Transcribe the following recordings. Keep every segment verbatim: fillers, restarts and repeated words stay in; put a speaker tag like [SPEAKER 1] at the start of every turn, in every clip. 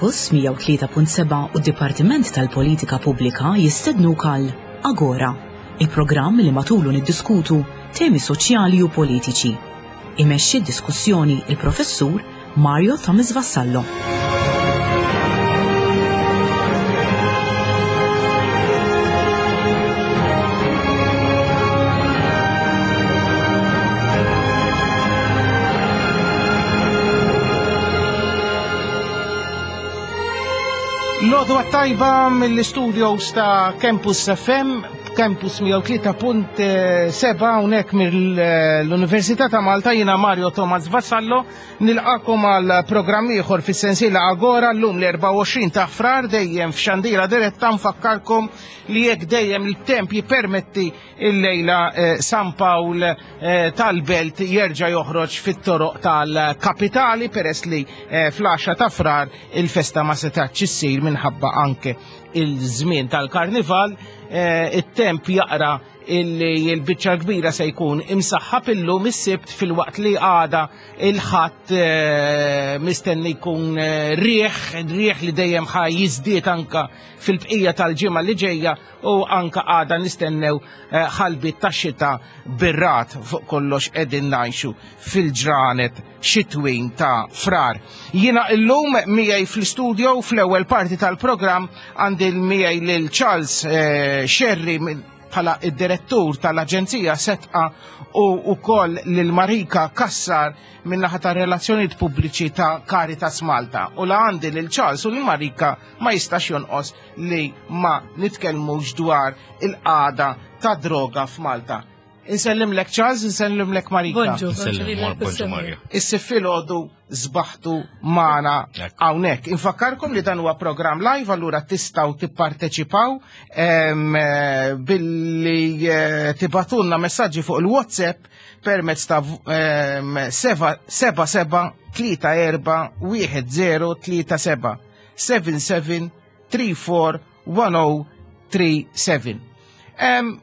[SPEAKER 1] Campus mija u tlieta punt sebgħa u d-Dipartiment tal-Politika Pubblika jistednuk għal Agora, il-programm li matulu niddiskutu temi soċjali u politiċi. Imexxi d-diskussjoni il-professur Mario Thomas Vassallo.
[SPEAKER 2] L-għodwa t-tajba mill-studios ta' Campus F M, Campus mija u tlieta punt sebgħa, hawnhekk mill-Università ta' Malta. Jiena Mario Thomas Vassallo, nilqagħkom għal programm ieħor fis-sensiela Agora, llum l-erbgħa u għoxrin ta' Frar, dejjem f'xandira diretta. Nfakkarkom li jekk dejjem il-temp jippermetti, il-lejla eh, San Pawl eh, tal-Belt jerġa' joħroġ fit-toroq tal-kapitali, peress li eh, fl-għaxra ta' Frar il-festa ma setax issir minħabba anke il-żmien tal-karnival. eh, it-temp jaqra illi l-biċċa kbira se jkun imsaħħab illum is-Sibt, filwaqt li għada il-Ħadd eh, mistenni jkun eh, riħ, riħ li dejjem ħa jiżdied anka fil-bqija tal-ġimgħa li ġejja, u anka għada nistennew eh, ħalbiet tax-xita bir-ragħad. Fuq kollox qegħdin ngħixu fil-ġranet xitwin ta' Frar. Jiena illum miegħi fl-studio, fl-ewwel parti tal-programm, għandi miegħi lil Charles eh, Scerri bħala id-direttur tal-Aġenzija Sedqa u ukoll lil Marika Kassar min-naħa ta' relazzjonijiet pubbliċi ta' Caritas Malta. U la għandi lil Charles u lil Marika, ma jistax jonqos li ma nitkellmux dwar il-qagħda ta' droga f'Malta. Insellimlek Charles, insellimlek Marika.
[SPEAKER 3] Bonġu.
[SPEAKER 4] Insellem, bonġu Mario.
[SPEAKER 2] Is-Sibt filgħodu sbaħtu magħna
[SPEAKER 4] Ekku.
[SPEAKER 2] hawnhekk. Infakkarkom li dan huwa programm live, allura tistgħu tipparteċipaw em, eh, billi eh, tibagħtulna messaġġi fuq il-WhatsApp permezz ta' em, seba seba seba tlieta erba' wieħed zero tlieta seba' seven seven three four one oh three seven. Em,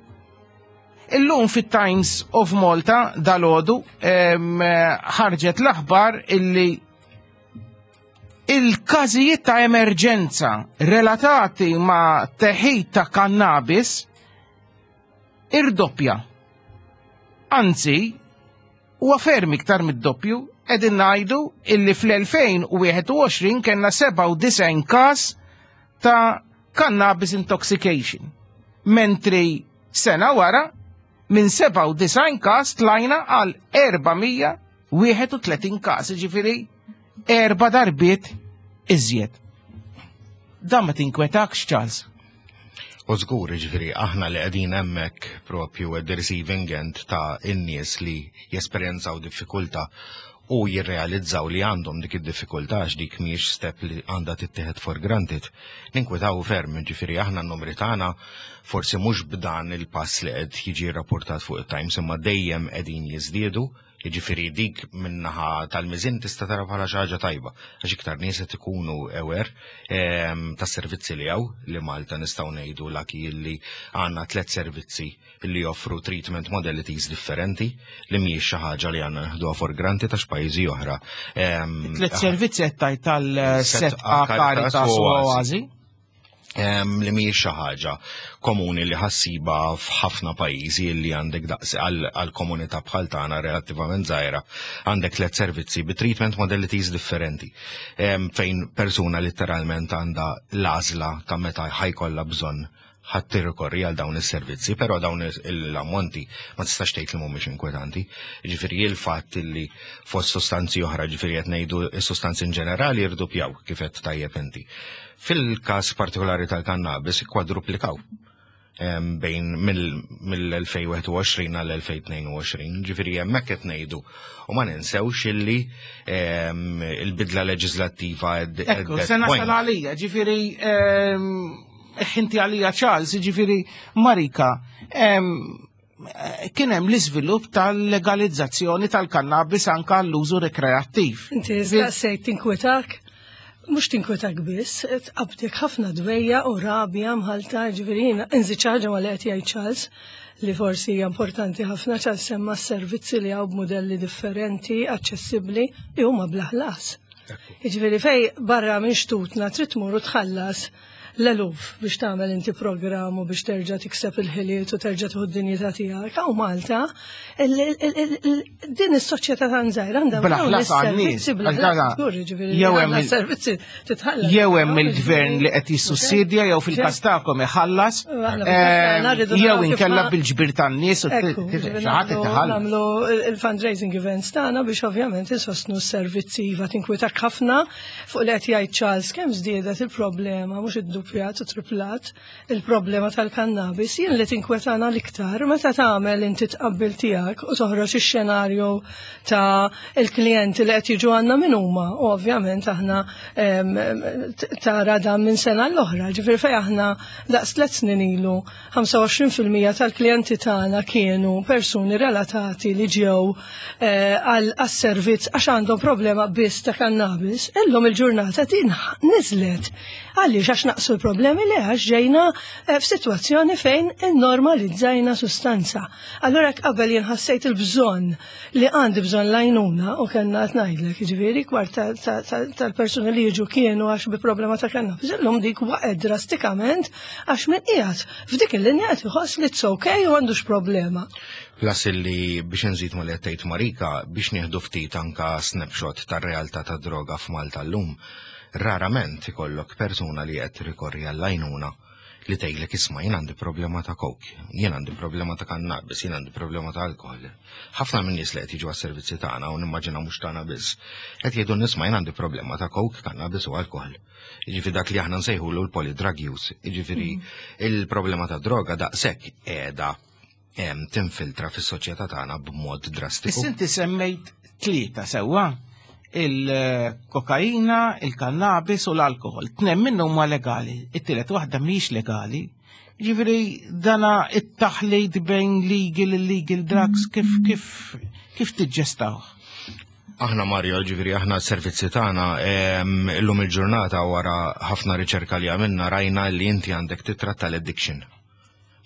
[SPEAKER 2] Illum fit-Times of Malta dalgħodu ħarġet l-aħbar illi il-każijiet ta' emerġenza relatati ma' teħid ta' kannabis irdoppja. Anzi, huwa ferm iktar mid-doppju. Qegħdin ngħidu illi fl-elfejn u wieħed u għoxrin kellna sebgħa u disgħin każ ta' cannabis intoxication. Mentri sena wara minn sebgħa u disgħin każ tlajna għal erba' mija u wieħed u tletin każ, ġifieri erba darbiet iżjed. Dan ma tinkwetakx, Charles?
[SPEAKER 4] U żgur, ġifieri, aħna li qegħdin hemmhekk propju at the receiving end ta' in-nies li jesperjenzaw diffikultà u jirrealizzaw li għandhom dik id-diffikultà, għax dik mhijiex step li għandha tittieħed for granted. Ninkwetaw ferm, ġifieri aħna n-numri tagħna forsi mhux b'dan il-pass li qed jiġi rapportat fuq it-Times, imma dejjem qegħdin jiżdiedu. Jiġifieri dik min-naħa tal-miżin tista' tara bħala xi ħaġa tajba, għax iktar nies qed ikunu aware ehm, tas-servizzi li hawn, li Malta nistgħu ngħidu lucky li għandna tliet servizzi li joffru treatment modalities differenti, li mhijiex xi ħaġa li għandna neħduha for granted għax pajjiżi oħra. ehm,
[SPEAKER 2] Tliet servizzi qed tgħid, tal-Sedqa, Caritas u Oażi.
[SPEAKER 4] em, li mhijiex xi ħaġa komuni li ħa ssibha f'ħafna pajjiżi li għandek daqs għal komunità bħal tagħna relattivament żgħira, għandek tliet servizzi bi treatment modalities differenti, em, fejn persuna letteralment għandha l-għażla ta' meta ħa jkollha bżonn ħa tirrikorri għal dawn is-servizzi, però dawn l-ammonti ma tistax tgħid li mhumiex inkwetanti. Ġifieri il-fatt li fost sostanzi oħra, ġifieri qed ngħidu s-sostanzi in ġenerali irdupjaw, kif qed tajjeb inti. Fil-każ partikolari tal-kannabis kwadruplikaw em, bejn mill-elfejn u wieħed u għoxrin għal elfejn u tnejn u għoxrin, ġifieri hemmhekk qed ngħidu. U ma ninsewx illi em, il-bidla leġislattiva at- at
[SPEAKER 2] Ekku,
[SPEAKER 4] that
[SPEAKER 2] se nasal
[SPEAKER 4] point.
[SPEAKER 2] għalija, ġifieri, inti għalija Charles, ġifieri Marika, em, kien hemm l-iżvilupp tal-legalizzazzjoni tal-kannabis anka l-użu rekreattiv.
[SPEAKER 3] Inti staqsejt tinkwetak, mhux tinkwetak biss, tqabdek ħafna dwejjaq u rabja mħallta. Ġifieri jiena nżid xi ħaġa ma li qed jgħid Charles li forsi hija importanti ħafna. Charles semma s-servizzi li hawn b'modelli differenti, aċċessibbli, li huma bla ħlas. Jiġifieri fejn barra minn xtutna trid tmur u tħallas l-eluf biex tagħmel inti programm u biex terġa' tikseb il-ħiliet u terġa' tieħu d-dinjità tiegħek. Hawn Malta, din is-soċjetà tan żgħira għandha
[SPEAKER 2] Bla ħlas għan-nies.
[SPEAKER 3] bla ħlas, żgur, jiġifieri
[SPEAKER 2] Jew hemm
[SPEAKER 3] għandna
[SPEAKER 2] il-
[SPEAKER 3] servizzi titħallas.
[SPEAKER 2] Jew hemm il-gvern li qed jissussidja jew fil-każ tagħkom iħallas,
[SPEAKER 3] Aħna fil-każ tagħna rridu
[SPEAKER 2] jew
[SPEAKER 3] naraw kif
[SPEAKER 2] inkella
[SPEAKER 3] ma-
[SPEAKER 2] bil-ġbir tan-nies u
[SPEAKER 3] Ekku, ġifieri
[SPEAKER 2] xi ħadd
[SPEAKER 3] nagħmlu-
[SPEAKER 2] iħallas.
[SPEAKER 3] nagħmlu il-fundraising events tagħna biex ovvjament insostnu s-servizzi, iva, tinkwitak ħafna fuq li qed jgħid Charles kemm żdiedet il-problema, mhux iddupjat u triplat il-problema tal-kannabis. Jien li tinkwetana l-iktar meta tagħmel inti tqabbil tiegħek u toħroġ ix-xenarju ta' il-klijenti li qed jiġu għandna min huma. U ovvjament aħna em, t- tara dan minn sena l-oħra. Ġifieri fejn aħna daqs tliet snin ilu ħamsa u għoxrin fil-mija tal-klijenti tagħna kienu persuni relatati li ġew eh, għal għas-servizz għax għandhom problema biss ta' kannabis. Illum il-ġurnata din niżlet. Għaliex? Għax naqsu l-problemi? Le, għax ġejna eh, f'sitwazzjoni fejn normalizzajna sustanza. Allora jekk qabel jien ħassejt il-bżonn li għandi bżonn l-għajnuna u kellna qed ngħidlek, jiġifieri kwart ta- ta- ta- tal-persuni li jiġu kienu għax bi problema ta' kannabis. Illum dik waqgħet drastikament għax min qiegħed f'dik il-linja qed iħoss li it's okay u għandux problema.
[SPEAKER 4] Plus illi biex nżid ma li għedt Marika, biex nieħdu ftit anka snapshot tar-realtà ta' droga f'Malta llum, rarament ikollok persuna li qed rikorri għall-għajnuna li tgħidlek, "Isma', jien għandi problema ta' coke, jien għandi problema ta' cannabis, jien għandi problema ta' alkohol." Ħafna minn nies li qed jiġu għas-servizzi tagħna, u nimmaġina mhux tagħna biss, qed jgħidu, "Isma', jien għandi problema ta' coke, cannabis u alkohol." Jiġifieri dak li aħna nsejħulu l-polydrug use. Jiġifieri il-problema ta' droga daqshekk qiegħda em, tinfiltra fis-soċjetà tagħna b'mod drastiku.
[SPEAKER 2] Issa inti semmejt tlieta sewwa: il-kokaina, il-kannabis u l-alkohol. Tnejn minnhom huma legali, it-tielet waħda mhijiex legali. Ġifieri dana it-taħlid bejn legal, illegal drugs kif kif kif tiġġestawh?
[SPEAKER 4] Aħna, Mario, ġifieri aħna s-servizzi tagħna em, illum il-ġurnata, wara ħafna riċerka li għamilna, rajna li inti għandek titratta l-addiction.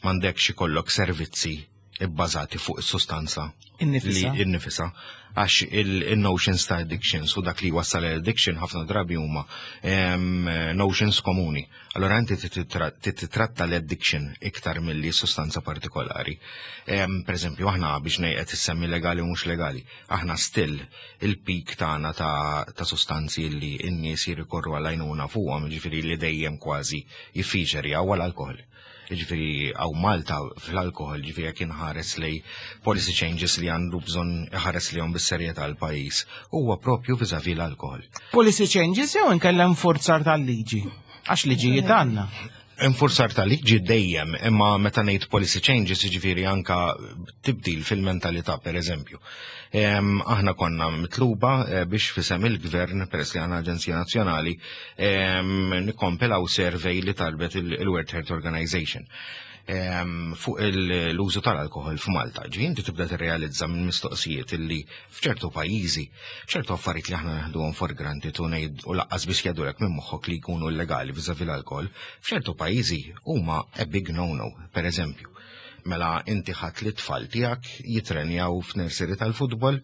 [SPEAKER 4] M'għandekx ikollok servizzi ibbażati fuq is-sustanza
[SPEAKER 2] Innifisa.
[SPEAKER 4] li innifisa, għax il-notions ta' addictions u dak li wassal l-addiction ħafna drabi huma em, notions komuni. Allora inti titratta l-addiction iktar milli sustanza partikolari. Em, Per eżempju, aħna biex ngħid issemmi legali u mhux legali, aħna still il-peak tagħna ta', ta' sustanzi li n-nies jirrikorru għal-għajnuna fuqhom, ġifieri li dejjem kważi jiffiċerja, huwa l-alkohol. Ġifieri hawn Malta fl-alkohol, ġifieri jekk inħares lejn policy changes li għandu bżonn iħares lejhom bis-serjetà l-pajjiż, huwa propju vis-à-vis l-alkohol.
[SPEAKER 2] Policy changes jew inkella nfurzar tal-liġi? Għax liġijiet għandna.
[SPEAKER 4] Infurzar tal-liġi dejjem, imma meta ngħid policy changes, ġifieri anka tibdil fil-mentalità, per eżempju. Em, aħna konna mitluba eh, biex f'isem il-gvern, peress li għandna Aġenzija Nazzjonali, em, nikkompilaw survey li talbet il- il-World Health Organization em, fuq il- l-użu tal-alkohol f'Malta. Ġi inti tibda tirrealizza minn mistoqsijiet illi f'ċertu pajjiżi, ċertu affarijiet li aħna neħduhom for granted u ngħid u lanqas biss jgħaddulek minn moħħok li jkunu illegali vis-à-vis l-alkohol, f'ċertu pajjiżi huma a big no-no, per eżempju. Mela inti ħadd li tfal tiegħek jitrenjaw f'nursery tal-futbol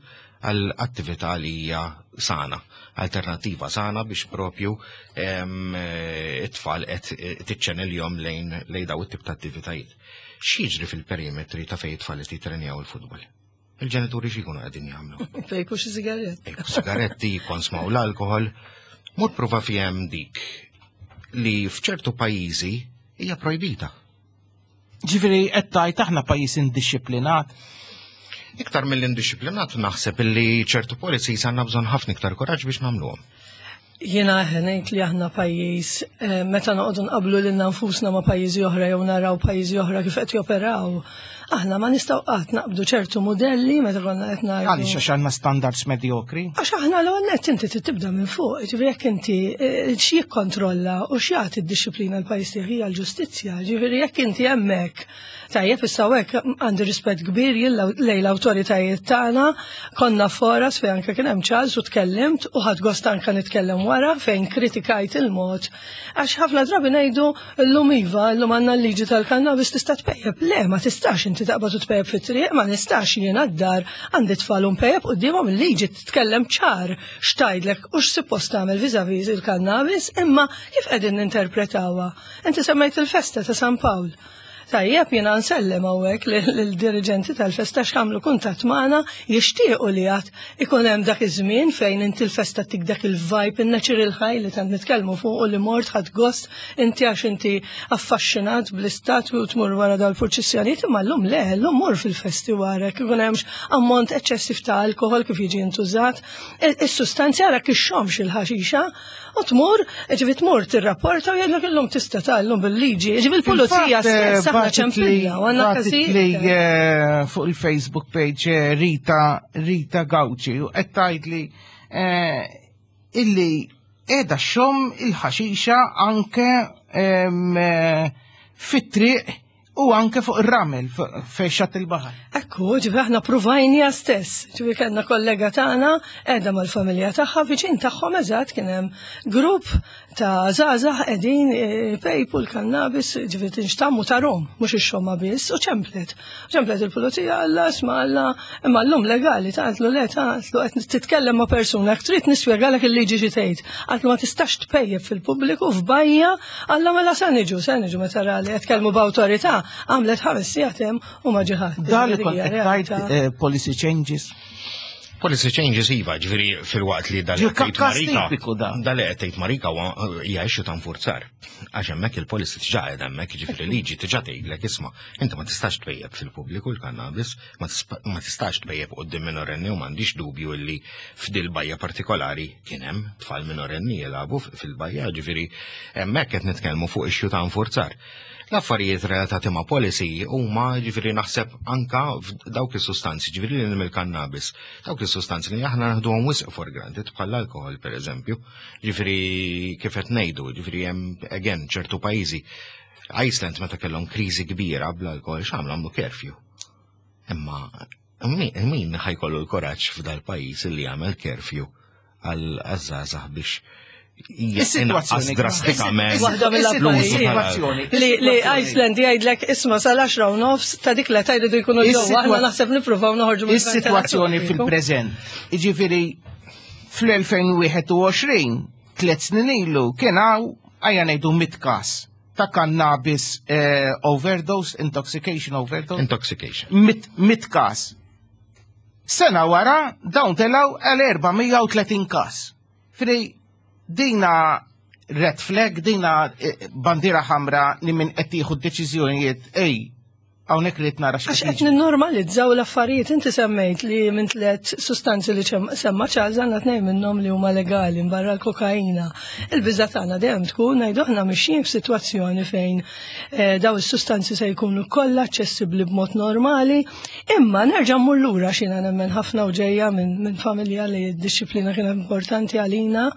[SPEAKER 4] għal attività li hija sana, alternativa sana biex propju em, eh, it-tfal qed tiċċenilhom lejn lejn daw it-tip ta' attivitajiet. X'jiġri fil-perimetri ta' fejn it-tfal qed jitrenjaw il-futbol? Il-ġenituri x'ikunu qegħdin jagħmlu?
[SPEAKER 3] Ipejpu xi sigaret.
[SPEAKER 4] Ejku sigaretti, konsmaw l-alkohol. Mur prova fhem dik li f'ċertu pajjiżi hija projbita.
[SPEAKER 2] Ġifieri qed tgħid aħna pajjiż indixxiplinat.
[SPEAKER 4] Iktar mill-indixxiplinat, naħseb illi ċertu policies għandna bżonn ħafna iktar kuraġġ biex nagħmluhom.
[SPEAKER 3] Jiena ngħid li aħna pajjiż, eh, meta noqogħdu nqablu lilna nfusna ma' pajjiżi oħra jew naraw pajjiżi oħra kif qed joperaw, aħna ma nistgħu qatt naqbdu ċertu modelli meta konna qed ngħidu.
[SPEAKER 2] Għaliex, għax għandna standards medjokri?
[SPEAKER 3] Għax aħna l nett inti trid tibda minn fuq, ġifieri jekk inti eh, x'jikkontrolla u x'jagħti d-dixxiplina l-pajjiż tiegħek hija l-ġustizzja, ġifieri jekk inti hemmhekk tajjeb, issa hekk għandi rispett kbir jien lejn l-awtoritajiet tagħna, konna foras fejn anke kien hemm Charles u tkellimt u ħadt gost anke nitkellem wara fejn kritikajt il-mod. Għax ħafna drabi ngħidu llum iva, llum għandna l-liġi tal-kannabis, tista' tpejjep. Le, ma tistax inti. inti taqbad u tpejjep fit-triq, ma nistax jiena d-dar għandi tfal u npejjep quddiemhom. Il-liġi titkellem ċar x'tgħidlek u x'suppost tagħmel vis-à-vis il-kannabis, imma kif qegħdin ninterpretawha? Inti semmejt il-festa ta' San Pawl. Tajjeb, jiena nsellem hawnhekk lill-diriġenti tal-festa x'għamlu kuntatt magħna, jixtiequ li għad ikun hemm dak iż-żmien fejn inti l-festa tik dak il-vibe, in-natural high li tant nitkellmu fuq u li mort ħadt gost inti għax inti affaxxinat bl-istatwi u tmur wara dal-purċissjonijiet, imma llum le, llum mur fil-festi wara ikun hemmx ammont eċċessiv ta' alkohol kif jiġi intużat, is-sustanzi ara kixxomx il-ħaxixa u tmur, ġifi tmur tirrapporta u jgħidlek illum tista' tgħallum bil-liġi, ġifi l-pulizija stess aħna ċempilla u għandna
[SPEAKER 2] Bagħtitli
[SPEAKER 3] każijiet.
[SPEAKER 2] eh, fuq il-Facebook page eh, Rita Rita Gauci u qed tgħidli eh, illi qiegħda xxomm il-ħaxixa anke em, eh, fit-triq u anke fuq ir-ramel fejn xatt il-baħar.
[SPEAKER 3] Ekku, ġifi aħna provajnija stess. Ġifi kellna kollega tagħna qiegħda mal-familja tagħha, viċin tagħhom eżatt kien hemm grupp ta' żgħażagħ qegħdin eh, pejpu l-kannabis, ġifi tinxtammu ta' rom, mhux ix-xomma biss, u ċemplet. Ċemplet il-pulizija, alla isma' alla, imma llum legali, ta' għatlu le, ta' għatlu qed titkellem ma' persuna, jekk trid nispjegalek il-liġi xi tgħid. Għatlu ma tistax tpejjep fil-pubbliku f'bajja, alla mela sa niġu, sa niġu meta ra li qed tkellmu b'awtorità, għamlet ħames sigħat hemm u ma ġie ħadd.
[SPEAKER 2] Dan li kont qed tgħid eh, policy changes.
[SPEAKER 4] Policy changes iva, ġifieri fil-waqt li dal
[SPEAKER 2] Ġi, ka- każ tipiku da.
[SPEAKER 4] Dal qed tgħid Marika huwa hija issue ta' nfurzar. Għax hemmhekk il-policy diġà qiegħda hemmhekk, ġifieri liġi diġà tgħidlek isma' inti ma tistax tpejjep fil-pubbliku l-kannabis, ma tispa- ma tistax tpejjep quddiem minorenni u m'għandix dubju illi f'dil bajja partikolari kien hemm tfal minorenni jilagħbu fil-bajja, ġifieri hemmhekk qed nitkellmu fuq issue ta' nfurzar. L-affarijiet relatati ma' policy huma ġifieri naħseb anka f'dawk is-sustanzi, ġifieri li mill-kannabis, dawk is-sustanzi li aħna naħduhom wisq for granted bħal alkohol pereżempju. Ġifieri kif qed ngħidu, ġifieri hemm again ċertu pajjiżi. Iceland meta kellhom kriżi kbira bl-alkohol x'għamlu? Għamlu curfew. Imma min min ħa jkollu l-kuraġġ f'dal pajjiż li jagħmel curfew għal żgħażagħ biex
[SPEAKER 2] Is-sitwazzjoni
[SPEAKER 4] inaqqas drastikament
[SPEAKER 3] Waħda mill-affarijiet.
[SPEAKER 2] Is-sitwazzjoni.
[SPEAKER 3] Li, li Iceland jgħidlek isma' sal-għaxra u nofs ta' dik l jridu jkunu ġewwa, aħna
[SPEAKER 2] Is-sitwa-
[SPEAKER 3] naħseb nippruvaw noħorġu
[SPEAKER 2] Is-sitwazzjoni fil-preżent. Iġifieri fl-elfejn u wieħed u għoxrin, tliet snin ilu, kien hawn ejja ngħidu mitt każ ta' cannabis eh, overdose, intoxication overdose.
[SPEAKER 4] Intoxication.
[SPEAKER 2] Mitt mitt każ. Sena wara dawn telaw għal erba' mija u tletin każ. Fri dina red flag, dina eh, bandira ħamra li min qed jieħu deċiżjonijiet, ej, hawnhekk li nara
[SPEAKER 3] Għax qed ninnormalizzaw l-affarijiet, inti semmejt li minn tliet sustanzi li ċem- semma Charles għandna tnejn minnhom li huma legali barra l-kokaina. Il-biża tagħna dejjem tkun ngħidu aħna mixjin f'sitwazzjoni fejn eh, daw is-sustanzi se jkunu kollha aċċessibbli b'mod normali, imma nerġa' mmur lura x'jiena nemmen ħafna u ġejja minn min familja li d-disciplina kienet importanti għalina.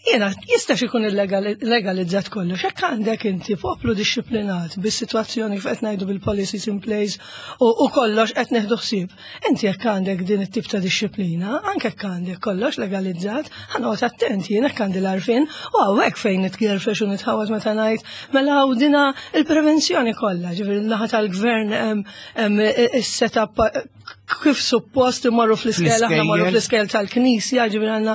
[SPEAKER 3] Jena, jistax ikun illegalizzat kollox, jekk għandek inti poplu disciplinat bis-sitwazzjoni kif qed ngħidu bil-policies in place u, u kollox qed neħdu ħsieb. Inti jekk għandek din it-tip ta' disciplina, anke jekk għandek kollox legalizzat, ħa noqgħod attent jien jekk għandi l-għarfien u hawnhekk fejn nitgerfex u nitħawat meta ngħid mela hawn dina il-prevenzjoni kollha, ġifieri l-naħa tal-gvern hemm hemm is-setup kif suppost imorru fl-iskejjel, aħna morru
[SPEAKER 2] Fl-iskejjel.
[SPEAKER 3] fl-iskejjel tal-knisja, ġifieri għandna.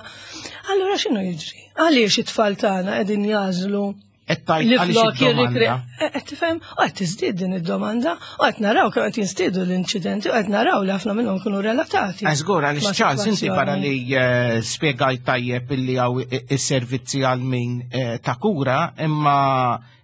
[SPEAKER 3] Allura x'inhu jiġri? Għaliex it-tfal tagħna qegħdin jażlu
[SPEAKER 2] Qed tgħid
[SPEAKER 3] li
[SPEAKER 2] għaliex
[SPEAKER 3] flok jirrikre.
[SPEAKER 2] id-domanda.
[SPEAKER 3] Qed tifhem, u qed tiżdied din id-domanda, u qed naraw kemm qed jinstiedu l-inċidenti, u qed naraw li ħafna minnhom kienu relatati.
[SPEAKER 2] Żgur, għaliex
[SPEAKER 3] ma'
[SPEAKER 2] Charles, inti
[SPEAKER 3] sitwazzjoni.
[SPEAKER 2] barra li eh, spiegajt tajjeb illi hawn is-servizzi għal min eh, ta' kura, imma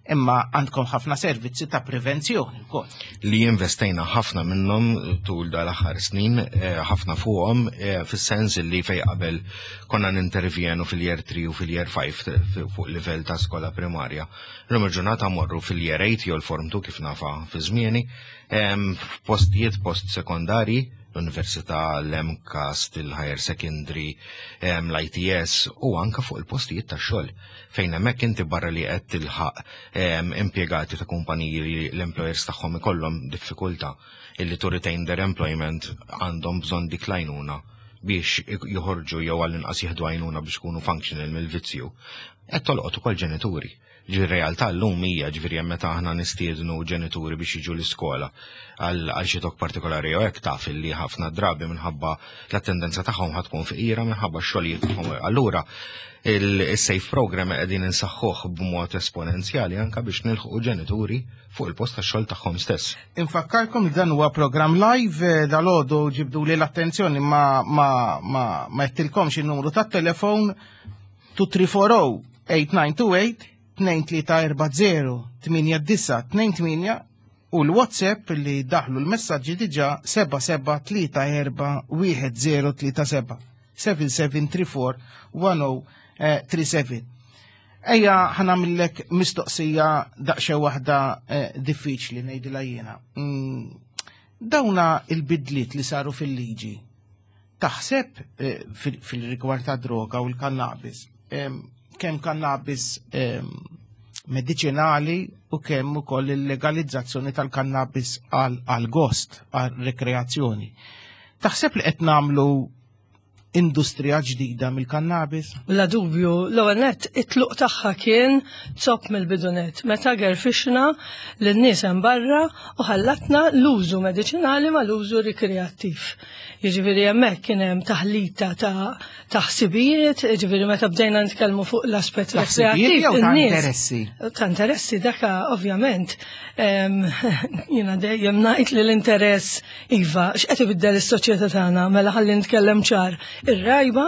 [SPEAKER 2] imma għandkom ħafna servizzi ta' prevenzjoni wkoll.
[SPEAKER 4] Li investejna ħafna minnhom tul dal-aħħar snin, eh, ħafna fuqhom, eh, fis-sens li fej qabel konna nintervjenu fil-year three u fil-year five fuq livell ta' skola primarja. Illum il-ġurnata morru fil-year eight jew l-form two kif nafa fi żmieni, em, f'postijiet post sekondari, l-Università, l-MCAST, il-Higher Secondary, em, l-I T S u anka fuq il-postijiet ta' xogħol. Fejn hemmhekk inti barra li qed tilħaq em, impjegati ta' kumpaniji li l-employers tagħhom ikollhom diffikultà illi to retain their employment għandhom bżonn dik l-għajnuna biex joħorġu jew għall-inqas jieħdu għajnuna biex ikunu functional mill-vizzju, qed tolqot ukoll ġenituri. Ġifieri realtà llum hija, ġifieri hemm meta aħna nistiednu ġenituri biex jiġu l-iskola għal għal xi talk partikolari jew hekk, taf li ħafna drabi minħabba l-attendenza tagħhom ħa tkun fqira minħabba x-xogħlijiet tagħhom. Allura il-SAFE program qegħdin insaħħuh b'mod esponenzjali anka biex nilħqu ġenituri fuq il-post tax-xogħol tagħhom stess.
[SPEAKER 2] Infakkarkom li dan huwa program live. eh, dalgħodu ġibdu li l-attenzjoni ma ma ma ma għedtilkomx il-numru tat-telefon tnejn tlieta erba' żero tmien disa' tnejn tmien tnejn tlieta erba' żero tmien disa' tnejn tmien u l-WhatsApp li daħlu l-messaġġi diġà seba' seba' tlieta erba' wieħed żero tlieta seba' seba' seba' tlieta erba' wieħed żero tlieta seba'. Ejja ħa nagħmillek mistoqsija daqsxejn waħda eh, diffiċli ngħidilha jiena. Mm, Dawna il-bidliet li saru fil-liġi, taħseb eh, fil- fil-rigward ta' droga u l-kannabis, em, kemm kannabis em, medicinali u kemm ukoll il-legalizzazzjoni tal-kannabis għal gost, għal rekreazzjoni. Taħseb li qed nagħmlu industrija ġdida mill-kannabis?
[SPEAKER 3] Bla dubju, l-ewwel net it-tluq tagħha kien zopp mill-bidunet. Meta gerfixna lin-nies hemm barra u ħallatna l-użu mediċinali ma l-użu rikreattiv. Jiġifieri hemmhekk kien hemm taħlita ta' ta' ħsibijiet, jiġifieri meta bdejna nitkellmu fuq l-aspett
[SPEAKER 2] Ta' ħsibijiet
[SPEAKER 3] rekreattiv.
[SPEAKER 2] jew ta'
[SPEAKER 3] in-nies-
[SPEAKER 2] interessi?
[SPEAKER 3] Ta' interessi, daka ovvjament. em, Jiena dejjem ngħid li l-interess iva, x'qed ibiddel is-soċjetà tagħna, mela ħalli nitkellem ċar. Ir-rajba,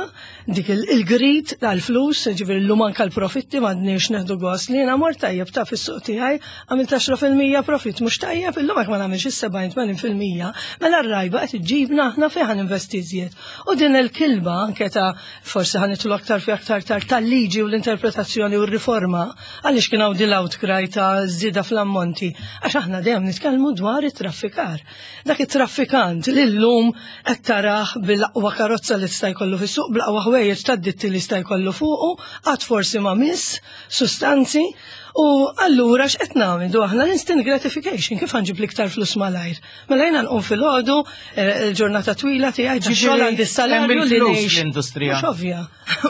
[SPEAKER 3] dik il- il-greed tal-flus, ġifieri llum anke l-profitti m'għadniex neħdu gost li jiena mort tajjeb ta' fis-suq tiegħi għamilt għaxra fil-mija profit, mhux tajjeb illum hekk ma nagħmilx is-sebgħin tmenin fil-mija, mela r-rajba qed iġġibna aħna fejn ħa ninvesti iżjed. U din il-kilba anke ta' forsi ħa nidħlu aktar fi aktar tard tal-liġi u l-interpretazzjoni u r-riforma, għaliex kien hawn din l-outcry ta' żieda fl-ammonti, għax aħna dejjem nitkellmu dwar it-traffikar. Dak it-traffikant li llum qed tarah bil-aqwa karozza li tista' jkollu fis-suq, bl-aqwa ħwejjeġ tad-ditti li jista' jkollu fuqu, qatt forsi ma miss sustanzi, u allura x'qed nagħmlu aħna? L-instant gratification, kif ħa nġib l-iktar flus malajr. Mela jiena nqum filgħodu, eh, il-ġurnata twila tiegħi tax-xogħol, għandi s-salarju
[SPEAKER 2] hemm
[SPEAKER 3] li
[SPEAKER 2] il-flus
[SPEAKER 3] ngħix.
[SPEAKER 2] l-industrija.
[SPEAKER 3] Mhux ovvja,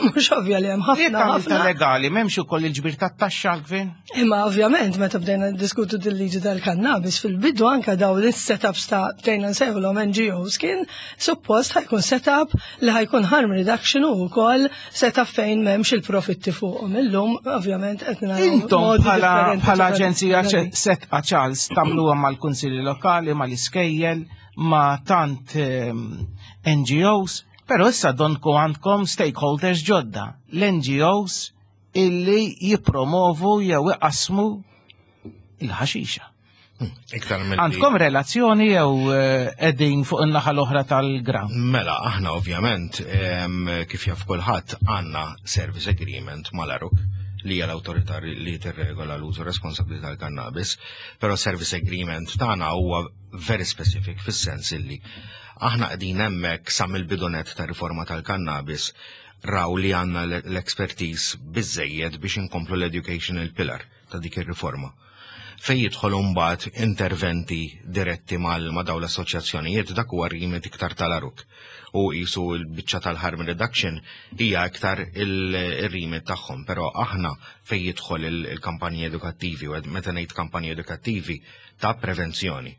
[SPEAKER 3] mhux ovvja li hemm
[SPEAKER 2] Jekk
[SPEAKER 3] ħafna
[SPEAKER 2] għamilta
[SPEAKER 3] ħafna.
[SPEAKER 2] legali, m'hemmx ukoll il-ġbir tat-taxxa għall-gvern?
[SPEAKER 3] Imma ovvjament meta bdejna diskutu dil-liġi tal-kannabis fil-bidu, anka daw l-setups ta' bdejna nsejħulhom N G Os, kien suppost ħa jkun setup li ħa jkun harm reduction u wkoll setup fejn m'hemmx il-profitti fuqhom. Illum ovvjament qed naraw
[SPEAKER 2] Intom
[SPEAKER 3] modi
[SPEAKER 2] bħala
[SPEAKER 3] differenti
[SPEAKER 2] bħala
[SPEAKER 3] ta'
[SPEAKER 2] aġenzija
[SPEAKER 3] differenti.
[SPEAKER 2] Sedqa, Charles, tagħmluha mal-kunsilli lokali, mal-iskejjel, ma' tant ehm, N G Os, però issa donku għandkom stakeholders ġodda, l-N G Os illi jipromovu jew iqasmu il-ħaxixa.
[SPEAKER 4] Iktar mill
[SPEAKER 2] Għandkom relazzjoni jew eh, qegħdin fuq in-naħa l-oħra tal-ground?
[SPEAKER 4] Mela, aħna ovvjament, em, kif jaf kulħadd, għandna service agreement mal-ARUC li hija l-awtorità li tirregola l-użu responsabbli tal-kannabis, però service agreement tagħna huwa very specific fis-sens illi aħna qegħdin hemmhekk sa mill-bidunet ta' riforma tal-kannabis raw li għandna l-expertise biżejjed biex inkomplu l-educational pillar ta' dik ir-riforma. Fej jidħol mbagħad interventi diretti mal ma' dawn l-assoċjazzjonijiet, dak huwa remit iktar tal-ARUC. U qisu l-biċċa tal-harm reduction hija iktar il-remit tagħhom, però aħna fej jidħol il-kampanji edukattivi, u meta ngħid kampanji edukattivi ta' prevenzjoni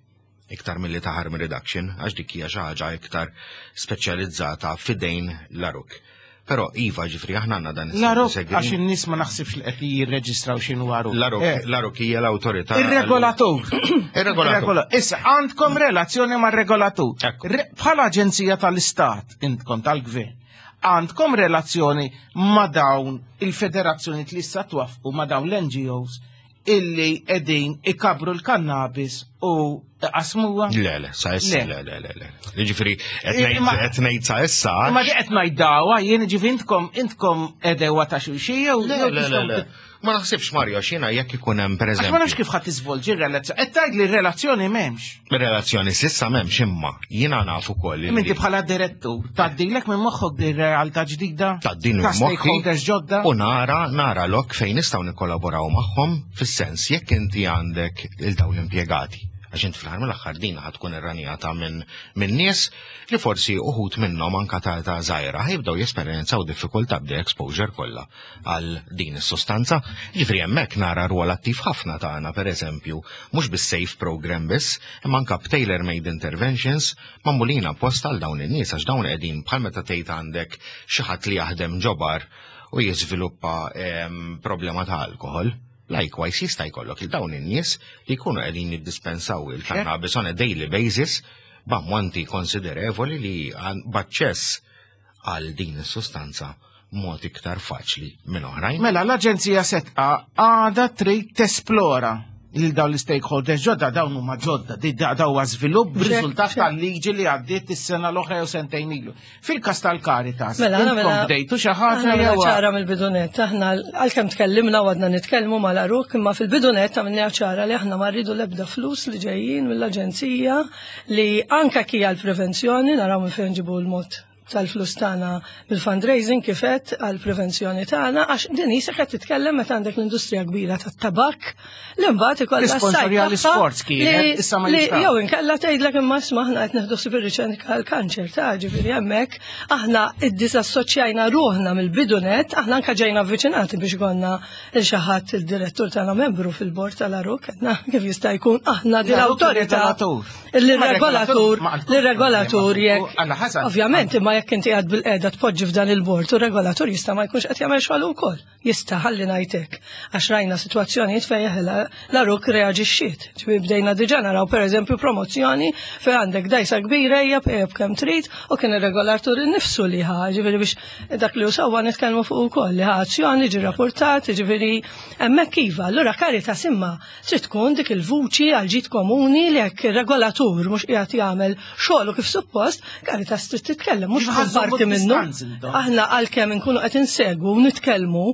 [SPEAKER 4] iktar milli ta' harm reduction, għax dik hija xi ħaġa iktar speċjalizzata fidejn l-ARUC. Però iva, ġifieri aħna għandna dan
[SPEAKER 2] L-ARUC, għax in-nies ma naħsibx li qed jirreġistraw x'inhu ARUC.
[SPEAKER 4] L-ARUC hija l-awtorità.
[SPEAKER 2] Ir-regolatur.
[SPEAKER 4] Ir-regolatur.
[SPEAKER 2] Issa għandkom relazzjoni mar-regolatur. Bħala aġenzija tal-Istat, intkom tal-Gvern, għandkom relazzjoni ma' dawn il-federazzjoni li issa twaffqu, ma' dawn l-N G Os illi qegħdin ikabru l-kannabis u qasmuha?
[SPEAKER 4] Le, le, sa issa, le, le, le, le. Ġifieri, qed ngħid sa issa.
[SPEAKER 2] Ma di qed ngħiddawa, jien ġifieri intkom intkom għedewwa ta' xulxin jew?
[SPEAKER 4] Le, le, le, le. Ma naħsibx, Mario, xina jekk ikun hemm pereżempju.
[SPEAKER 2] Ma nafx kif ħadd tiżvolġi r-relazzjoni. Qed tgħid li r-relazzjoni m'hemmx.
[SPEAKER 4] Ir-relazzjoni s'issa m'hemmx, imma jiena naf ukoll.
[SPEAKER 2] Inti bħala direttur, tgħaddilek minn moħħok di realtà ġdida?
[SPEAKER 4] Tgħaddin
[SPEAKER 2] Ta' stakeholders ġodda?
[SPEAKER 4] U nara, nara lok fejn nistgħu nikkollaboraw magħhom fis-sens jekk inti għandek il dawn l-impjegati Għax int fl-aħħar mill-aħħar din ħa tkun irranjata minn min nies li forsi uħud minnhom anka ta' ta' żgħira ħa jibdew jesperjenzaw diffikultà b'di exposure kollha għal din is-sostanza. Ġifieri hemmhekk nara rwol attiv ħafna tagħna, pereżempju, mhux bis-SAFE program biss, imma anka b'tailor-made interventions magħmulin apposta għal dawn in-nies, għax dawn qegħdin bħal meta tgħid għandek xi ħadd li jaħdem ġo bar u jiżviluppa em, problema ta' alkohol. Likewise jista' jkollok il dawn in-nies li jkunu qegħdin jiddispensaw il-cannabis on a daily basis b'ammonti konsiderevoli li għan- b'aċċess għal din is-sustanza mod iktar faċli minn oħrajn.
[SPEAKER 2] Mela, l-Aġenzija Sedqa għada trid tesplora lil dawn l-stakeholders ġodda. Dawn huma ġodda, di da daw huwa żvilupp b'riżultat tal-liġi li għaddiet is-sena l-oħra jew sentejn ilu. Fil-każ tal-Caritas,
[SPEAKER 3] Mela, aħna
[SPEAKER 2] intkom
[SPEAKER 3] mela-
[SPEAKER 2] bdejtu xi ħaġa
[SPEAKER 3] Aħna mela
[SPEAKER 2] jew
[SPEAKER 3] ċara mill-bidu nett, aħna għalkemm tkellimna u għadna nitkellmu mal-ARUC, imma fil-bidu nett għamilna ċara li aħna ma rridu l-ebda flus li ġejjin mill-aġenzija, li anka kija l-prevenzjoni, naraw minn fejn ġibu l-mod tal-flus tagħna bil-fundraising kifet għal-prevenzjoni tagħna, għax din jisek qed titkellem meta għandek l-industrija kbira tat-tabak li mbagħad ikollha
[SPEAKER 2] L-isponsorja
[SPEAKER 3] s-sajt tagħha
[SPEAKER 2] l-isports kienet,
[SPEAKER 3] li-
[SPEAKER 2] issa ma
[SPEAKER 3] li
[SPEAKER 2] jistax.
[SPEAKER 3] Jew inkella tgħidlek, imma isma', aħna qed neħdu ħsieb ir-riċerka għall-kanċer ta'. Ġifieri hemmhekk aħna iddisassoċjajna ruħna mill-bidu nett. Aħna anke ġejna avviċinati biex konna il xi ħadd, il-direttur tagħna membru fil-bord tal-ARUC, għedna kif jista' jkun aħna din
[SPEAKER 2] L-ARUC
[SPEAKER 3] l-awtorità
[SPEAKER 2] regolatur.
[SPEAKER 3] Il-regolatur,
[SPEAKER 2] Ma għandkom
[SPEAKER 3] l-regolatur
[SPEAKER 2] problema.
[SPEAKER 3] jekk
[SPEAKER 2] Għalla ħasan.
[SPEAKER 3] Ovvjament, imma jekk inti għad bil-qeda tpoġġi f'dan il-bord u regolatur jista' ma jkunx qed jagħmel xogħol ukoll. Jista', ħalli ngħidlek. Għax rajna sitwazzjonijiet fejn l-ARUC reaġixxiet. Ġifieri bdejna diġà naraw, pereżempju, promozzjoni fejn għandek dajsa kbira, hija pejjeb kemm trid, u kien ir-regolatur innifsu li ħa, ġifieri biex dak li sewwa nitkellmu fuq ukoll, li ħa azzjoni, ġi rapportat, ġifieri hemmhekk iva. Allura Caritas imma trid tkun dik il-vuċi għal ġid komuni li jekk ir-regolatur mhux qiegħed jagħmel xogħlu kif suppost, Caritas trid titkellem, mhux tkun
[SPEAKER 2] Ħażżomu
[SPEAKER 3] parti minnu.
[SPEAKER 2] distanz intom.
[SPEAKER 3] Aħna għalkemm inkunu qed insegwu u nitkellmu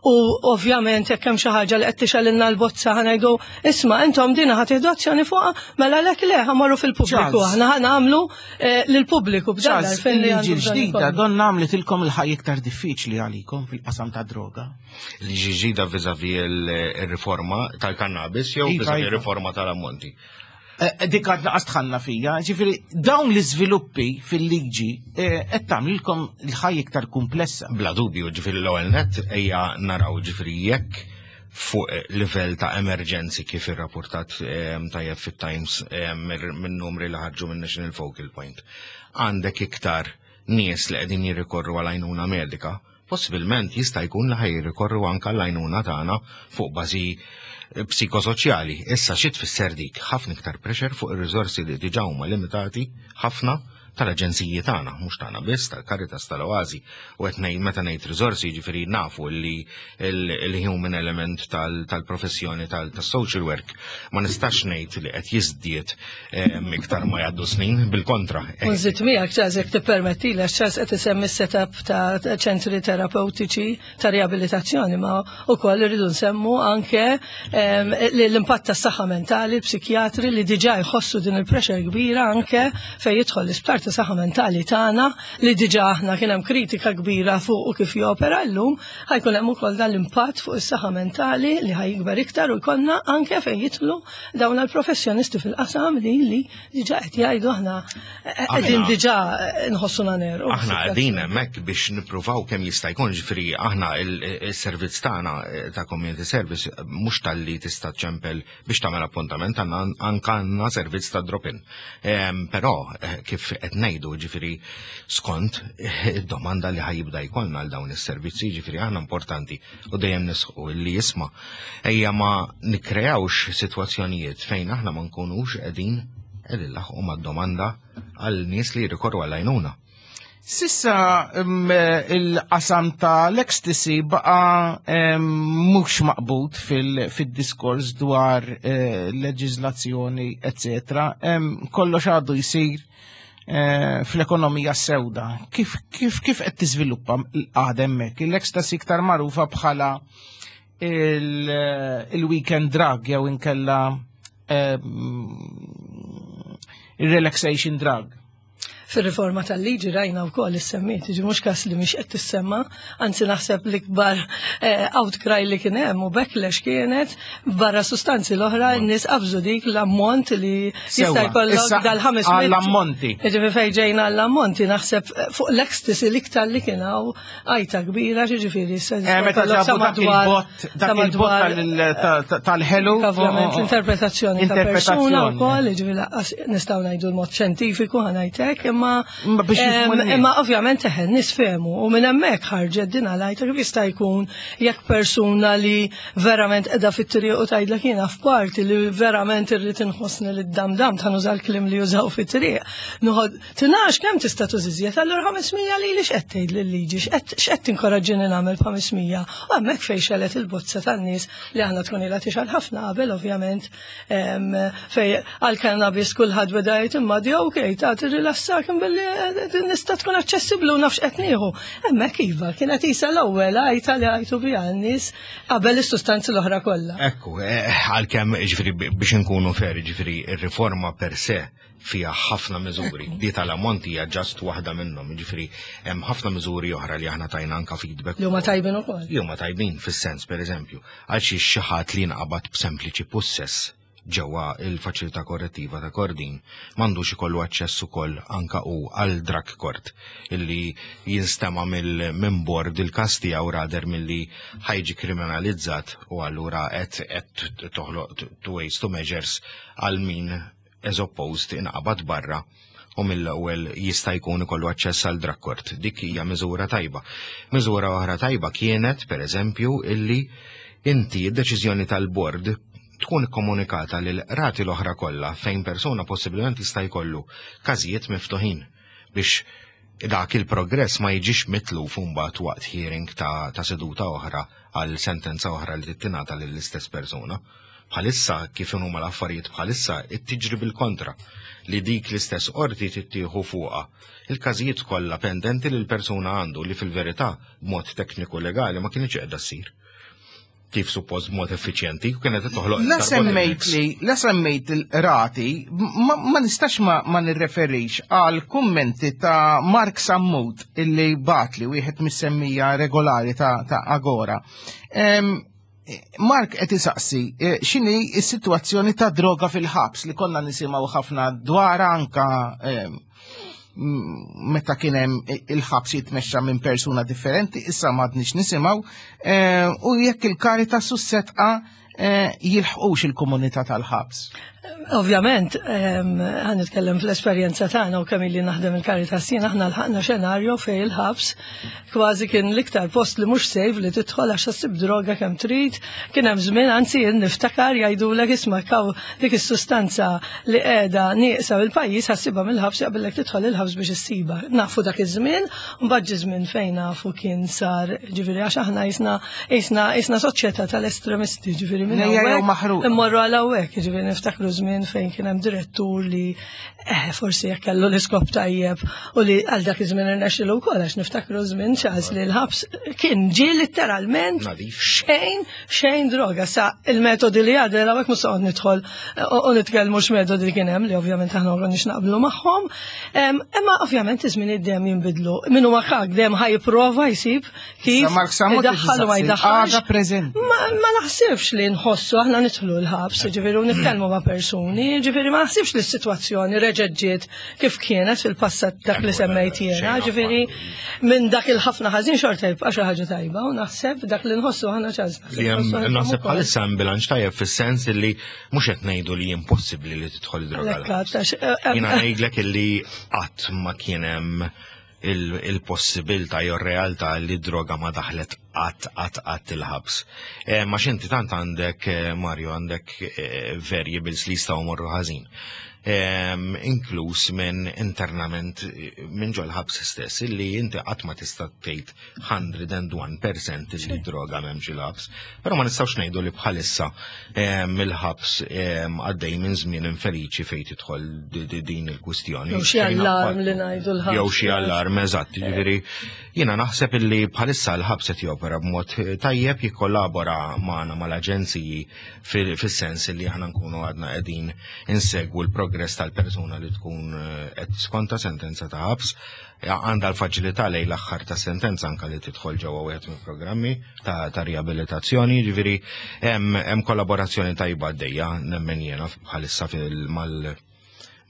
[SPEAKER 3] u ovvjament jekk hemm xi ħaġa li qed tixgħelilna l-bozza ħa ngħidu, isma', intom dina ħa tieħdu azzjoni fuqha, mela lek le, ħa mmorru fil-pubbliku,
[SPEAKER 2] Charles.
[SPEAKER 3] aħna ħa nagħmlu eh, lill-pubbliku b'dan
[SPEAKER 2] Charles,
[SPEAKER 3] l-għarfien li
[SPEAKER 2] il-liġi
[SPEAKER 3] għandu bżonn
[SPEAKER 2] l-ġdida
[SPEAKER 3] ikollna.
[SPEAKER 2] donna għamlitilkom il-ħajja iktar diffiċli għalikom fil-qasam ta' droga.
[SPEAKER 4] Liġi ġdida vis-a-vis il-riforma tal-kannabis jew
[SPEAKER 2] Iva,
[SPEAKER 4] vis-a-vis
[SPEAKER 2] iva.
[SPEAKER 4] il-riforma tal-ammonti?
[SPEAKER 2] Eh, Dik għadna qas fija, ġifieri dawn l-iżviluppi fil-liġi eh, qed tagħmlilkom il-ħajja iktar komplessa.
[SPEAKER 4] Bla dubju, ġifieri l-ewwel net ejja naraw, ġifieri jekk fuq livell ta' emerġenzi, kif irrapportat em, tajjeb fit-Times em, minn numri li ħarġu minn National Focal Point, għandek iktar nies li qegħdin jirrikorru għal għajnuna medika, possibilment jista' jkun li ħa jirrikorru anke għall-għajnuna tagħna fuq bażi psikosoċjali. Issa xi tfisser dik? Ħafna iktar pressure fuq ir-riżorsi li diġà huma limitati ħafna tal-aġenziji tagħna, mhux tagħna biss, tal-Caritas, tal-Oasi. U qed ngħid, meta ngħid riżorsi, jiġifieri nafu li il-human element tal-professjoni tal-social work ma nistax ngħid li qed jiżdied iktar ma jgħaddu snin, bil-kontra.
[SPEAKER 3] Unżid miegħek, Charles, jekk tippermetti, għax Charles qed isemmi setup ta' ċentri terapeutiċi ta' riabilitazzjoni, ma wkoll irridu nsemmu anke l-impatt tas-saħħa mentali, l-psikjatri li diġà jħossu din il-pressure kbira anke fejn jidħol l-isptar ta' saħħa mentali tagħna, li diġà aħna kien hemm kritika kbira fuq u kif jopera llum, ħa jkun hemm ukoll dan l-impatt fuq is-saħħa mentali li ħa jikber iktar u jkollna anke fejn jidħlu dawn il-professjonisti fil-qasam li li diġà qed jgħidu, aħna qegħdin diġà nħossuna neru.
[SPEAKER 4] Aħna qegħdin hemmhekk biex nippruvaw kemm jista' jkun, ġifieri aħna il-servizz tagħna ta' community service mhux talli tista' ċempel biex tagħmel appuntament, għandna anke għandna servizz ta' drop-in. Però kif qed ngħidu, ġifieri skont id-domanda li ħa jibda jkollna għal dawn is-servizzi, ġifieri aħna importanti u dejjem nisħu li, isma', ejja ma nikkreawx sitwazzjonijiet fejn aħna ma nkunux qegħdin qegħdin nlaħħqu mad-domanda għal nies li jirrikorru għal għajnuna.
[SPEAKER 2] S'issa il-qasam ta' l-ecstasy baqa mhux maqbud fil-diskors dwar eh, leġizlazzjoni, eccetera. Kollox għadu jisir eh, fl-ekonomija sewda. Kif kif kif qed tiżviluppa l-qagħda hemmhekk? Il-ecstasy iktar magħrufa bħala il-weekend drug jew inkella il-relaxation drug.
[SPEAKER 3] Fir-riforma tal-liġi rajna wkoll issemmiet, ġi mhux każ li mhix qed tissemma, anzi naħseb l-ikbar eh, outcry li kien hemm u backlash kienet barra sustanzi l-oħra, n-nies qabżu dik l-ammont li jista' jkollok dal-ħames
[SPEAKER 2] Għall-ammonti.
[SPEAKER 3] Ġifieri fejn ġejna għall-ammonti, naħseb fuq l-ecstasy l-iktar li kien hawn għajta kbira, ġifieri
[SPEAKER 2] eh, meta ġabu dak il-bot, dak il-bot tal-ħelu.
[SPEAKER 3] Ovvjament l-interpretazzjoni ta' persuna wkoll, ġifieri nistgħu ngħidu l-mod xjentifiku ħa ngħidlek, imma imma ovvjament eħen nies fehmu u minn hemmhekk ħarġet din għalajta kif jista' jkun jekk persuna li verament qiegħda fit-triq u tgħidlek jiena f'parti li verament irrid inħossni li d-dam-dam ta' nuża l-kliem li jużaw fit-triq. Nuħod tinax kemm tista' tużiżjed, allura ħames mija li li x'qed tgħid lill-liġi, x'qed tinkoraġġini nagħmel b'ħames mija. U hemmhekk fejn xelet il-bozza tan-nies li aħna tkun ilha tixgħel ħafna qabel, ovvjament, fej għal-cannabis kulħadd beda jgħid imma di okej ta' tirrilassak billi nista' tkun aċċessibbli u nafx qed nieħu. Hemmhekk iva kienet isa l-ewwel għajta li għajtu biha n-nies qabel is-sustanzi l-oħra kollha.
[SPEAKER 4] Ekku, eh, għalkemm, ġifieri, biex nkunu fair, ġifieri ir-riforma per se fija ħafna miżuri. Di tal-ammonti hija just waħda minnhom, ġifieri hemm ħafna miżuri oħra li aħna tajna anka feedback.
[SPEAKER 3] Li huma tajbin ukoll.
[SPEAKER 4] Li huma tajbin fis-sens, pereżempju, għal xi xi ħadd li nqabad b'sempliċi pussess ġewwa il-faċilità korrettiva ta' Kordin m'għandux ikollu aċċess ukoll anka u għal drug court illi jinstema' minn bord il-każ tiegħu rather milli ħa jiġi kriminalizzat u allura qed qed toħloq two ways to measures għal min as opposed inqabad barra u mill-ewwel jista' jkun ikollu aċċess għal drug court. Dik hija miżura tajba. Miżura oħra tajba kienet, per eżempju, illi inti id-deċiżjoni tal-bord tkun komunikata lil rati l-oħra kollha fejn persuna possibilment jista' jkollu każijiet miftuħin biex dak il-progress ma jiġix mitluf mbagħad waqt hearing ta', ta seduta oħra għal sentenza oħra li tingħata lill-istess persuna. Bħalissa, kif huma l-affarijiet bħalissa, tiġri bil-kontra li dik l-istess qorti tittieħu fuqha il-każijiet kollha pendenti li l-persuna għandu, li fil-verità b'mod tekniku legali ma kienx qiegħda ssir kif suppost b'mod effiċjenti u kienet toħloq.
[SPEAKER 2] La semmejt li, la semmejt il-rati, ma, ma nistax ma, ma nirreferix għal kummenti ta' Mark Sammut illi bat li wieħed mis-semmija regolari ta', ta' Agora. Em, Mark qed isaqsi eh, x'inhi s-sitwazzjoni ta' droga fil-ħabs li konna nisimgħu ħafna dwar anka em, m- meta kien hemm il-ħabs jitmexxa minn persuna differenti, issa m'għadniex nisimgħu, eh, u jekk il-Caritas u s-Sedqa eh, jilħqux il-komunità tal-ħabs.
[SPEAKER 3] Ovvjament, ħa nitkellem fl-esperjenza tagħna u kemm ili naħdem il-Caritas jien, aħna lħaqna xenarju fej il-ħabs kważi kien l-iktar post li mhux safe li tidħol għax ssib droga kemm trid. Kien hemm żmien, anzi jien niftakar jgħidulek isma' kaw dik is-sustanza li qiegħda nieqsa fil-pajjiż ħa ssibha mill-ħabs, jaqbillek tidħol il-ħabs biex issiba. Nafu dak iż-żmien, u mbagħad ġie żmien fejn nafu kien sar, ġifieri għax aħna jisna jisna jisna soċjetà tal-estremisti, ġifieri minn
[SPEAKER 2] Nejja jew
[SPEAKER 3] hawnhekk
[SPEAKER 2] maħruqa.
[SPEAKER 3] immorru għal hawnhekk, ġifieri niftakru żmien fejn kien hemm direttur li eh, forsi jekk kellu l-iskop tajjeb u li għal dak iż-żmien irnexxilu wkoll, għax niftakru żmien ċans li l-ħabs kien ġie letteralment
[SPEAKER 4] Nadif.
[SPEAKER 3] xejn xejn droga. Sa il-metodi li għadel hawnhekk mhux soqgħod nidħol u u nitkellmu x'metodi li kien hemm li ovvjament aħna ma konniex naqblu magħhom. Em, Imma ovvjament iż-żmien dejjem jinbidlu. Min huwa kak dejjem ħa jipprova jsib kif
[SPEAKER 2] Sa Mark Sammut
[SPEAKER 3] idaħħal u ma
[SPEAKER 2] qed isaqsi,
[SPEAKER 3] jdaħħalx.
[SPEAKER 2] għadha preżenti.
[SPEAKER 3] Ma, ma naħsibx li nħossu, aħna nidħlu l-ħabs, ġifieri, u nitkellmu ma' persuni, ġifieri ma naħsibx li s-sitwazzjoni reġgħet ġiet kif kienet fil-passat dak li semmejt jiena, ġifieri minn dak il-ħafna ħażin xorta jibqa' xi ħaġa tajba u naħseb dak li nħossu aħna ċans.
[SPEAKER 4] Li hemm naħseb bħalissa hemm bilanċ tajjeb fis-sens li mhux qed ngħidu li impossibbli li tidħol droga. l-ħabs. Jiena ngħidlek illi qatt ma kien hemm il- il-possibilità jew realtà li droga ma daħlet qatt qatt qatt il-ħabs. Eh, Ma xinti tant għandek, eh, Mario, għandek eh, variables li jistgħu morru ħażin. Em, Inkluż minn internament eh, minn ġol ħabs stess, illi inti qatt ma tista' tgħid mija u wieħed fil-mija illi droga m'hemmx il-ħabs. Però ma nistgħux ngħidu li bħalissa em, il-ħabs em, għaddej minn żmien infeliċi fejn tidħol di- di- din il-kwistjoni.
[SPEAKER 3] Jew xi
[SPEAKER 4] Xejn
[SPEAKER 3] allarm
[SPEAKER 4] affattu.
[SPEAKER 3] li ngħidu l-ħabs.
[SPEAKER 4] Jew xi allarm, eżatt, ġifieri jiena naħseb illi bħalissa l-ħabs qed jopera jopera b'mod tajjeb, jikkollabora magħna mal-aġenziji fis-sens li aħna nkunu għadna qegħdin insegwu l-progress tal-persuna li tkun qed skonta sentenza ta' ħabs. Għandha l-faċilità lejn l-aħħar ta' sentenza anka li tidħol ġewwa wieħed mill-programmi ta', ta riabilitazzjoni, ġifieri hemm kollaborazzjoni tajba għaddejja nemmen jiena bħalissa mal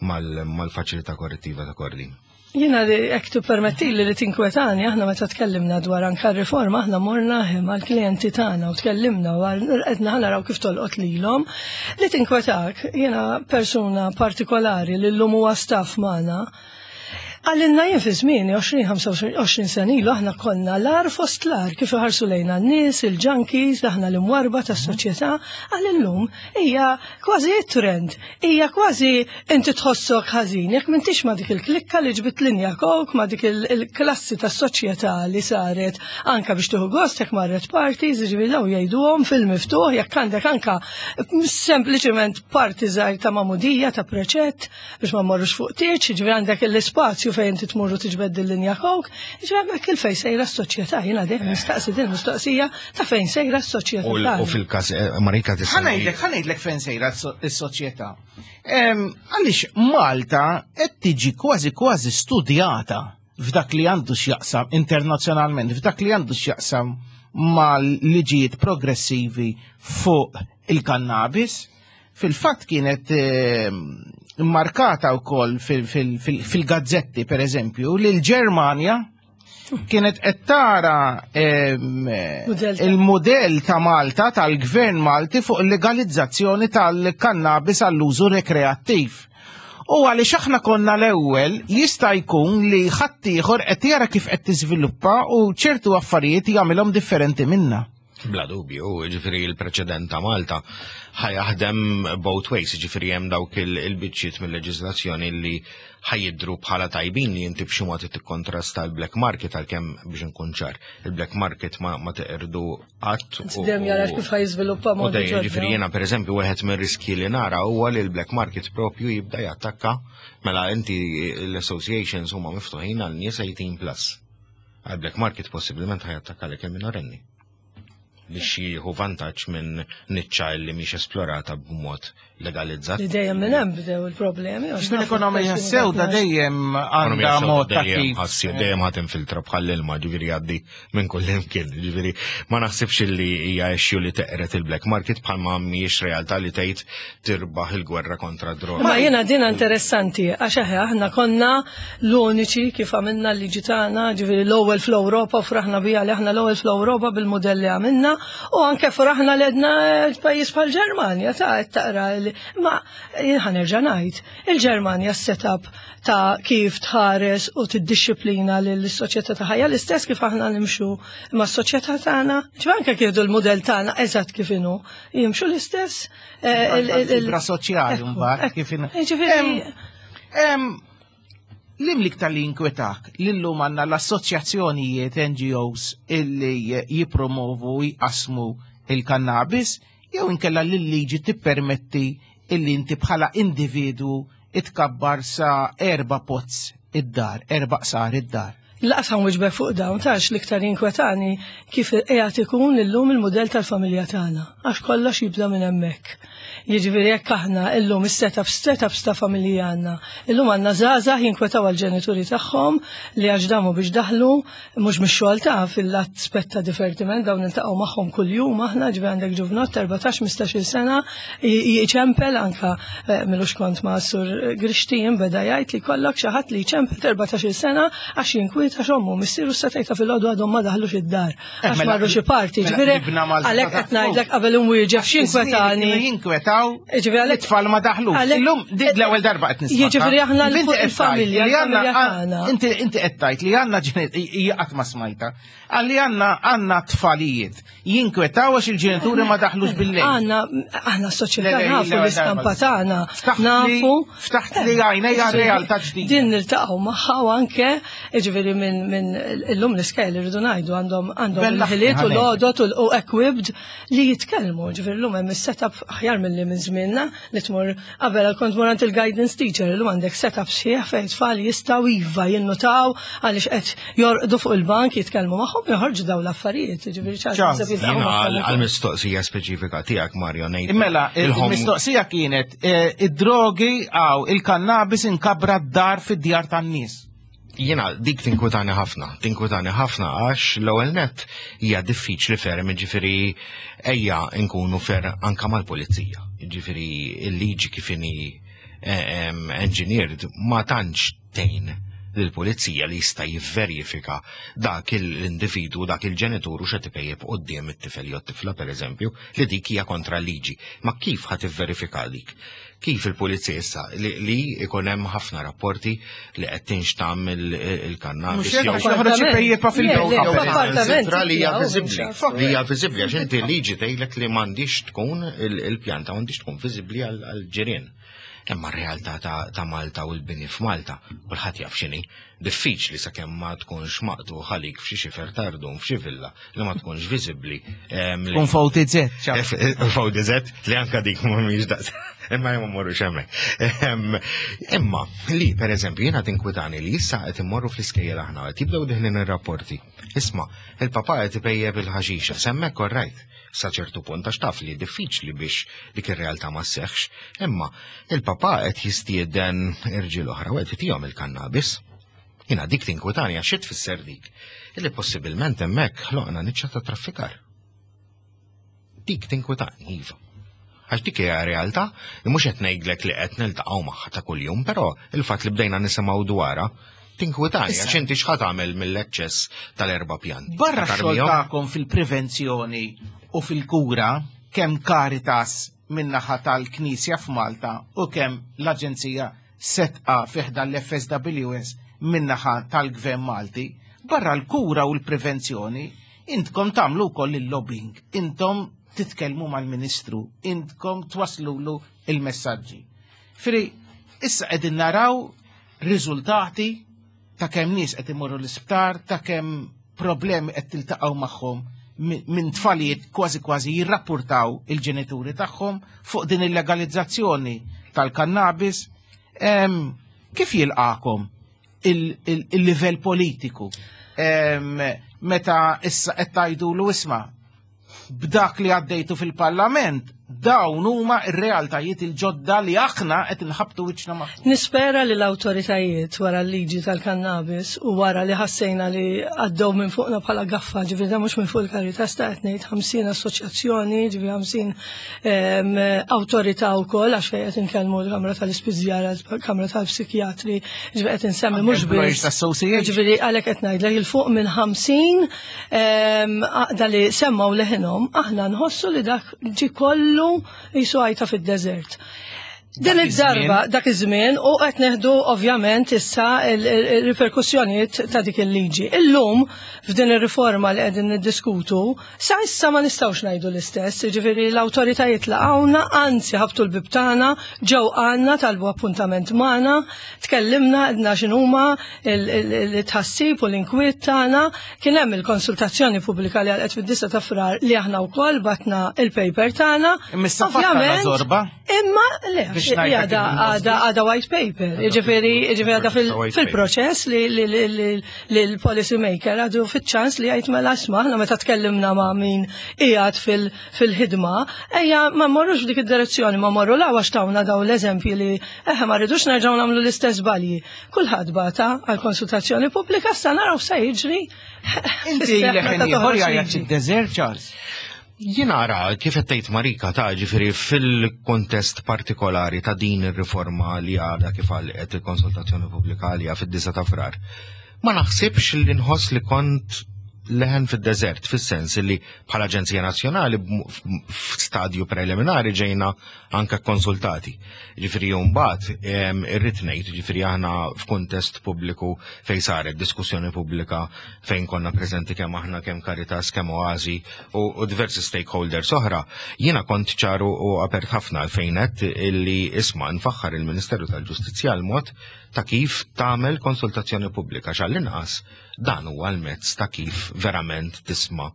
[SPEAKER 4] mal-faċilità korrettiva ta' Kordin.
[SPEAKER 3] Jiena li jekk tippermettili li tinkwetani, aħna meta tkellimna dwar anka riforma, aħna morna mal-klijenti tagħna u tkellimna u qedna naraw kif tolqot lilhom. Li tinkwetak, jiena persuna partikolari li llum huwa staff magħna, Għalinna jien fi żmieni għoxrin sena ilu aħna konna l-agħar fost l-agħar kif iħarsu lejna n-nies, il-junkies, aħna l-imwarba tas-soċjetà, għal illum hija kważi trend, hija kważi inti tħossok ħażin, jekk m'intix ma' dik il-klikka li ġbit linja coke, ma' dik il-klassi tas-soċjetà li saret anka biex tieħu gost jekk marret parties, jiġifieri daw jgħiduhom fil-miftuħ jekk għandek anka sempliċement party żgħir ta' magħmudija ta' preċett biex ma mmorrux fuq tieġ, jiġifieri għandek l-ispazju fejn inti tmurru tiġbed il-linja coke, ġifieri hemmhekk il fejn sejra s-soċjetà, jiena dejjem nistaqsi din mistoqsija ta' fejn sejra s-soċjetà.
[SPEAKER 4] U fil-każ Marika tista'
[SPEAKER 2] Ħa ngħidlek, ħa ngħidlek fejn sejra s-soċjetà. Għaliex Malta qed tiġi kważi kważi studjata f'dak li għandu x'jaqsam internazzjonalment, f'dak li għandu x'jaqsam mal-liġijiet progressivi fuq il-kannabis. Fil-fatt kienet markata wkoll fil-gazzetti, per eżempju, li l-Ġermanja kienet qed tara il-modell ta' Malta, tal-gvern Malti fuq il-legalizzazzjoni tal-kannabis għall-użu rekreattiv. U għaliex aħna konna l-ewwel, jista' jkun li ħaddieħor qed jara kif qed tiżviluppa u ċertu affarijiet jagħmilhom differenti minna.
[SPEAKER 4] Bla dubju, ġifieri il-preċedent ta' Malta ħa jaħdem both ways, ġifieri hemm dawk il-biċċiet mill-leġiżlazzjoni li ħa jidhru bħala tajbin li inti b'xi mod tikkontrasta l-black market, għalkemm biex nkun ċar, il-black market ma, ma teqirdu qatt.
[SPEAKER 3] Dejjem jara kif ħa jiżviluppa
[SPEAKER 4] mod. Ġifieri jiena pereżempju wieħed mir-riski li nara huwa li l-black market propju jibda jattakka mela inti l-associations huma miftuħin għal nies eighteen plus. Għal-black market possibilment ħa jattakka lek il-minorenni biex jieħu vantaġġ minn niċċa li mhix esplorata b'mod legalizzat.
[SPEAKER 3] Li dejjem minn hemm bdew il-problemi.
[SPEAKER 2] L-ekonomija sewda dejjem għandha mod ta' kif.
[SPEAKER 4] Dejjem ħadd infiltra bħal ilma, ġifieri jgħaddi minn kull imkien. Ġifieri ma naħsibx li hija issue li teqret il-black market bħalma mhijiex realtà li tgħid tirbaħ il-gwerra kontra droga.
[SPEAKER 3] Ma jiena din interessanti għax aħna konna l-uniċi kif għamilna l-liġi tagħna, ġifieri l-ewwel fl-Ewropa, fraħna bija li aħna l-ewwel fl-Ewropa bil-mudell li għamilna, u anke fraħna li għedna pajjiż bħal Ġermanja ta' taqra. Ma ħa nerġa' ngħid, il-Ġermanja s-setup ta' kif tħares u tiddixxiplina lill-soċjetà ta' ħajja l-istess kif aħna nimxu ma' s-soċjetà tagħna, ġifieri anke kif il-mudell tagħna eżatt kif inhu, jimxu l-istess.
[SPEAKER 2] Il-fibra soċjali mbagħad kif inhu.
[SPEAKER 3] Ġifieri
[SPEAKER 2] Lim liktar li inkwetak lillum għandna l-assoċjazzjonijiet N G Os illi jipromovu jqasmu il-kannabis, jew inkella l-liġi tippermetti illi inti bħala individu itkabbar sa erba' pots id-dar, erba' qsar id-dar.
[SPEAKER 3] Laqas ħa nwieġbek fuq dawn, tax l-iktar inkwetani kif qiegħed ikun illum il-mudell tal-familja tagħna, għax kollox jibda minn hemmhekk. Jiġifieri jekk aħna illum is-setup, setups ta' familji għandna. Illum għandna żgħażagħ jinkwetaw għall-ġenituri tagħhom li għax damu biex daħlu mhux mix-xogħol ta' fil-lat spett ta' divertiment, dawn niltaqgħu magħhom kuljum aħna, ġifieri għandek ġuvnott erbatax, ħmistax-il sena jċempel anka, eh, milux kont ma' Sur Grixtin beda jgħid li kollok xi ħadd li jċempel erbatax-il sena għax jinkwieta għax ommu missieru s-setajta fil-għodu għadhom ma daħlux id-dar,
[SPEAKER 2] Eh,
[SPEAKER 3] għax
[SPEAKER 2] mela,
[SPEAKER 3] marru xi party,
[SPEAKER 2] mela,
[SPEAKER 3] ġifieri
[SPEAKER 2] nibna Malta
[SPEAKER 3] għalhekk
[SPEAKER 2] ta'
[SPEAKER 3] qed ngħidlek qabel imwieġeb x'inkwetani.
[SPEAKER 2] Kienu jinkwetaw
[SPEAKER 3] Jiġifieri għalhekk
[SPEAKER 2] it-tfal ma daħlux.
[SPEAKER 3] għalhekk
[SPEAKER 2] Illum dik l-ewwel darba qed nisma'.
[SPEAKER 3] Jiġifieri aħna
[SPEAKER 2] Inti qed tgħid
[SPEAKER 3] il-familja,
[SPEAKER 2] li għandna
[SPEAKER 3] il-familja tagħna.
[SPEAKER 2] Inti, inti qed tgħid li għandna ġenit-, hija qatt ma smajta. Għalli għandna, għandna tfalijiet jinkwetaw għax il-ġenituri ma daħlux bil-lejl.
[SPEAKER 3] Għandna, aħna s-soċjetà
[SPEAKER 2] Le, le,
[SPEAKER 3] nafu
[SPEAKER 2] l-ewwel
[SPEAKER 3] l-istampa
[SPEAKER 2] darba.
[SPEAKER 3] tagħna.
[SPEAKER 2] Ftaħt li
[SPEAKER 3] Nafu.
[SPEAKER 2] Ftaħt li għajnejja realtà ġdida.
[SPEAKER 3] Din niltaqgħu magħha u anke, jiġifieri minn min illum l-iskejjel, irridu ngħidu, għandhom għandhom
[SPEAKER 2] Bella
[SPEAKER 3] il-ħiliet u
[SPEAKER 2] ħanej.
[SPEAKER 3] l-għodot u l- u equipped li jitkellmu. Ġifieri llum hemm is-setup aħjar milli minn żmienna li tmur qabel kont tmur għand il-guidance teacher, illum għandek setup sħiħ fejn tfal jistgħu iva jinnutaw għaliex qed jorqdu fuq il-bank, jitkellmu magħhom, joħorġu dawn l-affarijiet. Ġifieri
[SPEAKER 2] Charles,
[SPEAKER 3] Charles naħseb jiltaqgħu
[SPEAKER 4] Jiena
[SPEAKER 3] magħhom ukoll.
[SPEAKER 4] għal-mistoqsija speċifika tiegħek, Mario, ngħid.
[SPEAKER 2] Mela,
[SPEAKER 4] il-home-
[SPEAKER 2] il-mistoqsija kienet eh, id-drogi għaw il-kannabis inkabra d-dar fid-djar tan-nies.
[SPEAKER 4] Jiena dik tinkwetani ħafna, tinkwetani ħafna għax l-ewwel net hija diffiċli ferm, ġifieri ejja nkunu fer anka mal-pulizija. Ġifieri il-liġi kif inhi eh, em, engineered ma tantx tgħin lill-pulizija li jista' jivverifika dak l-individu, dak il-ġenitur u x'qed ipejjep quddiem it-tifel jew t-tifla, pereżempju, li dik hija kontra l-liġi. Ma kif ħa tivverifika dik? Kif il-pulizija issa li, li ikun hemm ħafna rapporti li qed tinxtam il-kannabis
[SPEAKER 2] Mhux hekk,
[SPEAKER 4] jew
[SPEAKER 2] għax joħroġ ipejjepa
[SPEAKER 3] Le, le,
[SPEAKER 2] fil-bejt.
[SPEAKER 3] f'appartament
[SPEAKER 4] Sitra li hija
[SPEAKER 3] tiegħu,
[SPEAKER 4] viżibbli,
[SPEAKER 3] mhux
[SPEAKER 4] li hija viżibbli għax inti liġi tgħidlek li m'għandix tkun il- il-pjanta m'għandix tkun viżibbli għal-ġirien. Imma r-realtà ta' ta' Malta u l-bini f'Malta, kulħadd jaf x'inhi, diffiċli sakemm ma tkunx maqtu ħalik f'xi xifer tardum f'xi villa li ma tkunx viżibbli. em, li-
[SPEAKER 2] Kun V T Z. Charles.
[SPEAKER 4] V D Z li anka dik mhumiex daqs. Imma jom morru xemmek. Em, Imma li per eżempju jiena tinkwitani li issa qed immorru fl-iskejjel aħna qed jibdew deħlin ir-rapporti. Isma', il-papà qed ipejjeb il-ħaxixa, semmek orrajt sa ċertu punt għax taf li diffiċli biex dik ir-realtà ma sseħħx, imma il-papà qed jistieden irġiel oħra u qed itihom il-kannabis. Jiena dik tinkwitani għax xi tfisser dik? Illi possibilment hemmhekk ħloqna niċċa ta' traffikar. Dik tinkwitani, iva. Għax dik hija realtà li mhux qed ngħidlek li qed niltaqgħu magħha ta' kuljum, però il-fatt li bdejna nisimgħu dwarha tinkwitani għax inti x'ħa tagħmel mill-eċċess tal-erba' pjanti.
[SPEAKER 2] Barra x-xogħol
[SPEAKER 4] Tarmihom?
[SPEAKER 2] tagħkom fil-prevenzjoni u fil-kura, kemm Caritas min-naħa tal-Knisja f'Malta u kemm l-Aġenzija Sedqa fi ħdan l-F S W S min-naħa tal-Gvern Malti, barra l-kura u l-prevenzjoni, intkom tagħmlu wkoll il-lobbying, intom titkellmu mal-Ministru, intkom twaslulu il-messaġġi. Firi, issa qegħdin naraw riżultati ta' kemm nies qed imorru l-isptar, ta' kemm problemi qed tiltaqgħu magħhom mi- minn tfalijiet kważi kważi jirrapportaw il-ġenituri tagħhom fuq din il-legalizzazzjoni tal-kannabis. Em, Kif jilqakom il- il- il-livell politiku? Em, Meta issa qed tgħidulu, isma', b'dak li għaddejtu fil-Parlament, dawn huma r-realtajiet il-ġodda li aħna qed inħabtu wiċċna magħhom?
[SPEAKER 3] Nispera li l-autoritajiet wara l-liġi tal-kannabis u wara li ħassejna li għaddew minn fuqna bħala gaffa, ġifieri da mhux minn fuq il-Caritas ta' qed ngħid, ħamsin assoċjazzjoni, ġifieri ħamsin em, awtorità wkoll, għax fejn qed inkellmu l-Kamra tal-Ispiżjara, l-Kamra tal-Psikjatri, ġifieri qed insemmi mhux
[SPEAKER 2] Employers
[SPEAKER 3] biss.
[SPEAKER 2] Association.
[SPEAKER 3] Ġifieri għalhekk qed ngħidlek il fuq minn ħamsin em, għaqda li semmaw leħinhom, aħna nħossu li dak ġi kollu jisu għajta fid-deżert. Din
[SPEAKER 2] Dak
[SPEAKER 3] id-darba, dak iż-żmien, u qed neħdu ovvjament issa il-riperkussjonijiet ta' dik il-liġi. Illum f'din ir-riforma li qegħdin niddiskutu, sa issa ma nistgħux ngħidu l-istess, jiġifieri l-awtoritajiet laqgħuna, anzi ħabtu l-bib tagħna, ġew għandna, talbu appuntament magħna, tkellimna, għedna x'inhuma il-tħassib u l-inkwiet tagħna, kien hemm il-konsultazzjoni pubblika li għalqet fid-disa ta' Frar li aħna wkoll batna il-paper tagħna.
[SPEAKER 2] Imma issa fatta
[SPEAKER 3] Ovvjament,
[SPEAKER 2] la zorba.
[SPEAKER 3] Imma le,
[SPEAKER 2] Biex ngħidlek
[SPEAKER 3] għada
[SPEAKER 2] il-mosbi.
[SPEAKER 3] għada għada white paper, ġifieri ġifieri għada fil-
[SPEAKER 4] White paper.
[SPEAKER 3] fil-proċess li li- li li- li l-policy maker għadu fit-ċans li jgħid mela isma', aħna meta tkellimna ma' min qiegħed fil- fil-ħidma, ejja ma mmorrux f'dik id-direzzjoni, ma morru la għax tawna daw l-eżempji li eħe ma rridux nerġgħu nagħmlu l-istess żbalji. Kulħadd bata għal konsultazzjoni pubblika, issa naraw se jiġri.
[SPEAKER 2] Inti
[SPEAKER 3] fis-seħħ
[SPEAKER 2] leħen
[SPEAKER 3] meta
[SPEAKER 2] ieħor
[SPEAKER 3] toħroġ
[SPEAKER 2] jgħajjat
[SPEAKER 3] liġi.
[SPEAKER 2] id-deżert, Charles.
[SPEAKER 4] Jien ara, kif qed tgħid Marika ta' ġifieri fil-kontest partikolari ta' din ir-riforma li għadha kif għalqet il-konsultazzjoni pubblika għalija fid-disa ta' Frar. Ma naħsibx li nħoss li kont leħen fid-deżert, fis-sens li bħala Aġenzija Nazzjonali b'm- f'stadju preliminari ġejna anka konsultati. Ġifieri mbagħad em, irrid ngħid, ġifieri aħna f'kuntest pubbliku fejn saret diskussjoni pubblika fejn konna preżenti kemm aħna, kemm Caritas, kemm Oasi u, u diversi stakeholders oħra, jiena kont ċaru u apert ħafna fejn għedt illi isma', nfaħħar il-Ministeru tal-Ġustizzja l-mod ta' kif tagħmel konsultazzjoni pubblika. Għall-inqas dan huwa l-mezz ta' kif verament tisma'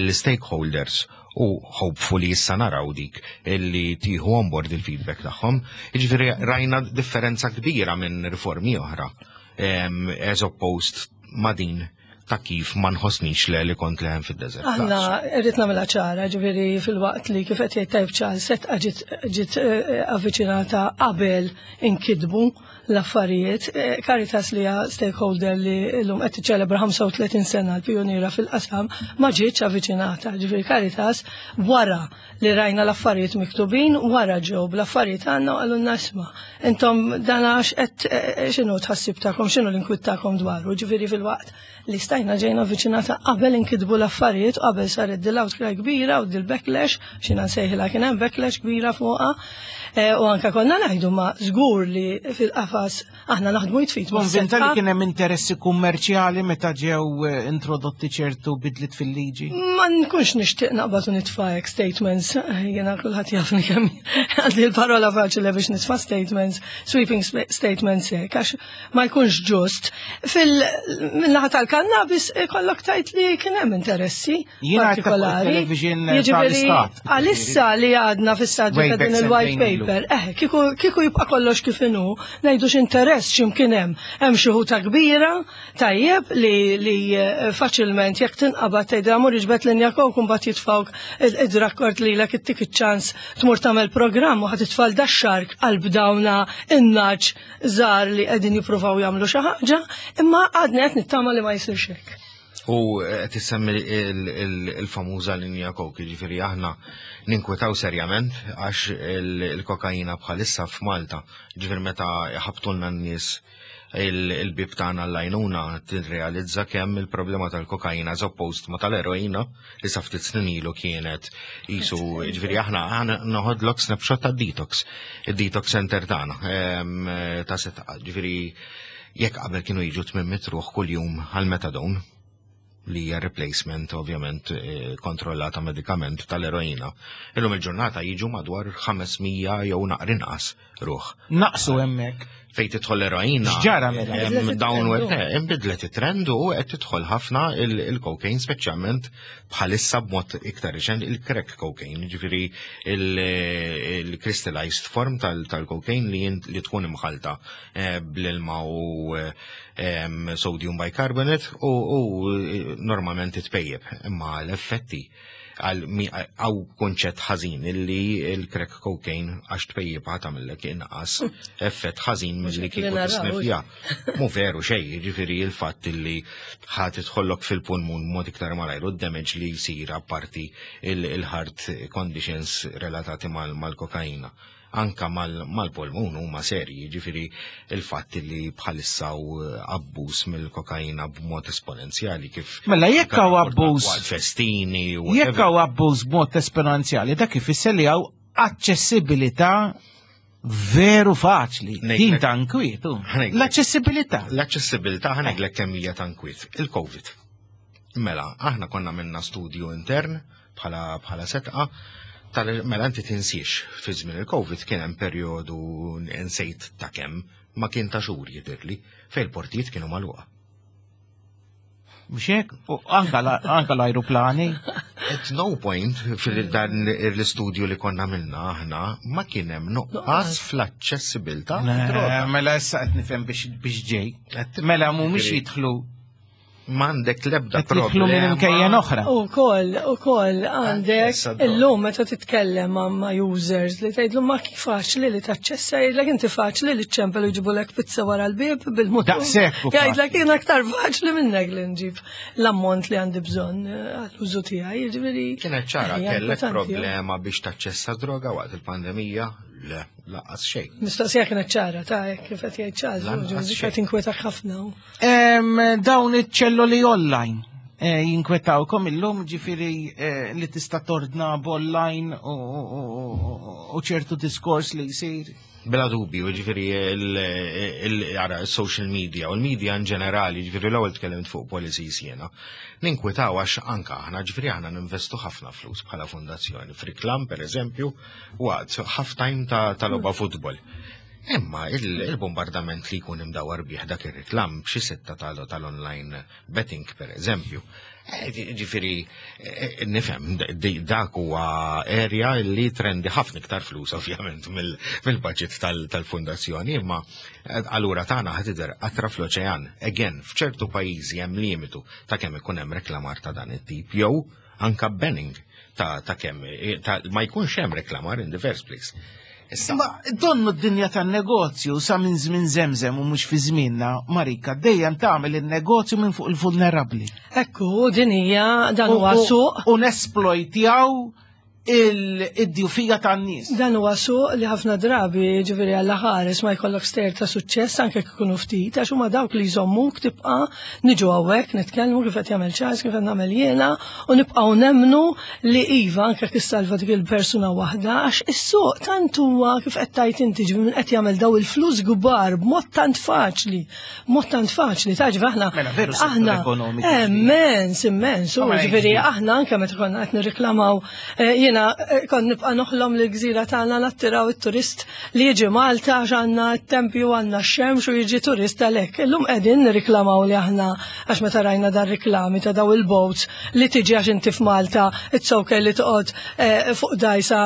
[SPEAKER 4] lill-stakeholders u hopefully issa naraw dik illi tieħu on board il-feedback tagħhom. Jiġifieri rajna differenza kbira minn riformi oħra em, as opposed ma' din ta' kif ma nħossnix le li kont leħen fid-desert.
[SPEAKER 3] Aħna irrid nagħmilha ċara, ġifieri fil-waqt li kif qed jgħid tajb Charles, Sedqa ġiet ġiet eh, avviċinata qabel inkitbu l-affarijiet. Eh, Caritas li hija stakeholder li llum qed tiċċelebra ħamsa u tletin sena, l-pionira fil-qasam, ma ġietx avviċinata. Ġifieri Caritas wara li rajna l-affarijiet miktubin, wara ġew bl-affarijiet għandna u qalulna, "Isma', intom dan għax qed eh, x'inhu tħassib tagħkom, x'inhu l-inkwiet tagħkom dwaru?" Ġifieri fil-waqt li stajna ġejna avviċinata qabel inkitbu l-affarijiet u qabel saret dil-outcry kbira u dil-backlash, xina nsejħilha, kien hemm backlash kbira fuqha. Eh, U anka konna ngħidu ma żgur li fil-qafas aħna naħdmu jitfit ma'
[SPEAKER 2] Konvinta li
[SPEAKER 3] Sedqa.
[SPEAKER 2] kien hemm interessi kummerċjali meta ġew eh, introdotti ċertu bidliet fil-liġi?
[SPEAKER 3] Ma nkunx nixtieq naqbad u nitfa' hekk statements, jiena kulħadd jafni kemm għandi l-parola faċli biex nitfa' statements, sweeping sp- statements hekk, għax ma jkunx ġust. Fil-naħa tal-kannabis kollok tajt li kien hemm interessi
[SPEAKER 2] Jiena għedta fuq
[SPEAKER 3] partikolari.
[SPEAKER 2] il-television
[SPEAKER 3] Jiġifieri,
[SPEAKER 2] tal-istat.
[SPEAKER 3] għalissa li għadna fis-stadju
[SPEAKER 2] Way
[SPEAKER 3] ta'
[SPEAKER 2] back
[SPEAKER 3] din il-white
[SPEAKER 2] sentejn ilu.
[SPEAKER 3] paper, eh, kieku kieku jibqa' kollox kif inhu, ngħidu x'interess x'imkien hemm. Hemm xi ħuta kbira, tajjeb, li li eh, faċilment jekk tinqabad tgħidha mur iġbed linja coke, mbagħad jitfawk id-rakkord lilek, ittik iċ-ċans tmur tagħmel programm u ħa titfal dax-shark qalb dawna in-naċ żgħar li qegħdin jippruvaw jagħmlu xi ħaġa, imma għadni qed nittama li ma jsirx hekk.
[SPEAKER 4] U qed issemmi il- il- il-famuża linja coke, ġifieri aħna ninkwetaw serjament għax il- il-kokaina bħalissa f'Malta, ġifieri meta ħabtulna n-nies il- il-bib tagħna l-għajnuna, tirrealizza kemm il-problema tal-kokaina as opposed ma tal-eroina li sa ftit snin ilu kienet jisu, ġifieri aħna aħna noħodlok snapshot ta' detox, il-detox center tagħna em, ta' Sedqa, ġifieri jekk qabel kienu jiġu tmien mitt ruħ kuljum għal-metadone, li hija replacement ovvjament eh, kontrollata medikament tal-eroina. Illum il-ġurnata jiġu madwar ħames mija jew naqra inqas ruħ.
[SPEAKER 2] Naqsu hemmhekk.
[SPEAKER 4] Fejn tidħol l-eroina.
[SPEAKER 2] X'ġara mela?
[SPEAKER 4] Hemm
[SPEAKER 3] Bidlet it-trend,
[SPEAKER 4] downward,
[SPEAKER 3] u.
[SPEAKER 4] eh, inbidlet it-trend u qed tidħol ħafna il- il-cocaine, speċjalment bħalissa b'mod iktar riċent il-crack cocaine, ġifieri il-crystallized form tal- tal-cocaine li jint- li tkun imħalta eh, bl-ilma u eh, em, sodium bicarbonate u, u eh, normalment titpejjeb, imma l-effetti għal mi- għaw konċett ħażin illi il-crack cocaine għax tpejjeb ħa tagħmillek inqas effett ħażin milli
[SPEAKER 3] li
[SPEAKER 4] kieku
[SPEAKER 3] naraw.
[SPEAKER 4] tisnifja. Mu veru xej, ġifieri il-fatt illi ħa tidħollok fil-pulmun mod iktar malajr u d-damage li jsir apparti il-heart conditions relatati mal- mal-kokaina. Anka mal- mal-pulmun huma serji, ġifieri il-fatt li bħalissa u abbuż mill-kokaina b'mod esponenzjali kif
[SPEAKER 2] Mela jekk hawn abbuż
[SPEAKER 4] waqt festini u
[SPEAKER 2] jekk hawn abbuż b'mod esponenzjali, dak ifisser li hawn aċċessibilità veru faċli.
[SPEAKER 4] Ngħidlek-
[SPEAKER 2] Din ta' nkwiet.
[SPEAKER 4] Ngħidlek.
[SPEAKER 2] L-aċċessibilità.
[SPEAKER 4] L-aċċessibilità, ħa ngħidlek kemm hija ta' nkwiet. Il-Covid. Mela, aħna konna minna studju intern bħala bħala Sedqa tal mela inti tinsiex fi żmien il-Covid kien hemm perjodu, nsejt ta' kemm, ma kien ta' xhur jidhirli, fejn il-portijiet kienu magħluqa.
[SPEAKER 2] Mhux hekk? U anka la- anka l-ajruplani.
[SPEAKER 4] At no point fil-dan l-istudju li konna minna aħna ma kien hemm nuqqas fl-aċċessibilità
[SPEAKER 2] Le, mela issa qed nifhem biex biex ġej. Mela mhumiex jidħlu
[SPEAKER 4] M'għandek lebda
[SPEAKER 2] qed jidħlu minn imkejjen oħra.
[SPEAKER 3] U koll, u koll, għandek
[SPEAKER 4] Aċċess għad-droga.
[SPEAKER 3] illum meta titkellem ma' ma' users li tgħidlu ma kif faċli li taċċessa, jgħidlek inti faċli li ċempel u jġibulek pizza wara l-bib bil-mutur.
[SPEAKER 2] Daqshekk hu
[SPEAKER 3] Jgħidlek jien aktar faċli minnek li nġib l-ammont li għandi bżonn eh, għall-użu tiegħi, jiġifieri.
[SPEAKER 4] Kienet ċara,
[SPEAKER 3] hija
[SPEAKER 4] kellek
[SPEAKER 3] importanti,
[SPEAKER 4] problema biex taċċessa droga waqt il-pandemija? Le, lanqas xejn.
[SPEAKER 3] Mistoqsija kienet ċara, ta' hekk kif qed jgħid Charles,
[SPEAKER 4] Lanqas
[SPEAKER 3] ġifieri
[SPEAKER 4] xejn.
[SPEAKER 3] qed inkwetak ħafna.
[SPEAKER 2] Em, Dawn iċ-ċelloli online eh, jinkwetawkom illum, ġifieri eh, li tista' tordna b'online u- u u- u ċertu diskors li jsir.
[SPEAKER 4] Bla dubju, ġifieri il social media u l-media in ġenerali, ġifieri l-ewwel tkellimt fuq policies jiena. Ninkwetaw għax anka aħna, ġifieri aħna ninvestu ħafna flus bħala fondazzjoni. F'riklam, per eżempju, waqt half time ta' ta' logħba futbol. Imma il-bombardament li jkun imdawar bih dak ir-reklam b'xi sitta tal-online betting, per eżempju. Ġifieri, nifhem, dak huwa area li trendi ħafna iktar flus, ovvjament, mill-budget tal-fundazzjoni, imma allura tagħna ħa tidher qatra fl-oċean. Again, f'ċertu pajjiżi hemm limitu ta' kemm ikun hemm reklamar ta' dan it-tip, jew anka banning ta' kemm ma jkunx hemm reklamar in the first place.
[SPEAKER 2] Ma donnu d-dinja tan-negozju sa minn żmien żemżem u mhux fi żmienna, Marika, dejjem tagħmel il-negozju minn fuq il-vulnerabbli.
[SPEAKER 3] Ekku, din hija, dan huwa suq.
[SPEAKER 2] U nesplojtjaw id-djufija tan-nies.
[SPEAKER 3] Dan huwa suq li ħafna drabi, ġifieri, Alla ħares ma jkollok stejjer ta' suċċess, anke jekk ikunu ftit, għax huma dawk li jżommuk tibqa' niġu hawnhekk nitkellmu kif qed jagħmel Charles, kif qed nagħmel jiena, u nibqgħu nemmnu li iva, anke jekk issalva dik il-persuna waħda, għax is-suq tant huwa, kif qed tajt inti, ġifieri min qed jagħmel daw il-flus kbar b'mod tant faċli, b'mod tant faċli, taġ aħna
[SPEAKER 2] Mela, veru settur
[SPEAKER 3] aħna
[SPEAKER 2] ekonomiku.
[SPEAKER 3] Immens, immens, u
[SPEAKER 2] Ma
[SPEAKER 3] ġifieri
[SPEAKER 2] jiġri.
[SPEAKER 3] aħna anke meta konna qed nirriklamaw, eh, jiena eh, kont nibqa' noħlom li l-gżira tagħna nattiraw it-turist li jiġi Malta għax għandna t-tempju, għandna x-xemx u jiġi turist għalhekk. Illum qegħdin nirriklamaw li aħna, għax meta rajna dar riklami ta' daw il-boats li tiġi għax inti f'Malta, it's okay li toqgħod eh, fuq dajsa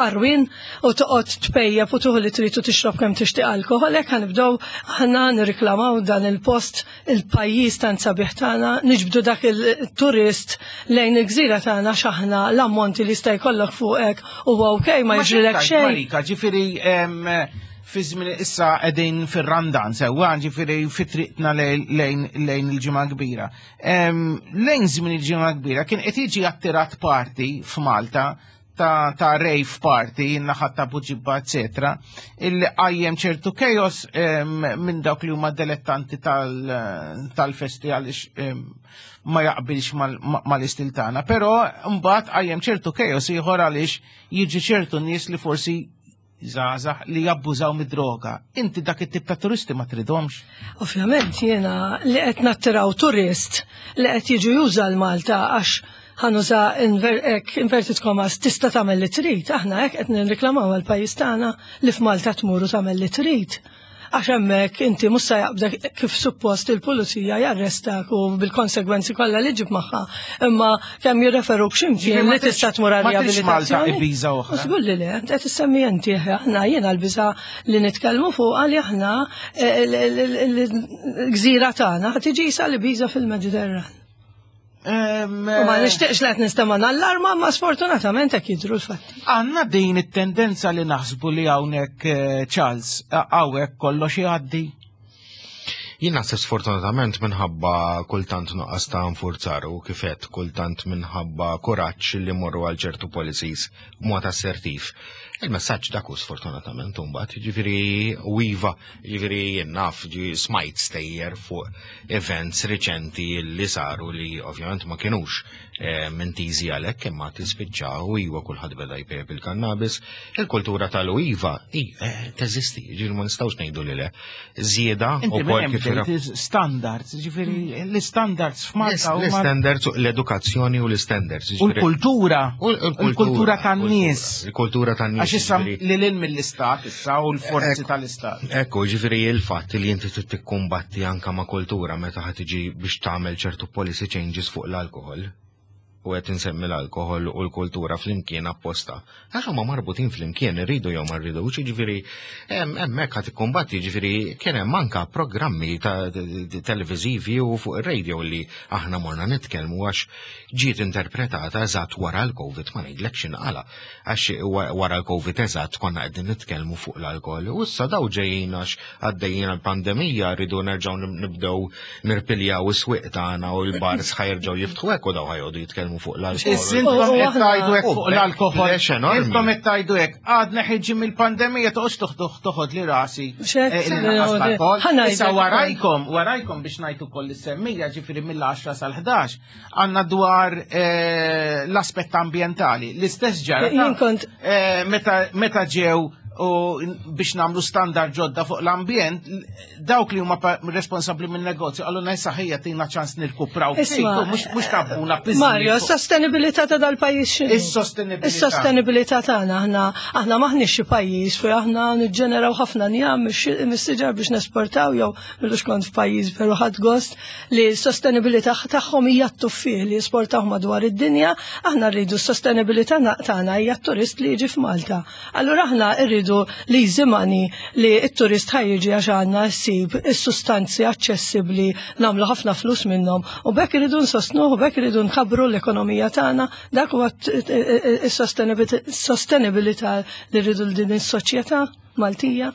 [SPEAKER 3] arwin u toqgħod tpejjep u tuħu li trid u tixrob kemm tixtieq alkohol, hekk ħanibdew aħna nirriklamaw dan il-post, il-pajjiż tant sabiħ tagħna, niġbdu dak il-turist lejn il-gżira tagħna, x'aħna l-ammonti li jista' jkollok fuqek huwa okej, ma jiġrilek xejn.
[SPEAKER 2] Marika, ġifieri em, fi żmien issa qegħdin fir-Randan sewwa, ġifieri fi triqtna lejn lejn il-Ġimgħa Kbira. Em, Lejn żmien il-Ġimgħa Kbira kien qed jiġi attirat party f'Malta ta', ta' rave party, naħat ta' Buġibba, eccetera, illi qajjem ċertu chaos em, minn dawk li huma dilettanti tal- tal-festi għaliex em, ma jaqbilx mal- ma- mal-istil tagħna. Però mbagħad qajjem ċertu chaos ieħor għaliex jiġi ċertu nies li forsi żgħażagħ li jabbużaw mid-droga. Inti dak it-tip ta' turisti ma tridhomx.
[SPEAKER 3] Ovvjament jiena li qed nattiraw turist li qed jiġu juża l-Malta għax ħa nuża inver, ek, inverted commas, tista' tagħmel li trid, aħna hekk qed nirriklamaw għall-pajjiż tagħna li f'Malta tmur u tagħmel li trid. Għax hemmhekk inti mhux se jaqbdek kif suppost il-pulizija jarrestak u bil-konsegwenzi kollha li ġib magħha. Imma kemm jirreferuk x'imkien
[SPEAKER 2] Ġifieri ma
[SPEAKER 3] li tista' tmur għal
[SPEAKER 2] ma tridx Malta
[SPEAKER 3] riabilitazzjoni.
[SPEAKER 2] Ibiza oħra.
[SPEAKER 3] Żgur li le, qed issemmi inti, aħna jiena l-biża li nitkellmu fuq għal aħna eh, l- l- l- l-gżira tagħna ħa tiġi sa l-Ibiza fil-Mediterran.
[SPEAKER 2] Em,
[SPEAKER 3] U ma nixtieqx li qed nistema' allarma, ma sfortunatament hekk jidhru l-fatti.
[SPEAKER 2] Għanna din it-tendenza li naħsbu li hawnhekk, eh, Charles, hawnhekk kollox jgħaddi.
[SPEAKER 4] Jien naħseb sfortunatament minħabba kultant nuqqas ta' nfurzar u kifet kultant minħabba kuraġġ li morru għal ċertu policies b'mod assertiv. Il-messaġġ dak hu sfortunatament mbagħad, jiġifieri u iva, jiġifieri jien naf ġi smajt stejjer fuq events riċenti li saru li ovvjament ma kienux eh, intiżi għalhekk, imma tispiċċa u iva, kulħadd beda jpejjep il-kannabis, il-kultura tal-iva i, eh, teżisti, jiġifieri ma nistgħux ngħidu li le. Żieda
[SPEAKER 2] Inti
[SPEAKER 4] ukoll
[SPEAKER 2] minn
[SPEAKER 4] kif
[SPEAKER 2] hemm bdejt standards, ġifieri l-standards f'Malta huma
[SPEAKER 4] L-standards, l-edukazzjoni u l-standards.
[SPEAKER 2] U l-kultura,
[SPEAKER 4] U
[SPEAKER 2] l-kultura tan-nies.
[SPEAKER 4] Il-kultura tan-nies.
[SPEAKER 2] Għax issa
[SPEAKER 4] ġifieri-
[SPEAKER 2] li lil mill-istat issa u l-forzi
[SPEAKER 4] Ekku.
[SPEAKER 2] tal-istat.
[SPEAKER 4] Ekku, ġifieri il-fatt li inti trid tikkumbatti anka ma' kultura meta ħa tiġi biex tagħmel ċertu policy changes fuq l-alkohol. U qed insemmi l-alkohol u l-kultura flimkien apposta. Għax huma marbutin flimkien, irridu jew ma rridux, ġifieri hemm hemmhekk ħa tikkumbatti, ġifieri kien hemm anka programmi ta' televiżivi u fuq ir-radio li aħna morna nitkellmu għax ġiet interpretata eżatt wara l-Covid, ma ngħidlekx inqala. Għax wa- wara l-Covid eżatt konna qegħdin nitkellmu fuq l-alkohol. U issa daw ġejjin għax għaddejjin għall-pandemija, rridu nerġgħu nib- nibdew nirpiljaw is-swieq tagħna u l-bars ħa jerġgħu jiftħu hekk u daw ħa joqogħdu jitkellmu fuq l-alkohol.
[SPEAKER 2] Issa intom
[SPEAKER 3] U- u
[SPEAKER 2] qed
[SPEAKER 3] aħna-
[SPEAKER 2] tgħidu hekk fuq
[SPEAKER 4] U
[SPEAKER 2] l-alkohol.
[SPEAKER 4] backlash enormi.
[SPEAKER 2] Intom qed tgħidu hekk, għadna ħiġi mill-pandemija, toqgħodx toħdu toħod li rasi.
[SPEAKER 3] Xek,
[SPEAKER 2] eh, li naqas l-alkohol.
[SPEAKER 3] ħa ngħidlek
[SPEAKER 2] Issa
[SPEAKER 3] ukoll.
[SPEAKER 2] warajkom, warajkom biex ngħid ukoll is-semmija, ġifieri mill-għaxra sal-ħdax, għandna dwar eh, l-aspett ambjentali. L-istess ġara.
[SPEAKER 3] Jien kont-
[SPEAKER 2] eh, meta meta ġew u biex nagħmlu standard ġodda fuq l-ambjent, dawk li huma responsabbli minn negozju għallu issa ħejja tina ċans nirkupraw ftit, mhux mhux kabbuna piżijiet
[SPEAKER 3] Mario,
[SPEAKER 2] fuq-
[SPEAKER 3] s-sostenibilità ta' dal-pajjiż x'inhu?
[SPEAKER 2] Is-sostenibilità.
[SPEAKER 3] Is-sostenibilità tagħna aħna aħna maħniex xi pajjiż fejn aħna niġġeneraw ħafna njam mis-siġar biex nesportaw jew m'ilux kont f'pajjiż veru ħadt gost li s-sostenibilità tagħhom hija t-tuffieħ li jesportaw madwar id-dinja, aħna rridu s-sostenibilità na- tagħna hija t-turist li jiġi f'Malta. Allura aħna rridu li money li t-turist ħa jiġi għax għandna ssib is-sustanzi aċċessibbli nagħmlu ħafna flus minnhom u b'hekk irridu nsostnuh u b'hekk irridu nkabbru l-ekonomija tagħna, dak huwa is-sostenibilità li rridu l din is-soċjetà Maltija.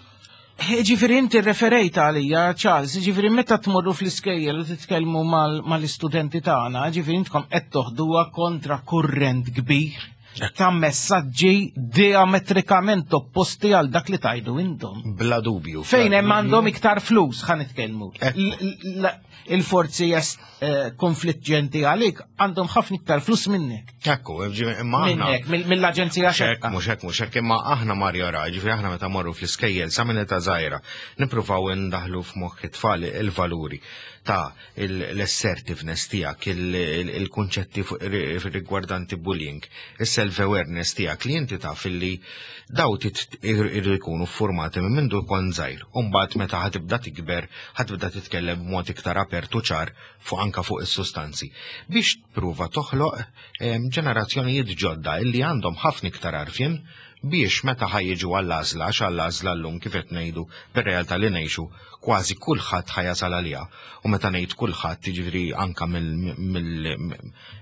[SPEAKER 2] Ġifieri inti referejt għalija, Charles, ġifieri meta tmorru fl-iskejjel u titkellmu mal- mal-istudenti tagħna, ġifieri intkom qed toħduha kontra kurrent kbir ta' messaġġi diametrikament opposti għal dak li tajdu intom.
[SPEAKER 4] Bla dubju.
[SPEAKER 2] Fejn
[SPEAKER 4] bla
[SPEAKER 2] hemm
[SPEAKER 4] dubju.
[SPEAKER 2] għandhom iktar flus, ħa nitkellmu.
[SPEAKER 4] Ekku.
[SPEAKER 2] L- l- Il-forzi est eh, konfliġġenti għalik għandhom ħafna iktar flus minnek.
[SPEAKER 4] Ekku, ġifieri, imma aħna.
[SPEAKER 2] Minnek, mill- mill-aġenzija
[SPEAKER 4] Mhux hekk,
[SPEAKER 2] xekka.
[SPEAKER 4] mhux hekk, mhux hekk, imma aħna Mario ra, ġifieri aħna meta morru fl-iskejjel sa minn età żgħira, nippruvaw indaħlu f'moħħ it-tfal il-valuri ta' l-assertiveness tiegħek, il-kunċetti rigwardanti bullying, il-self-awareness tiegħek li inti taf illi daw irridu jkunu formati minn mindu kont żgħir. U mbagħad meta ħa tibda tikber, ħa tibda titkellem b'mod iktar apertu ċar fuq anka fuq is-sustanzi. Biex tpruva toħloq em, ġenerazzjonijiet ġodda illi għandhom ħafna iktar għarfien biex meta ħa jiġu għall-għażla, għax għall-għażla llum kif qed ngħidu bir-realtà li ngħixu kważi kulħadd ħa jasal għaliha. U meta ngħid kulħadd, jiġifieri anka mill mill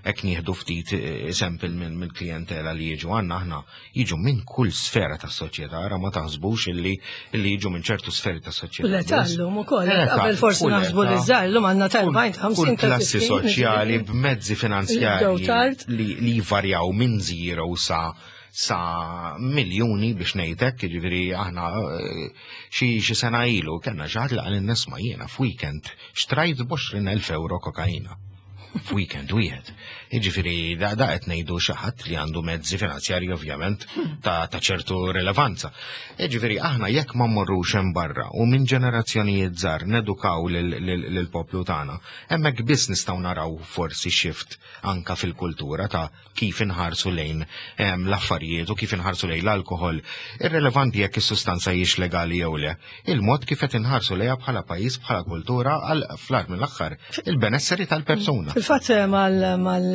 [SPEAKER 4] hekk nieħdu ftit eżempju mill-klijentela li jiġu għandna aħna jiġu minn kull sfera tas-soċjetà, ara ma taħsbux illi illi jiġu minn ċertu sferi tas-soċjetà.
[SPEAKER 3] U l-età llum ukoll,
[SPEAKER 4] L-età,
[SPEAKER 3] qabel forsi
[SPEAKER 4] kull
[SPEAKER 3] naħsbu li
[SPEAKER 4] età.
[SPEAKER 3] żgħar, llum għandna ta'
[SPEAKER 4] Kull-
[SPEAKER 3] erbgħin, ħamsin,
[SPEAKER 4] kull
[SPEAKER 3] ta'
[SPEAKER 4] klassi
[SPEAKER 3] sittin,
[SPEAKER 4] soċjali b'mezzi
[SPEAKER 3] Bdew
[SPEAKER 4] finanzjarji
[SPEAKER 3] tard.
[SPEAKER 4] li, li varjaw minn zero sa sa miljuni biex ngħidlek, jiġifieri aħna eh, xi xi sena ilu kellna xi ħadd li qal nisma' jiena f'weekend xtrajt b'għoxrin elf euro kokaina. F'weekend wieħed. Jiġifieri da da qed ngħidu xi ħadd li għandu mezzi finanzjarji ovvjament ta' ta' ċertu rilevanza. Jiġifieri aħna jekk ma mmorrux hemm barra u minn ġenerazzjonijiet żgħar nedukaw lill-poplu tagħna, hemmhekk biss nistgħu naraw forsi shift anka fil-kultura ta' kif inħarsu lejn em, l-affarijiet u kif inħarsu lejn l-alkohol. Irrelevanti jekk is-sustanza hijiex legali jew le. Il-mod kif qed inħarsu lejha bħala pajjiż, bħala kultura għal fl-aħħar mill-aħħar il-benesseri tal-persuna.
[SPEAKER 3] Fil-fatt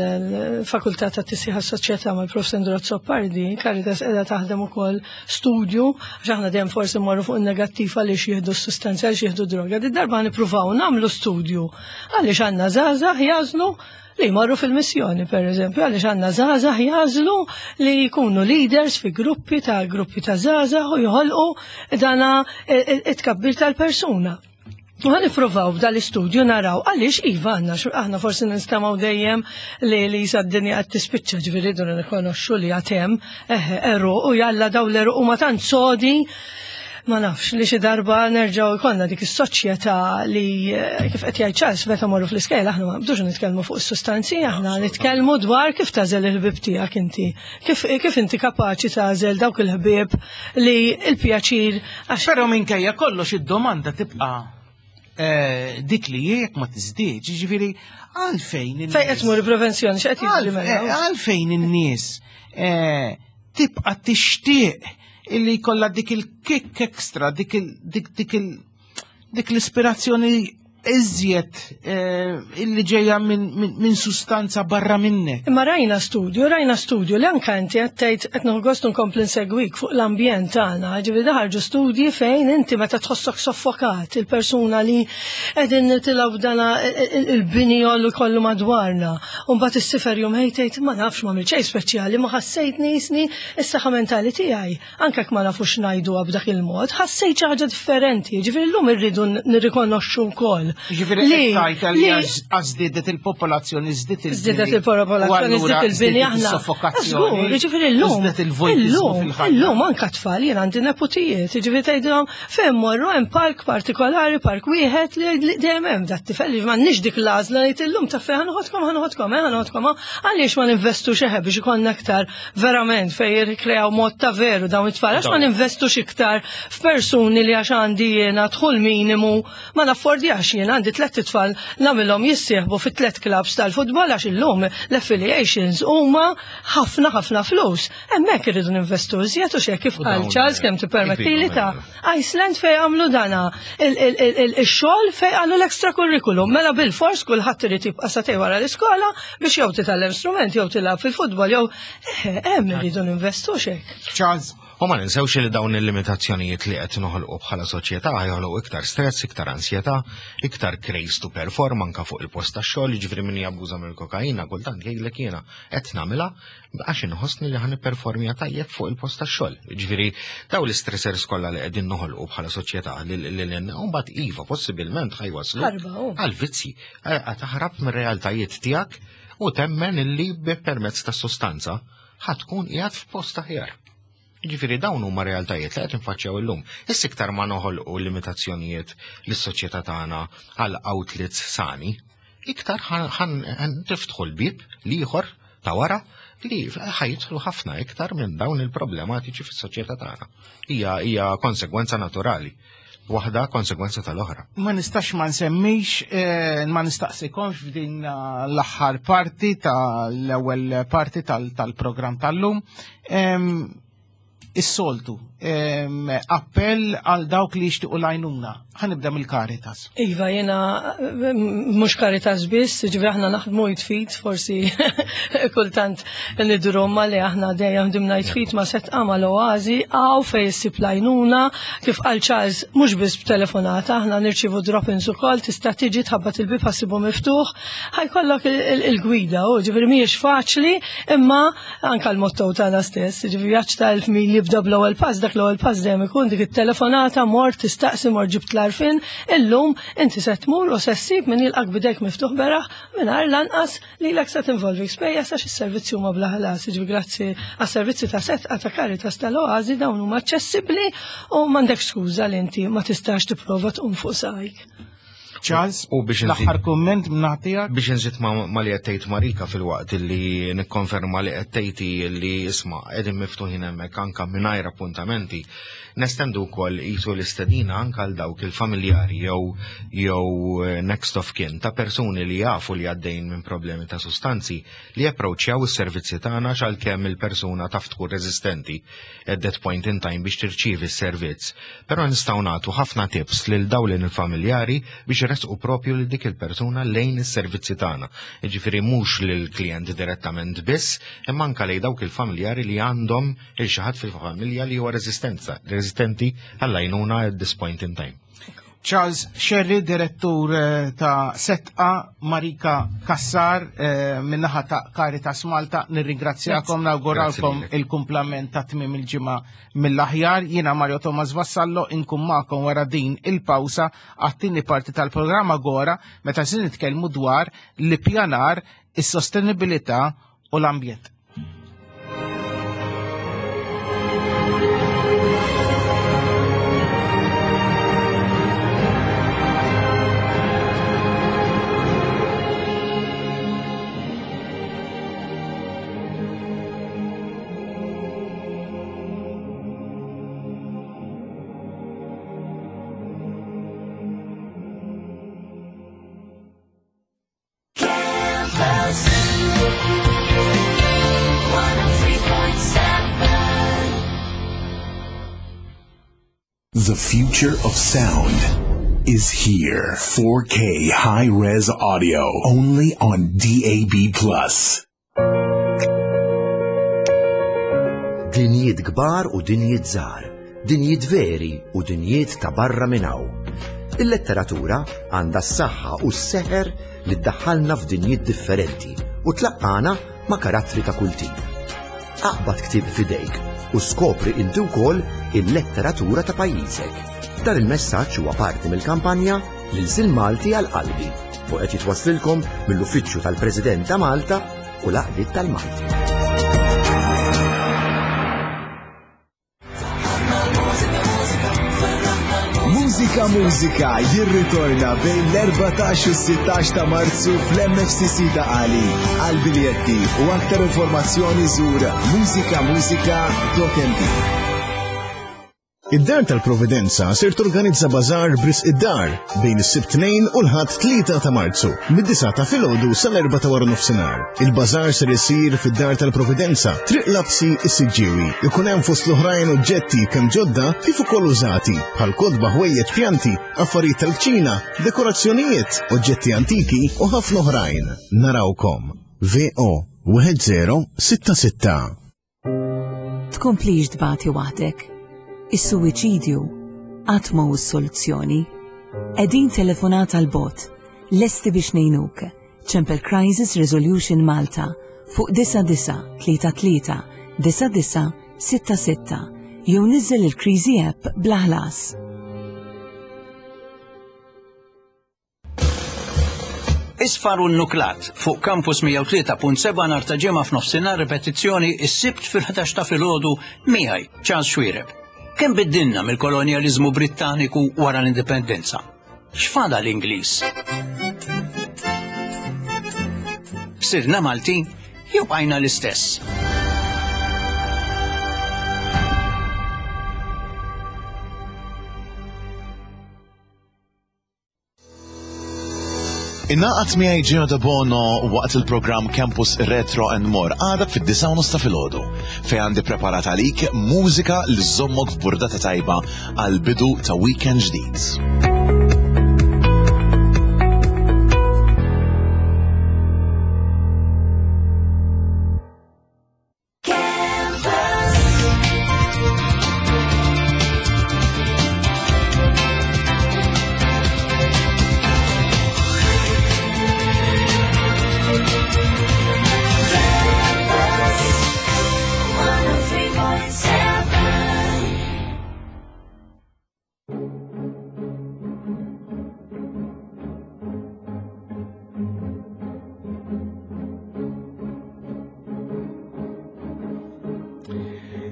[SPEAKER 3] mal-fakultà ta' tisħiħ soċjetà mal-Prof Sandro Azzopardi, Caritas qiegħda taħdem ukoll studju, għax aħna dejjem forsi mmorru fuq il-negattiv għaliex jieħdu s-sustanzi, għaliex jieħdu droga. Di darba nippruvaw nagħmlu studju għaliex għandna żgħażagħ jagħżlu li jmorru fil-missjoni, per eżempju, għaliex għandna żgħażagħ jagħżlu li jkunu leaders fi gruppi ta' gruppi ta' żgħażagħ u joħolqu dana it-tkabbir tal-persuna. U ħa nippruvaw b'dal-istudju naraw għaliex iva għandna, aħna forsi nistemgħu dejjem li li jisa d-dinja qed tispiċċa, ġifieri rridu nirrikonoxxu li għad hemm għeruq u jalla daw l-għeruq huma tant sodi, ma nafx li xi darba nerġgħu jkollna dik is-soċjetà li eh, kif qed jgħid Charles meta morru fl-iskejjel aħna ma nbdux nitkellmu fuq is-sustanzi, aħna nitkellmu dwar kif tagħżel il-ħbieb tiegħek inti. Kif kif inti kapaċi tagħżel dawk il-ħbieb li il-pjaċir għax
[SPEAKER 2] Però minkejja kollox id-domanda tibqa' eh, dik li jekk ma tiżdiedx, jiġifieri għalfejn in-nies-
[SPEAKER 3] fejn qed tmur il-prevenzjoni x'qed jiġri
[SPEAKER 2] Għalf-
[SPEAKER 3] mela?
[SPEAKER 2] eh, Għalfejn in-nies eh, tibqa' tixtieq illi jkollha dik il-kick extra, dik il dik dik il dik l-ispirazzjoni iżjed eh, illi ġejja minn min, min sustanza barra minnek.
[SPEAKER 3] Imma rajna studju, rajna studju li anka inti qed tgħid qed nieħu gost nkompli nsegwik fuq l-ambjent tagħna, ġifieri ħarġu studji fejn inti meta tħossok soffokat il-persuna li qegħdin nitilgħu dana il-bini jollu kollu madwarna. U mbagħad issifer jum ħej tgħid ma nafx ma xejn speċjali, ma ħassejt nisni is-saħħa mentali tiegħi. Anke jekk ma nafux ngħiduha b'dak il-mod, ħassejt xi ħaġa differenti. Ġifieri llum irridu nirrikonoxxu wkoll
[SPEAKER 2] Ġifieri qed li żdiedet il-popolazzjoni, żdiet il
[SPEAKER 3] Żdiedet il-popolazzjoni, żdiet il-bini aħna.
[SPEAKER 2] Soffokazzjoni.
[SPEAKER 3] Ġifieri llum. Illum, illum anke tfal jien għandi neputijiet, ġifieri tgħidilhom fejn morru hemm park partikolari, park wieħed li dejjem hemm dat tifel li m'għandniex dik l-għażla li illum ta' fejn ħa noħodkom, ħa noħodkom, ħa noħodkom, għaliex ma ninvestux eħe biex ikollna aktar verament fejn jirrikreaw mod ta' veru dawn it-tfal, għax ma ninvestux iktar f'persuni li għax għandi jiena dħul minimu ma naffordjax jien għandi tliet itfal nagħmilhom jissieħbu fit tliet clubs tal-futbol għax illum l-affiliations huma ħafna ħafna flus. Hemmhekk irridu ninvestu iżjed u xejn kif qal Charles kemm tippermettili ta' Iceland fejn għamlu dana il-xogħol fejn għamlu l-extra curriculum. Mela bil-fors kulħadd irid jibqa' sagħtejn wara l-iskola biex jew titgħallem strument jew tilgħab fil-futbol jew hemm irridu ninvestu xejn.
[SPEAKER 2] Charles.
[SPEAKER 4] U ma ninsewx li dawn il-limitazzjonijiet li qed noħolqu bħala soċjetà joħolqu iktar stress, iktar ansjetà, iktar craze to perform anka fuq il-post tax-xogħol, jiġifieri min jabbuża mill-kokaina kultant jgħidlek jiena qed nagħmilha għax inħossni li ħa nipperformja tajjeb fuq il-post tax-xogħol. Jiġifieri dawn l-istressors kollha li qegħdin noħolqu bħala soċjetà lil mbagħad iva possibilment ħa jwasslu għal vizzji, taħrab mir-realtajiet tiegħek u temmen illi permezz tas-sostanza ħa tkun qiegħed f'post aħjar. Ġifieri dawn huma realtajiet li qed infaċċjaw illum. Issa iktar ma noħolqu limitazzjonijiet lis-soċjetà tagħna għal outlets sani, iktar ħa niftħu l-bib l-ieħor ta' wara li ħa jidħlu ħafna iktar minn dawn il-problematiċi fis-soċjetà tagħna. Hija hija konsegwenza naturali. Waħda konsegwenza tal-oħra.
[SPEAKER 2] Ma nistax ma nsemmix, eh, ma nistaqsikomx f'din l-aħħar parti tal-ewwel parti tal-programm tal-lum. Is-soltu, appell għal dawk li jixtiequ l-għajnuna. Ħa nibda mill-Caritas.
[SPEAKER 3] Iva, jena mhux Caritas biss, ġifieri aħna naħdmu id f'id, forsi kultant nidru ma li aħna dejjem ħdimna id f'id ma' Sedqa mal-Oażi, hawn fejn issib l-għajnuna, kif qal Charles, mhux biss b'telefonata, aħna nirċievu drop-ins ukoll, tista' tiġi tħabbat il-bib ħa ssibu miftuħ, ħa jkollok il-gwida, u ġifieri mhijiex faċli, imma anka l-motto tagħna stess, ġifieri vjaġġ ta' elf mil jibda bl-ewwel pass, dak l-ewwel pass dejjem ikun dik it-telefonata, mort tistaqsi, mort ġibt l-għarfien, illum inti se tmur u se ssib min jilqak b'idejk miftuħ beraħ mingħajr lanqas li lek se tinvolvi spejjeż għax is-servizzi huma bla ħlas. Ġifieri grazzi għas-servizzi ta' Sedqa ta' Caritas tal-Oażi dawn huma aċċessibbli u m'għandekx skuża li inti ma tistax tipprova tqum fuq saqajk.
[SPEAKER 2] Charles,
[SPEAKER 4] U biex
[SPEAKER 2] l-aħħar kumment minn
[SPEAKER 4] Biex nżid ma li qed tgħid Marika fil-waqt li nikkonferma li qed tgħid li isma' qegħdin miftuħin hemmhekk anke mingħajr appuntamenti. Nestendu wkoll qisu l-istedina anke għal dawk il-familjari jew jew next of kin ta' persuni li jafu li għaddejn minn problemi ta' sustanzi li approċċjaw is-servizzi tagħna għalkemm il-persuna taf tkun reżistenti at that point in time biex tirċievi s-servizz. Però nistgħu nagħtu ħafna tips lil dawn il-familjari biex jressqu propju lil dik il-persuna lejn is-servizzi tagħna. Jiġifieri mhux lill-klijent direttament biss, imma anke lejn dawk il-familjari li għandhom il xi ħadd fil-familja li huwa reżistenza, reżistenti għall-għajnuna at this point in time.
[SPEAKER 2] Charles Scerri, direttur eh, ta' Sedqa, Marika Cassar, eh, min-naħa ta' Caritas Malta, nirringrazzjakom, nawguralkom il-kumplament ta' tmim il-ġimgħa mill-aħjar. Jiena Mario Thomas Vassallo, inkun magħkom wara din il-pawsa għat-tieni parti tal-programma Agora, meta se nitkellmu dwar l-ippjanar, is-sostenibilità u l-ambjent.
[SPEAKER 5] Campus one oh three point seven.
[SPEAKER 6] The future of sound is here. four K high-res audio only on D A B plus.
[SPEAKER 7] Dinjiet kbar u dinjiet żgħar, dinjiet veri u dinjiet ta' barra minn hawn. Il-letteratura għandha s-saħħa u s-seħer li ddaħħalna f'dinjiet differenti u tlaqqana ma' karattri ta' kull tip. Aqbad ktib f'idejk u skopri inti wkoll il-letteratura ta' pajjiżek. Dan il-messaġġ huwa parti mill-kampanja L-ilsien Malti għal qalbi u qed jitwasslilkom mill-Uffiċċju tal-President ta' Malta u l-Għaqdiet tal-Malti.
[SPEAKER 6] Mużika Mużika jirritorna bejn l-erbatax u s-sittax ta' Marzu fl-M F C C Ta' Qali. Għal biljetti u aktar informazzjoni żur mużikamużika punt M T.
[SPEAKER 8] Id-Dar tal-Providenza ser torganizza bażar b'risq id-dar bejn is-Sibt tnejn u l-Ħadd tlieta ta' Marzu, mid-disgħa ta' filgħodu sal-erbgħa ta' wara nofsinhar. Il-bażar ser isir fid-Dar tal-Providenza, Triq Lapsi, is-Siġġiewi. Ikun hemm fost l-oħrajn oġġetti kemm ġodda kif ukoll użati, bħal kotba, ħwejjeġ, pjanti, affarijiet tal-kċina, dekorazzjonijiet, oġġetti antiki u ħafna oħrajn. Narawkom. V O wieħed żero sitta sitta.
[SPEAKER 1] Tkomplix tbati waħdek. Is-suwiċidju qatt ma hu s-soluzzjoni. Qegħdin telefonata 'l bogħod, lesti biex ngħinuk. Ċempel Crisis Resolution Malta fuq disgħa disgħa tlieta tlieta disgħa disgħa sitta sitta jew niżel il-Kriżi app bla ħlas.
[SPEAKER 9] Isfar u Nuklat fuq Campus mija u tlieta punt sebgħa nhar ta' Ġimgħa f'nofsinhar, ripetizzjoni is-Sibt fil-ħdax ta' filgħodu miegħi, Charles Xuereb. Kemm biddilna mill-kolonjaliżmu Brittaniku wara l-indipendenza? X'fada l-Ingliż? Sirna Maltin jew bqajna l-istess?
[SPEAKER 10] Ingħaqad miegħi Gino De Bono waqt il-programm Campus Retro and More għada fid-disgħa u nofs ta' filgħodu, fejn għandi preparat għalik mużika li żommok f'burdata tajba għal bidu ta' weekend ġdid.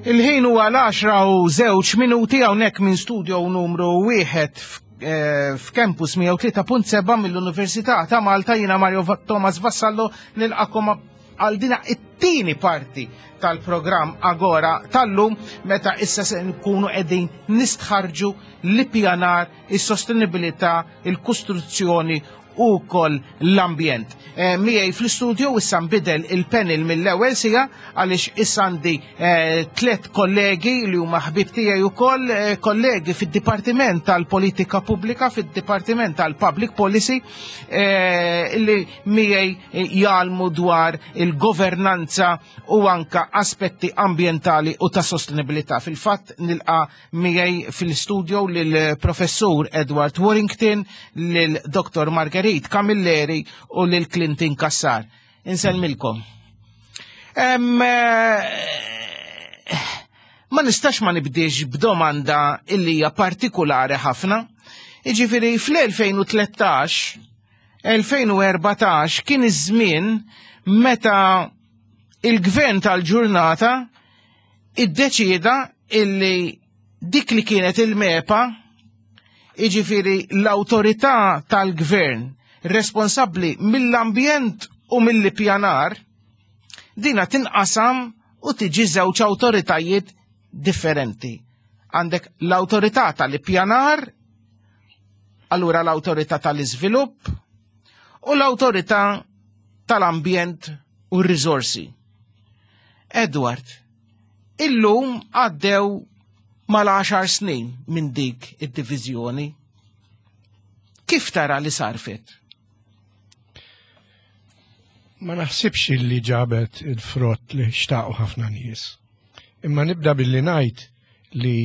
[SPEAKER 2] Il-ħin huwa l-għaxra u żewġ minuti hawnhekk minn studio numru wieħed eh, f'Campus mija u tlieta punt sebgħa mill-Università ta' Malta. Jiena Mario Thomas Vassallo, nilqakom għal dina it-tieni parti tal-programm Agora tal-lum, meta issa se nkunu qegħdin nistħarġu l-ippjanar, is-sostenibilità, il-kostruzzjoni u wkoll l-ambjent. E, Miegħi fl-istudio issa nbidel il-panel mill-ewwel siegħa, għaliex issa għandi eh, tliet kollegi li huma ħbib tiegħi ukoll, eh, kollegi fid-Dipartiment tal-Politika Pubblika, fid-Dipartiment tal-Public Policy, eh, li miegħi jgħallmu dwar il-governanza u anka aspetti ambientali u ta' sostenibilità. Fil-fatt nilqa' miegħi fil-studio lil-Professur Edward Warrington, lil Doktor Marguerite Camilleri u lil Clinton Cassar. Insellmilkom. Em, eh, ma nistax ma nibdiex b'domanda illi hija partikolari ħafna. Iġifieri fl-elfejn u tlettax, elfejn u erbatax kien iż-żmien meta il-gvern tal-ġurnata iddeċieda illi dik li kienet il-MEPA, iġifieri l-autorità tal-gvern responsabbli mill-ambjent u mill-ippjanar, dina tinqasam u tiġi żewġ awtoritajiet differenti. Għandek l-autorità tal-ippjanar, allura l-autorità tal-iżvilupp u l-autorità tal-ambjent u r-riżorsi. Edward, illum għaddew mal-għaxar snin minn dik id-diviżjoni. Kif tara li sarfet?
[SPEAKER 11] Ma naħsibx li ġabet il-frott li xtaqu ħafna nies. Imma nibda billi ngħid li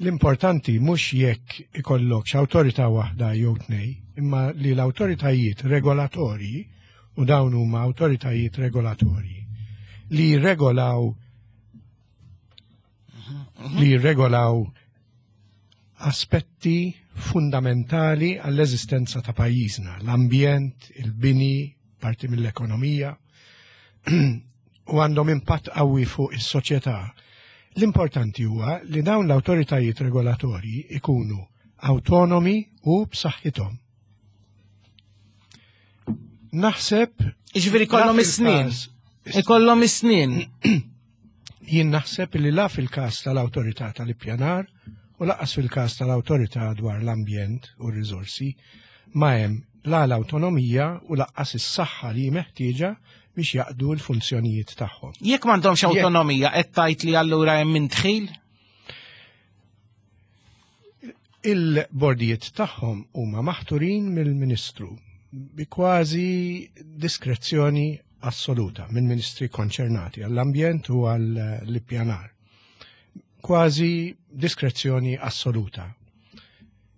[SPEAKER 11] l-importanti mhux jekk ikollokx awtorità waħda jew tnej, imma li l-awtoritajiet regolatorji, u dawn huma awtoritajiet regolatorji, li jirregolaw li jirregolaw aspetti fundamentali għall-eżistenza ta' pajjiżna, l-ambjent, il-bini, parti mill-ekonomija, u għandhom impatt qawwi fuq is-soċjetà. L-importanti huwa li dawn l-awtoritajiet regolatorji ikunu autonomi u b'saħħithom. Naħseb
[SPEAKER 2] Jiġifieri kollhom is-snin. Ikollhom is-snin.
[SPEAKER 11] Jien naħseb li la fil-każ tal-awtorità tal-ippjanar u lanqas fil-każ tal-awtorità dwar l-ambjent u r-riżorsi ma hemm la l-awtonomija u lanqas is-saħħa li meħtieġa biex jaqdu l-funzjonijiet tagħhom.
[SPEAKER 2] Jekk m'għandhomx awtonomija, qed tgħid li allura hemm indħil?
[SPEAKER 11] Il-bordijiet tagħhom huma maħturin mill-Ministru bi kważi diskrezzjoni assoluta mill-ministri konċernati għall-ambjent u għall-ippjanar. Kważi diskrezzjoni assoluta.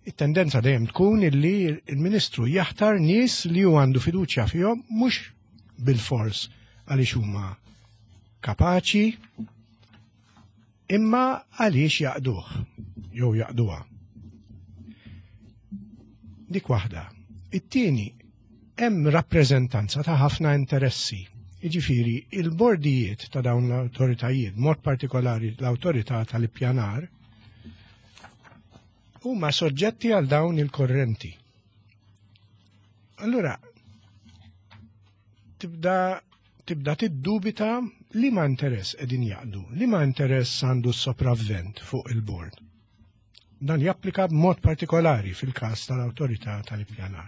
[SPEAKER 11] It-tendenza dejjem tkun illi il-Ministru jaħtar nies li hu għandu fiduċja fihom, mhux bil-fors għaliex huma kapaċi, imma għaliex jaqduh jew jaqduha. Dik waħda. It-tieni, hemm rappreżentanza ta' ħafna interessi. Jiġifieri, il-bordijiet ta' dawn l-awtoritajiet, mod partikolari l-awtorità tal-ippjanar, huma soġġetti għal dawn il-korrenti. Allura, tibda tibda tiddubita li ma interess qegħdin jaqdu, li ma interess għandu s-sopravvent fuq il-bord. Dan japplika b'mod partikolari fil-każ tal-awtorità tal-ippjanar.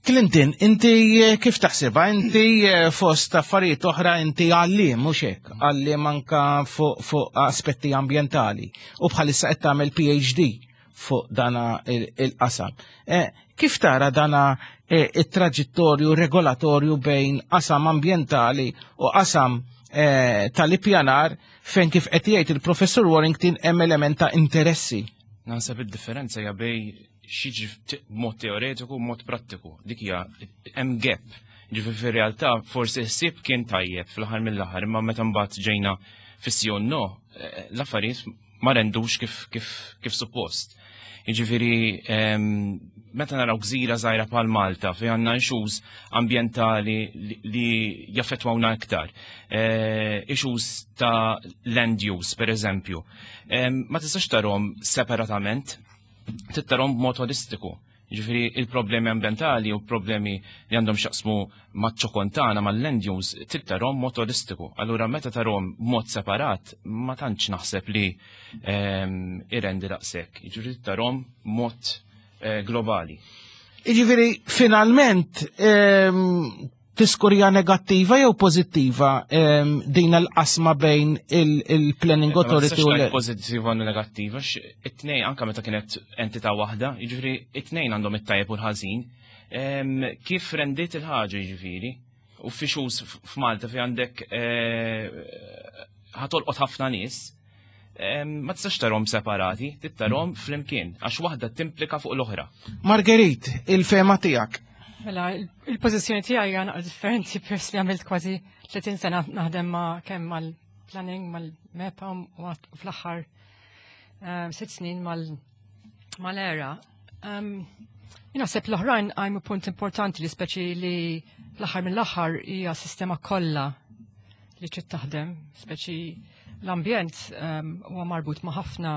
[SPEAKER 2] Clinton, inti eh, kif taħsibha? Inti eh, fost affarijiet oħra inti għalliem, mhux hekk, għalliem anka fuq fu aspetti ambjentali u bħalissa qed tagħmel P H D fuq dana il-qasam. Eh, kif tara dana it-traġittorju regolatorju bejn qasam ambjentali u qasam tal-ippjanar, fejn kif qed jgħid il-Professur Warrington hemm element ta' interessi?
[SPEAKER 12] Naħseb id-differenza hija bejn x'jiġri mod teoretiku u mod prattiku. Dik hija, hemm gap. Ġifieri fir-realtà forsi ħsieb kien tajjeb fl-aħħar mill-aħħar, imma meta mbagħad ġejna fis-sì no, eh, l-affarijiet ma rendux kif kif kif suppost. Jiġifieri meta naraw gżira żgħira bħal Malta fejn għandna issues ambjentali li jaffettwawna iktar. Eh, issues ta' land use, per eżempju. Ma tistax tarahom separatament, trid tarahom b'mod holistiku. Ġifieri il-problemi ambientali u problemi li għandhom x'jaqsmu maċ-ċokon tagħna, mal-land use, trid tarahom mod holistiku. Allura meta tarahom b'mod separat, ma tantx naħseb li ehm, irendi daqshekk. Ġifieri trid tarahom mod eh, globali.
[SPEAKER 2] Ġifieri finalment ehm, tiskurja negattiva jew pozittiva ehm, din l-qasma bejn il-Planning Authority u
[SPEAKER 12] l Pozittiva u negattiva, it-tnejn, anka meta kienet entità waħda, jiġifieri it-tnejn għandhom it-tajjeb u l-ħażin. Kif rendit il-ħaġa, jiġifieri, u fi issues f'Malta fi għandek eh, ħa tolqot ħafna nies, ma tistax tarahom separati, tarahom flimkien, għax waħda timplika fuq l-oħra.
[SPEAKER 2] Marguerite, il-fehma tiegħek.
[SPEAKER 13] Mela, il-pożizzjoni tiegħi hija naqra differenti peress li għamilt kważi tletin sena naħdem ma' kemm mal-planning, mal-MEPA u fl-aħħar ehm, sitt snin mal-ERA. Ehm, naħseb l-oħrajn għajmu punt importanti li speċi li l-aħħar mill-aħħar hija sistema kollha li trid taħdem, speċi l-ambjent ehm, huwa marbut ma' ħafna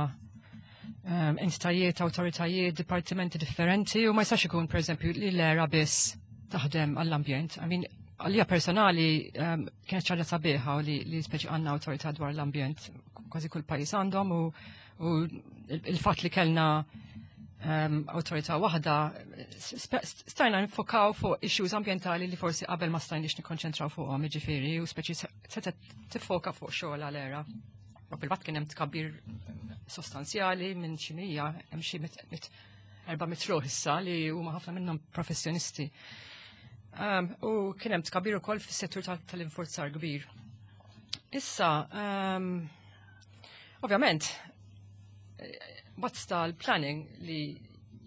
[SPEAKER 13] um, entitajiet, awtoritajiet, dipartimenti differenti u ma jistax ikun, per eżempju, li l-ERA biss taħdem għall-ambjent. I mean, għalija personali um, kienet ħaġa sabiħa u li, li speċi għandna awtorità dwar l-ambjent. Kważi kull pajjiż għandhom u, u il-fatt li kellna um, awtorità waħda stajna nfokaw fuq issues ambientali li forsi qabel ma stajniex nikkonċentraw fuqhom, jiġifieri, u speċi setgħet tiffoka fuq xogħol għal-ERA. U bil-fatt kien hemm tkabbir sostanzjali minn xi mija, hemm xi erba' mitt ruħ issa li huma ħafna minnhom professjonisti. Um, u kien hemm tkabbir ukoll fis-settur tal-infurzar kbir. Issa, um, ovvjament, what's tal-planning li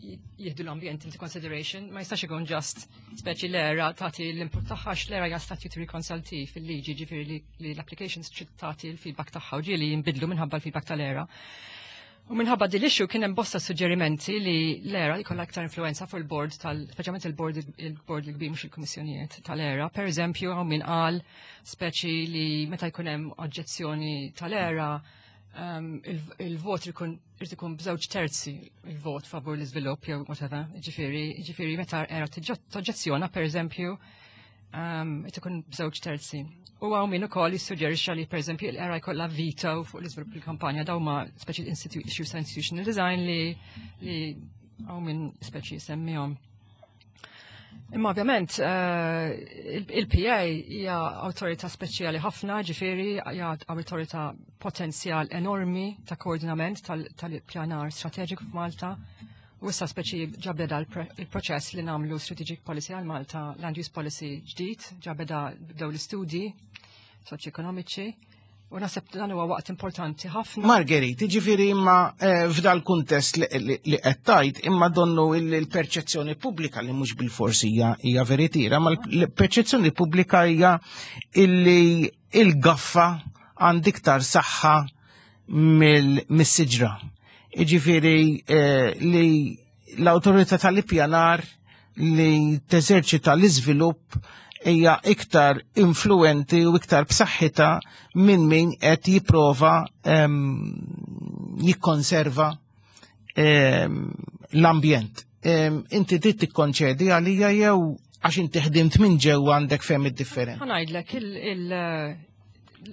[SPEAKER 13] jieħdu l-ambjent into consideration, ma jistax ikun just speċi l-ERA tagħti l-input tagħha, l-ERA hija statutory consultee fil-liġi, ġifieri li l-applications trid tagħti l-feedback tagħha u ġieli jinbidlu minħabba l-feedback tal-ERA. U minħabba din l-issue kien hemm bosta suġġerimenti li l-ERA jkollha aktar influenza fuq il-board tal, speċjalment il-board il-board il-kbir, mhux il-kummissjonijiet tal-ERA. Per eżempju, hawn min qal speċi li meta jkun hemm oġġezzjoni tal-ERA, um, il-vot ikun irid ikun b'żewġ terzi, il-vot favur l-iżvilupp jew whatever. Ġifieri, ġifieri meta ERA toġġezzjona, per eżempju, um, ikun b'żewġ terzi. U hawn min ukoll jissuġġerixxa li, per eżempju, l-ERA jkollha veto fuq l-iżvilupp il-kampanja. Dawn huma speċi issues ta' institutional design li li hawn min speċi semmihom. Imma ovvjament eh, il-P A hija awtorità speċjali ħafna, ġifieri hija awtorità potenzjal enormi ta' koordinament tal-pjanar strateġiku f'Malta. U issa speċi ġa beda il-proċess li nagħmlu strategic policy għal Malta, land use policy ġdid, ġa beda, bdew l-istudji soċjoekonomiċi. U naħseb dan huwa waqt importanti ħafna.
[SPEAKER 2] Marguerite, ġifieri imma eh, f'dal kuntest li qed tgħid, imma donnu il-perċezzjoni pubblika, li mhux bil-forsi hija veritira, ma l-perċezzjoni pubblika hija illi il-gaffa għand iktar saħħa mill-siġra. Ġifieri eh, li l-awtorità tal-ippjanar li teżerċita l-iżvilupp hija iktar influenti u iktar b'saħħitha minn min qed jipprova jikkonserva l-ambjent. Inti trid tikkonċedi għalija jew għax inti ħdimt minn ġewwa għandek fehmiet differenti?
[SPEAKER 13] Ħa ngħidlek,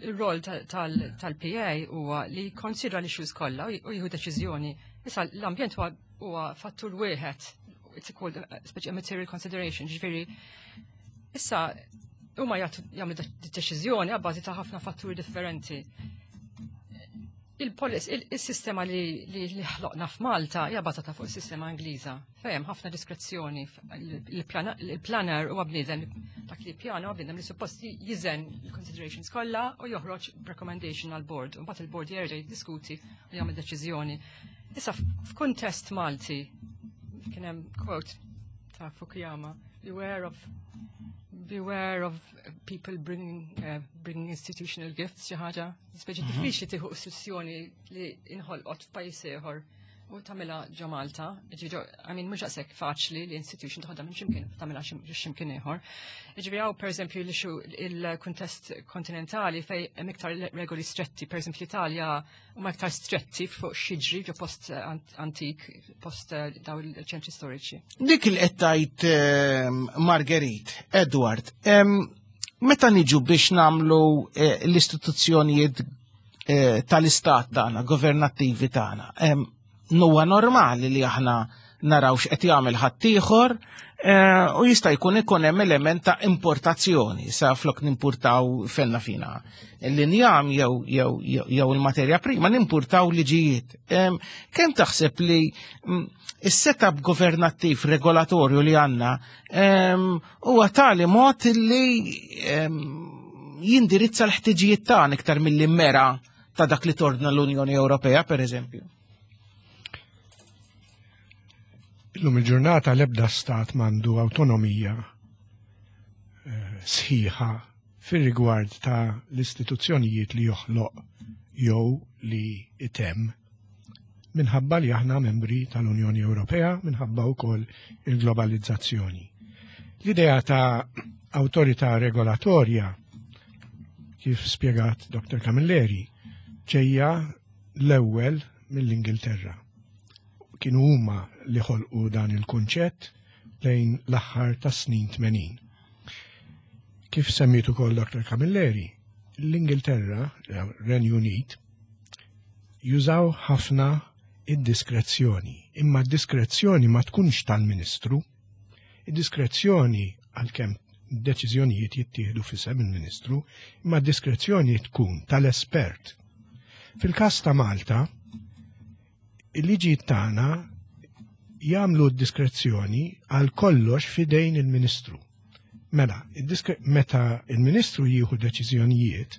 [SPEAKER 13] il-rol tal-P A huwa li jikkonsidra l-issues kollha u jieħu deċiżjoni. Issa l-ambjent huwa fattur wieħed, it's called speċi material consideration, ġifieri issa huma jagħmlu deċiżjoni għabbażi ta' ħafna fatturi differenti. Il-sistema li li ħloqna f'Malta hija bażata fuq is-sistema Ingliża. Fejn ħafna diskrezzjoni. Il-planner huwa bniedem, dak li pjana huwa bniedem li suppost jiżen il-considerations kollha u joħroġ recommendation għal board. U mbagħad il-board jerġa' jiddiskuti u jagħmel deċiżjoni. Issa f'kuntest Malti kien hemm quote ta' Fukuyama, "Beware of beware of people bringing, uh, bringing institutional gifts," xi ħaġa. Speċi mhm. diffiċli tieħu istituzzjoni li inħolqot f'pajjiż ieħor u tagħmilha ġo Malta. I mean, mhux daqshekk faċli li institution toħodha minn x'imkien tagħmilha x'imkien ieħor. Ġifieri hawn, pereżempju, il-kuntest kontinentali fej hemm iktar regoli stretti, pereżempju l-Italja huma iktar stretti fuq x'jiġri ġo post antik, post eh, daw il-ċentri storiċi.
[SPEAKER 2] Dik il qed ehm, Marguerite, Edward, ehm, meta niġu biex nagħmlu eh, l-istituzzjonijiet eh, tal-istat tagħna, governattivi tagħna, ehm, huwa normali li aħna naraw x'qed jagħmel ħaddieħor eh, u jista' jkun ikun hemm element ta' importazzjoni, sa flok nimpurtaw fenna fina l-injam jew jew jew il-materja prima, nimpurtaw liġijiet. Kemm taħseb li mm, is-setup governattiv regolatorju li għandna huwa tali mod li jindirizza l-ħtiġijiet tagħna iktar milli mera ta' dak li tordna l-Unjoni Ewropea, per eżempju?
[SPEAKER 11] Illum il-ġurnata l-ebda stat m'għandu autonomija eh, sħiħa fir-rigward ta' l-istituzzjonijiet li joħloq jew li itemm, minħabba li aħna membri tal-Unjoni Ewropea, minħabba wkoll il-globalizzazzjoni. L-idea ta' awtorità regolatorja, kif spjegat Doktor Camilleri, ġejja l-ewwel mill-Ingilterra. Kienu huma li ħolqu dan il-kunċett lejn l-aħħar tas snin tmenin. Kif semmitu ukoll Doktor Camilleri, l-Ingilterra, Renju Unit, jużaw ħafna id-diskrezzjoni, imma d-diskrezzjoni ma tkunx tal-Ministru. Id-diskrezzjoni, għalkemm deċiżjonijiet jittieħdu f'isem il-Ministru, imma d-diskrezzjoni tkun tal-espert. Fil-każ ta' Malta, il-liġi tagħna jagħmlu d-diskrezzjoni għal kollox fidejn il-Ministru. Mela, meta il-Ministru jieħu deċiżjonijiet,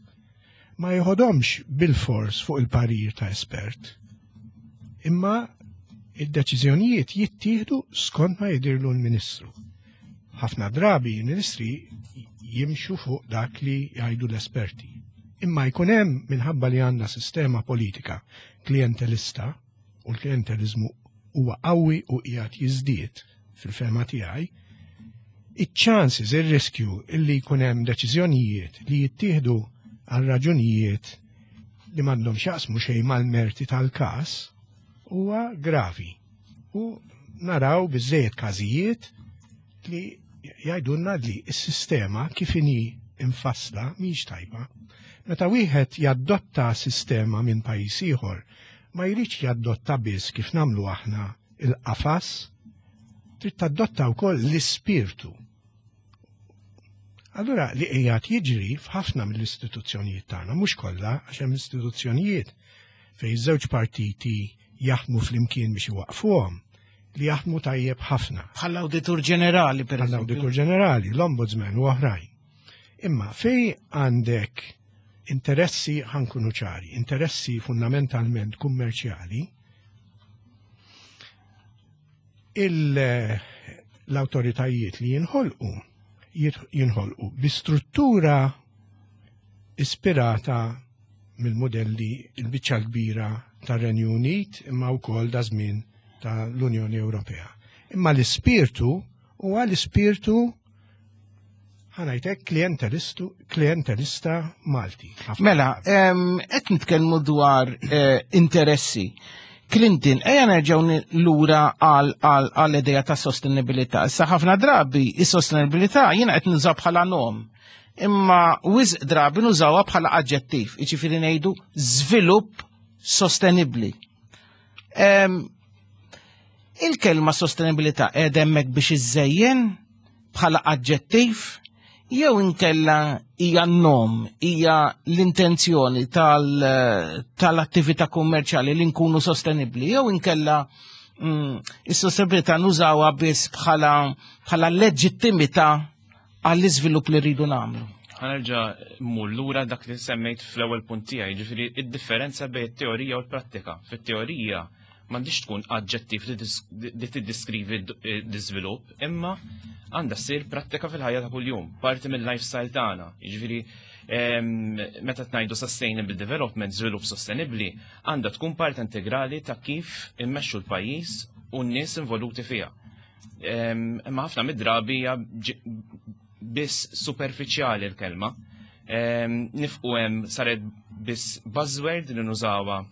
[SPEAKER 11] ma jieħodhomx bil-fors fuq il-parir ta' espert, imma id-deċiżjonijiet jittieħdu skont ma jidirlu l-Ministru. Ħafna drabi il-Ministri jimxu fuq dak li jgħidu l-esperti. Imma jkun hemm, minħabba li għandna sistema politika klientelista, u l-klientelizmu huwa qawwi u qiegħed jiżdied fil-fehma tiegħi, iċ-chances, ir-riskju illi jkun hemm deċiżjonijiet li jittieħdu għal raġunijiet li m'għandhom x'jaqsmu xejn mal-merti tal-każ huwa gravi. U naraw biżejjed każijiet li jgħidulna li s-sistema kif inhi infassla mhix tajba. Meta wieħed jaddotta sistema minn pajjiż ieħor, ma jridx jaddotta biss kif nagħmlu aħna il-qafas, trid tadotta wkoll l-ispirtu. Allura li qiegħed jiġri f'ħafna mill-istituzzjonijiet tagħna, mhux kollha, għax hemm istituzzjonijiet fejn żewġ partiti jaħdmu flimkien biex iwaqfuhom, li jaħdmu tajjeb ħafna.
[SPEAKER 2] Bħall-Awditur Ġenerali, per eżempju.
[SPEAKER 11] Bħall-Awditur Ġenerali, l-Ombudsman u oħrajn. Imma fej għandek interessi, ħa nkunu ċari, interessi fundamentalment kummerċjali, l-autoritajiet li jinħolqu, jinħolqu bi struttura ispirata mill-modelli il-biċċa kbira tar-Renju Unit imma wkoll da żmien tal-Unjoni Ewropea. Imma l-ispirtu huwa l-ispirtu, ħa ngħidlek, klientelistu, klientelista Malti.
[SPEAKER 2] Mela, qed nitkellmu dwar eh, interessi. Clinton, ejja nerġgħu lura għal idea ta' sostenibilità. Issa ħafna drabi is-sostenibilità jiena qed nużaw bħala nom. Imma wisq drabi nużawha bħala aġġettiv, jiġifieri ngħidu żvilupp sostenibbli. Il-kelma sostenibilità qiegħda hemmhekk biex iżejjen bħala aġġettiv jew inkella hija nom, hija l-intenzjoni tal-attività kummerċjali li nkunu sostenibbli, jew inkella mm, is-sostenibilità nużawha biss bħala bħala leġittimità għall-iżvilupp li rridu nagħmlu.
[SPEAKER 12] Ħa nerġa' mmur lura dak li semmejt fl-ewwel punt tiegħi, ġifieri id-differenza bejn it-teorija u l-prattika. Fit-teorija m'għandix tkun aġġettiv li tiddiskrivi d-iżvilupp, imma għandha ssir prattika fil-ħajja ta' kuljum, parti mill-lifestyle tagħna. Jiġifieri meta tgħidu sustainable development, żvilupp sostenibbli, għandha tkun parti integrali ta' kif immexxu l-pajjiż u n-nies involuti fiha. Imma ħafna mid-drabi hija biss superfiċjali l-kelma. Nifqu hemm saret biss buzzword li nużawha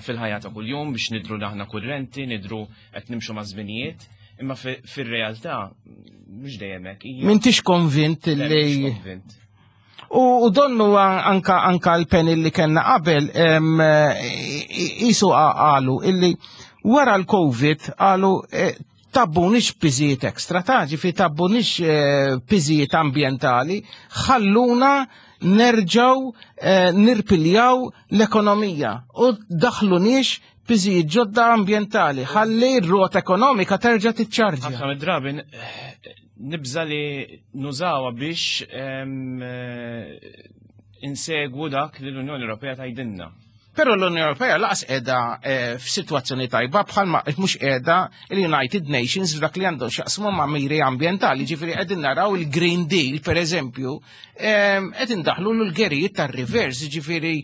[SPEAKER 12] fil-ħajja ta' kuljum biex nidru aħna kurrenti, nidru qed nimxu ma' żminijiet, imma fir-realtà mhux dejjem hekk.
[SPEAKER 2] M'intix konvint li. U donnu anka anka l-panel li kellna qabel jisu qalu illi wara l-Covid qalu tgħabbunix piżijiet ekstra, ta' ġifi tgħabbunix piżijiet ambientali, ħalluna nerġaw nirpiljaw l-ekonomija u daħlunix piżijiet ġodda ambientali, ħalli r-rota ekonomika terġa' tiċċarġja.
[SPEAKER 12] Ħafna mid-drabi nibża li nużawha biex insegwu dak li l-Unjoni Ewropea tgħidilna.
[SPEAKER 2] Però l-Unjoni Ewropea lanqas qiegħda f'sitwazzjoni tajba bħalma mhux qiegħda il-United Nations f'dak li għandhom x'jaqsmu ma' miri ambjentali, ġifieri qegħdin naraw il-Green Deal pereżempju, qed indaħlu l-gerijiet tar-reverse, ġifieri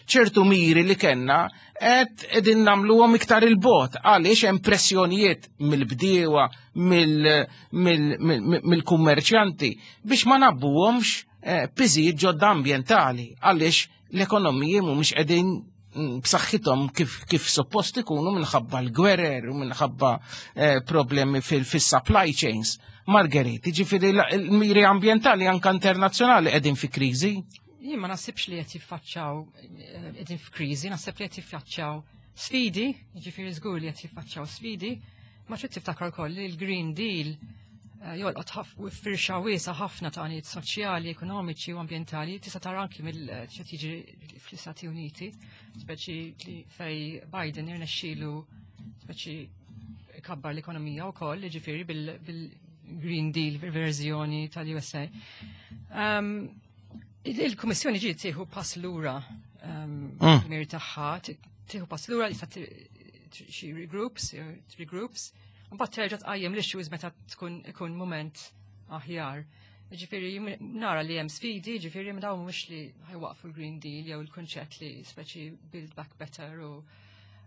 [SPEAKER 2] ċertu miri li kellna qed qegħdin nagħmluhom iktar il-bogħod għaliex hemm pressjonijiet mill-bdiewa, mill-kummerċjanti biex ma ngħabbuhomx piżijiet ġodda ambjentali għaliex l-ekonomiji mhumiex qegħdin b'saħħithom kif kif suppost ikunu minħabba l-gwerer u minħabba problemi fil-supply chains. Marguerite, ġifieri l-miri ambjentali anka internazzjonali qegħdin fi kriżi?
[SPEAKER 13] Jien ma naħsibx li qed jiffaċċjaw qegħdin f'kriżi, naħseb li qed jiffaċċjaw sfidi, jiġifieri żgur li qed jiffaċċjaw sfidi, ma trid tiftakar ukoll li l-Green Deal jolqot firxa wiesa ħafna ta' għanijiet soċjali, ekonomiċi u ambjentali, tista' tara anki mill x'qed jiġri fl-Istati Uniti, speċi li fej Biden irnexxielu speċi kabbar l-ekonomija wkoll, jiġifieri bil-Green Deal verżjoni tal-U S A. Il-Kummissjoni ġiet tieħu pass lura mir tagħha, tieħu pass lura li xi regroups, regroups, mbagħad terġa' tqajjem l-issues meta tkun ikun moment aħjar. Ġifieri nara li hemm sfidi, ġifieri ma dawn mhux li ħa jwaqqfu l-Green Deal jew il-kunċett li speċi build back better u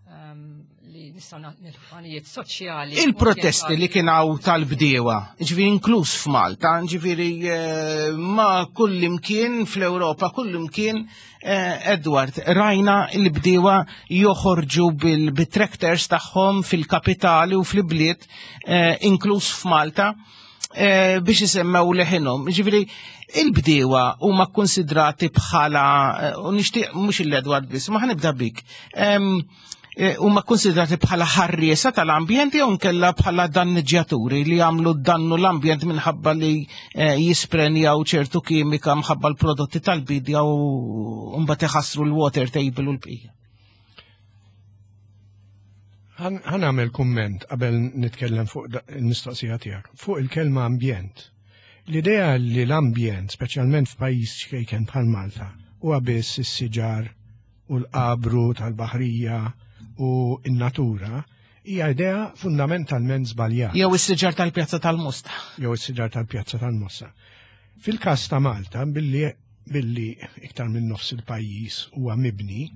[SPEAKER 13] um, li nistgħu nilħu għanijiet soċjali.
[SPEAKER 2] Il-protesti li kien hawn tal-bdiewa, ġifieri inkluż f'Malta, ġifieri eh, ma kull imkien fl-Ewropa, kull imkien, eh, Edward, rajna il-bdiewa joħorġu bil-tractors tagħhom fil-kapitali u fil-bliet, eh, inkluż f'Malta, eh, biex isemmew leħinhom. Ġifieri, il-bdiewa huma konsidrati bħala, eh, u nixtieq mhux il-Edward biss, ma ħa nibda bik. Em, eh, huma konsidrati bħala ħarriesa tal-ambjent jew nkella bħala danniġġjaturi li jagħmlu dannu l-ambjent minħabba li eh, jisprenjaw ċertu kimika minħabba l-prodotti tal-bidja u mbagħad iħassru l-water table u l-bqija?
[SPEAKER 11] Ħa nagħmel kumment qabel nitkellem fuq da- il-mistoqsija tiegħek. Fuq il-kelma ambjent. L-idea li l-ambjent, speċjalment f'pajjiż ċkejken bħal Malta, huwa biss is-siġar u l-qabru tal-baħrija u n-natura, hija idea fundamentalment żbaljata.
[SPEAKER 2] Jew is-siġar tal-Pjazza tal-Mosta.
[SPEAKER 11] Jew is-siġar tal-Pjazza tal-Mosta. Fil-każ ta' Malta, billi billi iktar minn nofs il-pajjiż huwa mibni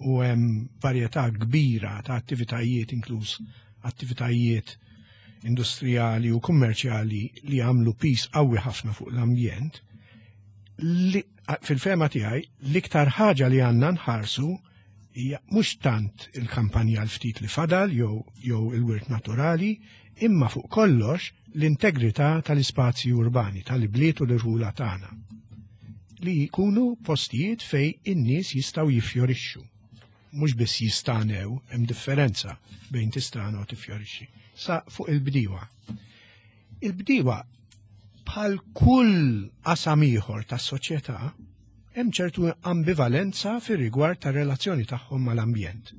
[SPEAKER 11] u hemm varjetà kbira ta' attivitajiet, inkluż attivitajiet industrijali u kummerċjali li għamlu pis qawwi ħafna fuq l-ambjent, li fil-fehma tiegħi l-iktar ħaġa li għandna nħarsu hija mhux tant il-kampanja l-ftit li fadal jew jew il-wirt naturali, imma fuq kollox l-integrità tal-ispazji urbani, tal-ibliet u l-irħula tagħna li jkunu postijiet fej in-nies jistgħu jiffjorixxu. Mhux biss jistanew, hemm differenza bejn tistana u tiffjorixxi. Sa fuq il-bdiewa. Il-bdiewa, bħal kull qasam ieħor tas-soċjetà, hemm ċertu ambivalenza fir-rigward tar-relazzjoni tagħhom mal-ambjent.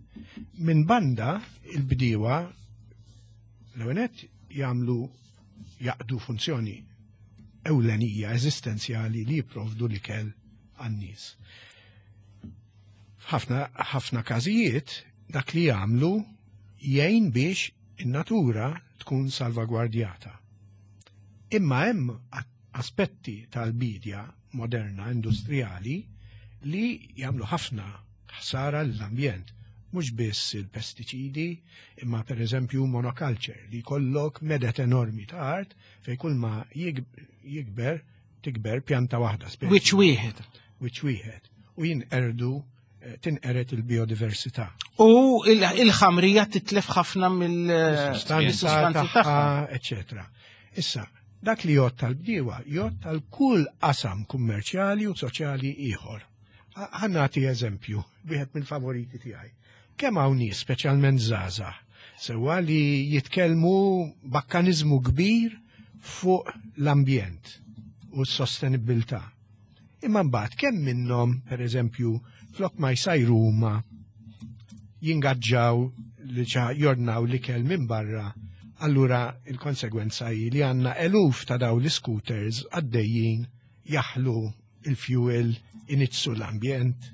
[SPEAKER 11] Minn banda, il-bdiewa l-ewwel jagħmlu jaqdu funzjoni ewlenija eżistenzjali li jipprovdu l-ikel għan-nies. F'ħafna ħafna każijiet dak li jagħmlu jgħin biex in-natura tkun salvagwardjata. Imma hemm aspetti tal-bidja moderna industrijali li jagħmlu ħafna ħsara l-ambjent. Mhux biss il-pestiċidi, imma per eżempju monoculture, li jkollok medet enormi ta' art fej kull ma jikber tikber pjanta waħda.
[SPEAKER 2] Wiċċ wieħed.
[SPEAKER 11] Wiċċ wieħed. U jinqerdu eh, tinqered il-biodiversità.
[SPEAKER 2] U il-ħamrija titlef ħafna
[SPEAKER 11] mill-sustanza tagħha, eċetera. Issa, dak li jgħodd tal-bdiewa, jgħodd tal-kull qasam kummerċjali u soċjali ieħor. Ħa nagħti eżempju, wieħed mill-favoriti tiegħi. Kemm hawn nies, speċjalment żgħażagħ, sewwa, li jitkellmu b'akkanizmu kbir fuq l-ambjent u s-sostenibilità. Imma mbagħad kemm minnhom, pereżempju, flok ma jsajru huma, jingaġġaw li ċa jordnaw l-ikel minn barra, allura il-konsegwenza hi li għandna eluf ta' daw l-scooters għaddejjin jaħlu il-fuel, iniġġsu l-ambjent,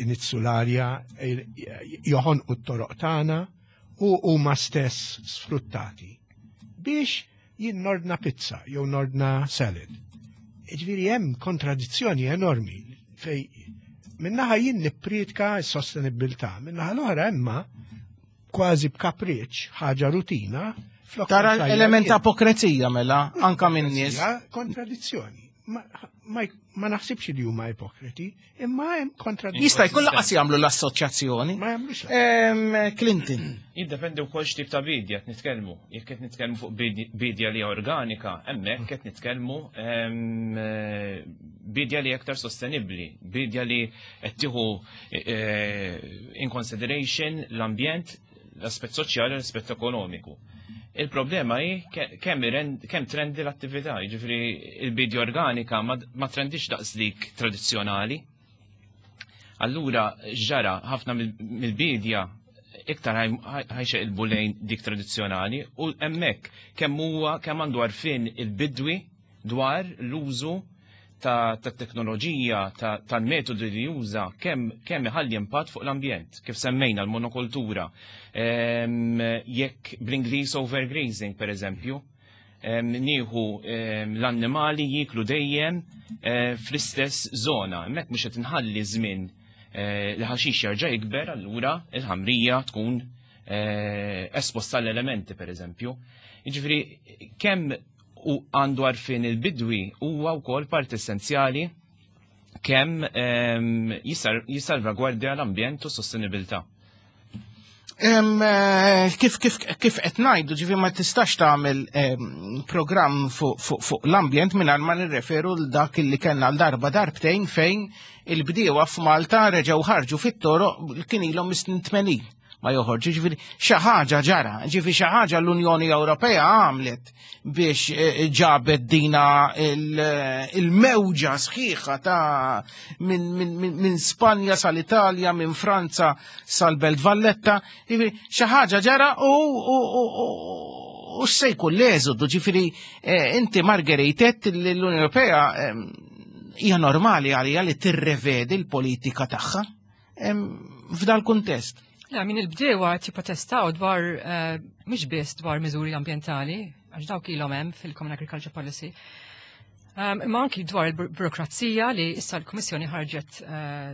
[SPEAKER 11] iniġġsu l-arja, joħonqu t-toroq tagħna u huma stess sfruttati. Biex jien nordna pizza jew nordna salad. Ġifieri hemm kontradizzjoni enormi fej minnaħa jien nippriedka s-sostenibilità, minnaħa l-oħra imma kważi b'kapriċ, ħaġa rutina.
[SPEAKER 2] Flok Tara element ta' ipokrezija mela, anka minn nies.
[SPEAKER 11] Kontradizzjoni. Ma, ma, ma naħsibx li huma ipokriti, imma hemm kontradizzjoni.
[SPEAKER 2] Jista' jkun laqas jagħmlu l-assoċjazzjoni.
[SPEAKER 11] Ma jagħmlux.
[SPEAKER 2] Em, Clinton.
[SPEAKER 12] Jiddependi wkoll x'tip ta' bidja qed nitkellmu. Jekk qed nitkellmu fuq bidi- bidja li hija organika, hemmhekk qed nitkellmu em, eh, bidja li aktar sostenibbli, bidja li qed tieħu eh, in consideration l-ambjent, l-aspett soċjali u l-aspett ekonomiku. Il-problema hi ke- kemm irend- kemm trendi l-attività, jiġifieri il-bidja organika ma ma trendix daqs dik tradizzjonali. Allura ġara ħafna mill- mill-bidja iktar ħa jxeqilbu lejn dik tradizzjonali u hemmhekk kemm huwa kemm għandu għarfien il-bidwi dwar l-użu ta' ta' teknoloġija, ta' tal-metodi li juża, kemm kemm iħalli impatt fuq l-ambjent, kif semmejna l-monokultura, Em, jekk bl-Ingliż overgrazing per eżempju, em, nieħu em, l-annimali jiklu dejjem eh, fl-istess zona, hemmhekk mhux qed inħalli żmien eh, l-ħaxix jerġa' jikber, allura il-ħamrija tkun eh, esposta l-elementi, per eżempju. Jiġifieri kemm u għandu għarfien il-bidwi huwa wkoll parti essenzjali kemm ehm, jissalvagwardja l-ambjent u s-sostenibilità.
[SPEAKER 2] Eh, kif kif kif qed ngħidu, ġifi ma tistax tagħmel programm fuq fu, fu l-ambjent mingħajr ma nirreferu l dak li kellna l darba darbtejn fejn il-bdiewa f'Malta reġgħu ħarġu fit-toroq, kien ilhom mis-snin tmenin ma joħorġu. Ġifieri xi ħaġa ġara, ġifieri xi ħaġa l-Unjoni Ewropea għamlet biex eh, ġabet dina il-mewġa sħiħa ta' minn min, min, min Spanja sal-Italja, minn Franza sal-Belt Valletta, ġifieri xi ħaġa ġara u u x'se jkun l-eżodu. Ġifieri eh, inti, Marguerite, l-Unjoni Ewropea hija normali għalija li tirrevedi l-politika tagħha f'dal kuntest.
[SPEAKER 13] La, min il-bdewa jipprotestaw dwar, eh, mhux biss dwar miżuri ambjentali, għax dawk ilhom hemm fil-Common Agriculture Policy, um, imma anki dwar il-burokrazija li issa l-Kummissjoni ħarġet, eh,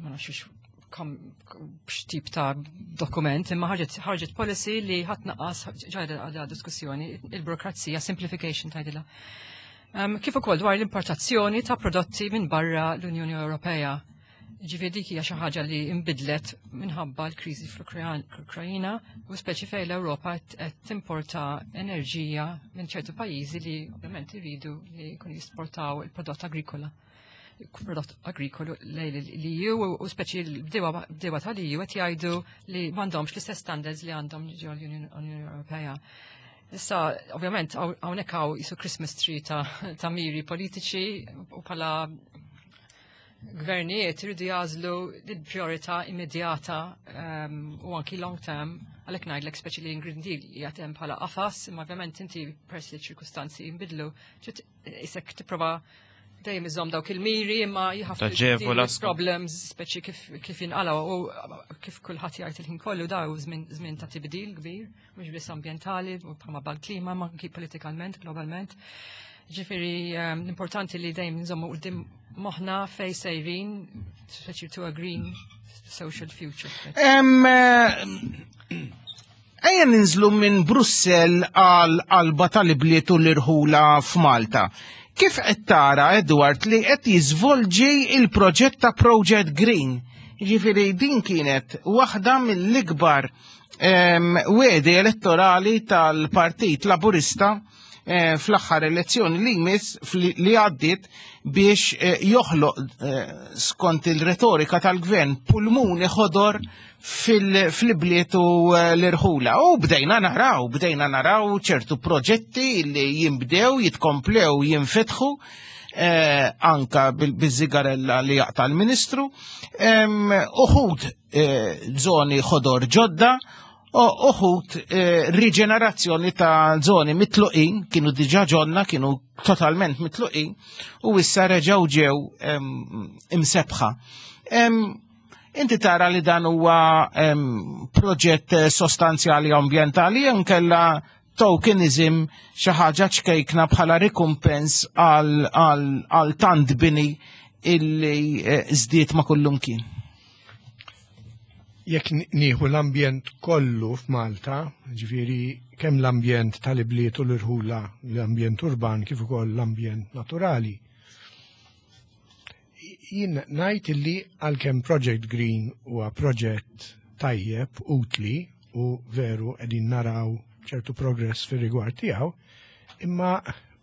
[SPEAKER 13] ma nafx x'tip ta' dokument, imma ħarġet ħarġet policy li ħa tnaqqas, ġajda għadha diskussjoni, il-burokrazija, simplification tgħidilha. Um, kif ukoll dwar l-importazzjoni ta' prodotti minn barra l-Unjoni Ewropea. Ġifieri dik hija xi ħaġa li nbidlet minħabba l-kriżi fl-Ukrajina u speċi fejn l-Ewropa qed timporta enerġija minn ċertu pajjiżi li ovvjament iridu li jkunu jisportaw il-prodott agrikola prodott agrikolu l-E U u speċi l-bdewa tal-E U qed jgħidu li m'għandhomx l-istess standards li għandhom ġo l-Unjoni Ewropea. Issa, ovvjament, hawnhekk hawn jisu Christmas tree ta', ta miri politiċi u bħala gvernijiet iridu jagħżlu l-priorità immedjata um, u anki long term. Għalhekk ngħidlek speċi li Green Deal qiegħed hemm bħala qafas, imma ovvjament inti peress li ċirkustanzi jinbidlu, isek tipprova dejjem iżomm dawk il-miri, imma you have to deal with problems speċi kif kif jinqalgħu u kif kulħadd jgħid il-ħin kollu daw żmien ta' tibdil kbir, mhux biss ambjentali u bħalma bħal-klima, ma anki politikament, globalment. Ġifieri um, l-importanti li dejjem nżommu quddiem moħħna fej sejrin, speċi to a green social future.
[SPEAKER 2] Em, eh, Ejja ninżlu minn Brussell għal qalba tal-ibliet u l-irħula f'Malta. Kif qed tara, Edward, li qed jiżvolġi il-proġett ta' Project Green? Ġifieri din kienet waħda mill-ikbar em, wegħdi elettorali tal-Partit Laburista eh, fl-aħħar elezzjoni li jmiss li għaddiet biex eh, joħloq, eh, skont il-retorika tal-gvern, pulmuni ħodor fil-bliet u eh, l-irħula. U bdejna naraw, bdejna naraw ċertu proġetti li jimbdew, jitkomplew, jinfetħu, eh, anka bil-żigarella li jaqta l-ministru, em, uħud eh, zoni ħodor ġodda, u uħud eh, riġenerazzjoni ta' zoni mitluqin, kienu diġa ġonna, kienu totalment mitluqin, u issa reġaw ġew em, imsebħa. Em, Inti tara li dan huwa em, proġett eh, sostanzjali ambjentali nkella tokenism, xi ħaġa ċkejkna bħala rikumpens għal, għal, għal tant bini illi eh, żdied ma' kullum kien?
[SPEAKER 11] Jekk nieħu l-ambjent kollu f'Malta, ġifieri kemm l-ambjent tal-ibliet u l-irħula, l-ambjent urban kif ukoll l-ambjent naturali, jien ngħid illi għalkemm Project Green huwa proġett tajjeb, utli u veru qegħdin naraw ċertu progress fir-rigward tiegħu, imma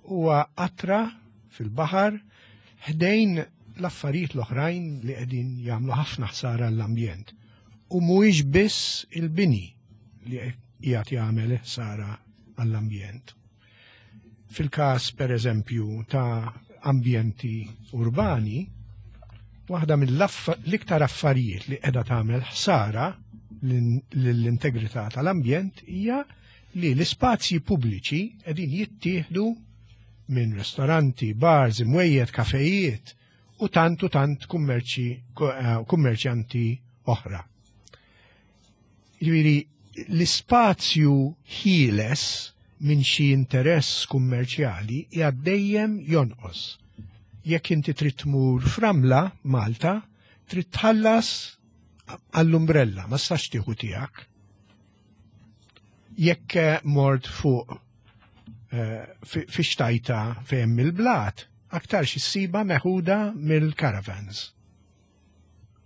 [SPEAKER 11] huwa qatra fil-baħar ħdejn l-affarijiet l-oħrajn li qegħdin jagħmlu ħafna ħsara l-ambjent. U mhuwiex biss il-bini li qiegħed jagħmel ħsara għall-ambjent. Fil-każ, per eżempju, ta' ambjenti urbani, waħda mill-iktar affarijiet li qiegħda tagħmel ħsara lill-integrità tal-ambjent hija li l-ispazji pubbliċi qegħdin jittieħdu minn ristoranti, bars, imwejjed, kafejiet u tant u tant kummerċi, eh, kummerċjanti oħra. Ġifieri l-ispazju ħieles minn xi interess kummerċjali qiegħed dejjem jonqos. Jekk inti trid tmur f'Ramla, Malta, Trid tħallas għall-umbrella, ma tistax tieħu tiegħek. Jekk eh, mort fuq eh, fi xtajta fejn il-blat, aktar ssiba meħuda mill-caravans.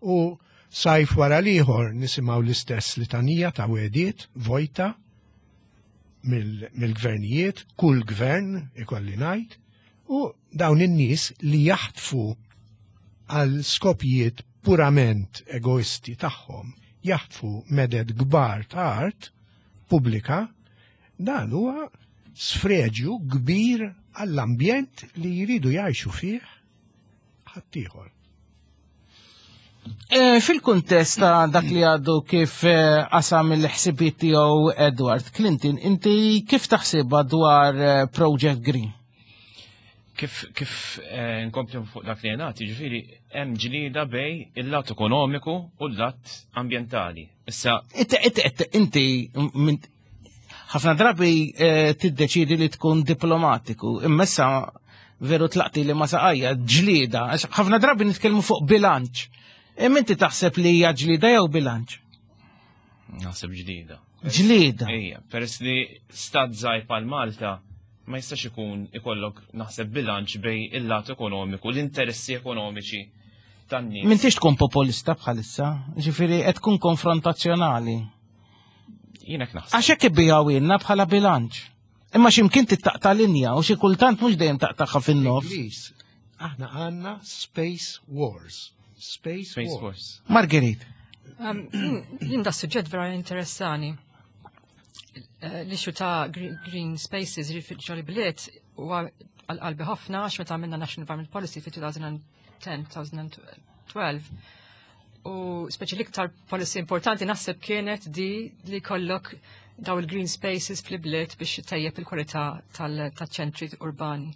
[SPEAKER 11] U sajf wara l-ieħor nisimgħu l-istess litanija ta' wegħdiet vojta mill-gvernijiet, kull gvern ikolli ngħid, u dawn in-nies li jaħtfu għal skopijiet purament egoisti tagħhom, jaħtfu meded kbar ta' art pubblika, dan huwa sfreġju kbir għall-ambjent li jridu jgħixu fih ħaddieħor.
[SPEAKER 2] E, fil-kuntest ta' dak li għadu kif eh, qasam il-ħsibiet tiegħu Edward Clinton, inti kif taħsibha dwar eh, Project Green?
[SPEAKER 12] Kif kif eh, nkompli fuq dak li jingħad, ġifieri hemm ġlieda bejn il-lat ekonomiku u l-lat ambjentali. Issa
[SPEAKER 2] Inti inti ħafna drabi eh, tiddeċidi li tkun diplomatiku, imma issa veru tlaqti li ma saqajja ġlieda, ħafna drabi nitkellmu fuq bilanċ. Imma inti taħseb li hija ġlieda jew bilanċ?
[SPEAKER 12] Naħseb ġlieda.
[SPEAKER 2] Ġlieda.
[SPEAKER 12] Ejja, peress li stat żgħir bħal Malta ma jistax ikun ikollok naħseb bilanċ bejn il-lat ekonomiku, l-interessi ekonomiċi tan-nies.
[SPEAKER 2] M'intix tkun populista bħalissa, ġifieri qed tkun konfrontazzjonali.
[SPEAKER 12] Jiena naħseb.
[SPEAKER 2] Għax hekk ibigħuhielna bħala bilanċ. Imma x'imkien taqta' linja u xi kultant mhux dejjem taqtagħha fin-nofs.
[SPEAKER 11] Aħna għandna Space Wars. Space,
[SPEAKER 12] Space
[SPEAKER 11] Wars.
[SPEAKER 12] Wars.
[SPEAKER 2] Marguerite.
[SPEAKER 13] Um, jien da suġġett vera interessani. Eh, l-issue ta' green spaces ġol bliet u għal-qalbi ħafna għax meta għamilna National Environment Policy fi elfejn u għaxra-elfejn u tnax u speċi l-iktar policy importanti naħseb kienet di li kollok daw il-green spaces fl-bliet biex tejjeb il-kwalità tal-ċentri urbani.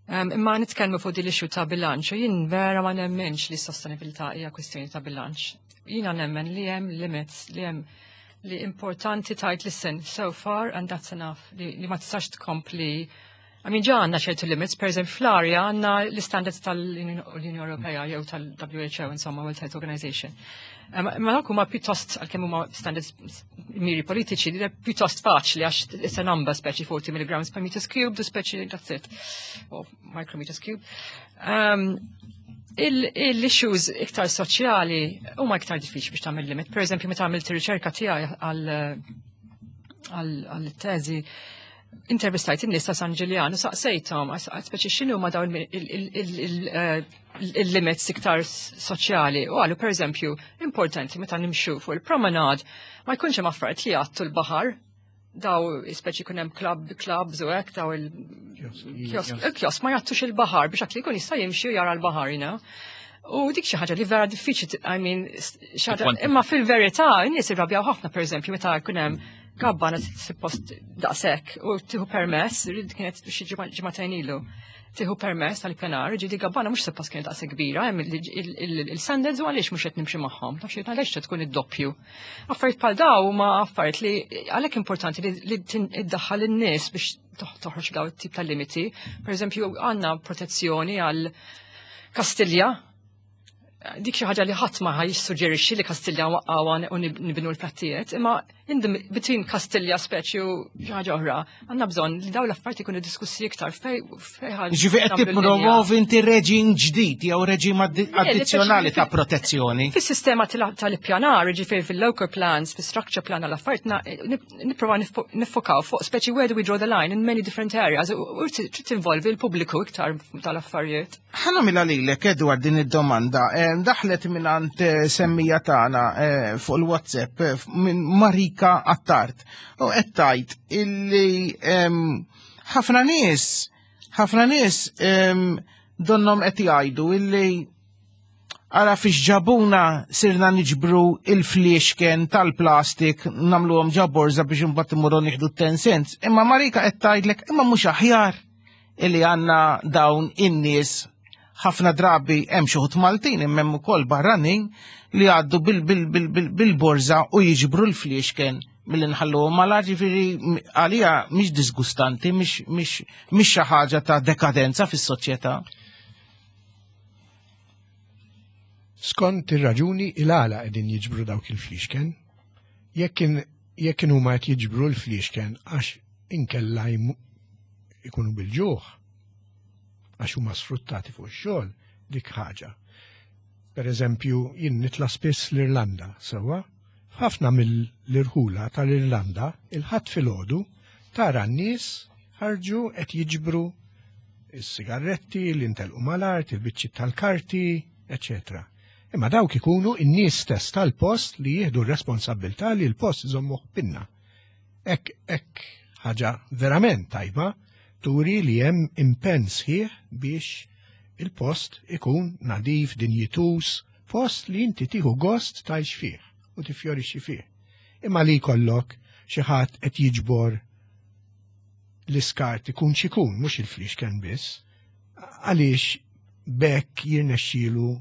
[SPEAKER 13] Um, imma nitkellmu fuq di l-issue ta' bilanċ u jien vera ma nemmenx li s-sostenibilità hija kwistjoni ta' bilanċ. Jiena nemmen li hemm limits, li hemm li importanti tgħid listen so far and that's enough li, li ma tistax tkompli. I mean, ġa għandna ċertu limits, per eżempju, fl-arja għandna l-standards tal-Unjoni Ewropea jew tal-W H O, insomma, World Health Organization. Ma dawk huma pjuttost, għalkemm huma standards miri politiċi, li pjuttost faċli għax it's a number, speċi forty milligrams per meters cubed, speċi that's it, or micrometers cubed. Um, Il-issues iktar soċjali huma iktar diffiċli biex tagħmel limit. Per eżempju, meta għamilt ir-riċerka tiegħi għal-teżi, intervistajt in-nies ta' San Ġiljan u saqsejthom, speċi x'inhu ma dawn il-limits iktar soċjali. U qalu, per eżempju, importanti meta nimxu fuq il-promenade ma jkunx hemm affarijiet li jgħattu l-baħar, daw speċi kun hemm club clubs u hekk, daw il-kiosk ma jgħattux il-baħar biex dak li jkun jista' jimxi u jara l-baħar, you know. U dik xi ħaġa li vera diffiċli, I mean, imma fil-verità n-nies irrabjaw ħafna, pereżempju, meta jkun hemm gabbana suppost daqshekk u tieħu permess, kienet xi ġimagħtejn ilu, tieħu permess tal-pjanar, ġieli gabbana mhux suppost kienet daqshekk kbira, hemm il-standards u għaliex mhux qed nimxi magħhom, taf xi għaliex tkun id-doppju. Affarijiet bħal daw huma affarijiet li għalhekk importanti li iddaħħal in-nies biex toħroġ daw it-tip ta' limiti. Per eżempju, għandna protezzjoni għal Kastilja, dik xi ħaġa li ħadd ma jissuġġerixxi li Kastilja waqqgħuha u nibnu l-flattijiet, imma in between Kastilja speċi u xi ħaġa oħra, għandna bżonn li dawn l-affarijiet ikunu diskussi iktar fej fej
[SPEAKER 2] Ġifieri qed tippromovi inti reġim ġdid jew reġim addizzjonali ta' protezzjoni.
[SPEAKER 13] Fis-sistema tal-ippjanar, ġifieri fil-local plans, fis-structure plan għall-affarijiet, nipprova niffokaw fuq speċi where do we draw the line in many different areas u trid tinvolvi l-pubbliku iktar tal-affarijiet.
[SPEAKER 2] Ħa nagħmilha lilek, Edward, din id-domanda. Daħlet minn għand semmiegħa tagħna fuq il-WhatsApp minn Marika Attard. U qed tgħid illi ħafna nies, ħafna nies donnom qed jgħidu illi ara fiex ġabuna, sirna niġbru il-fliexken tal-plastik, nagħmluhom ġo borża biex imbagħad imorru nieħdu ten cents. Imma Marika qed tgħidlek imma mhux aħjar illi għandna dawn in-nies, ħafna drabi hemm xi wħud Maltin imma hemm ukoll barranin li għaddu bil-borża u jiġbru l-fliexken milli nħalluhom mala, ġifieri għalija mhix disgustanti, mhix xi ħaġa ta' dekadenza fis-soċjetà.
[SPEAKER 11] Skont ir-raġuni il-għala qegħdin jiġbru dawk il-fliexken, jekk jekk huma qed jiġbru l-fliexken għax inkella ikunu bil-ġuħ, għax huma sfruttati fuq ix-xogħol, dik ħaġa. Per eżempju, jien nitla' spiss l-Irlanda, sewwa, f'ħafna mill-irħula tal-Irlanda, il-Ħadd filgħodu tara n-nies ħarġu qed jiġbru is-sigaretti, li ntelqu mal-art, il-biċċiet tal-karti, eċetera. Imma dawk ikunu n-nies stess tal-post li jieħdu r-responsabilità li l-post iżommuh pinna. Hekk hekk ħaġa verament tajba turi li hemm impenn sħiħ biex il-post ikun nadif, dinjituż, post li inti tieħu gost tgħix fih u tifjorixxi fih. Imma li jkollok xi ħadd qed jiġbor l-iskart ikun x'ikun, mhux il-fliexken biss, għaliex b'hekk jirnexxielu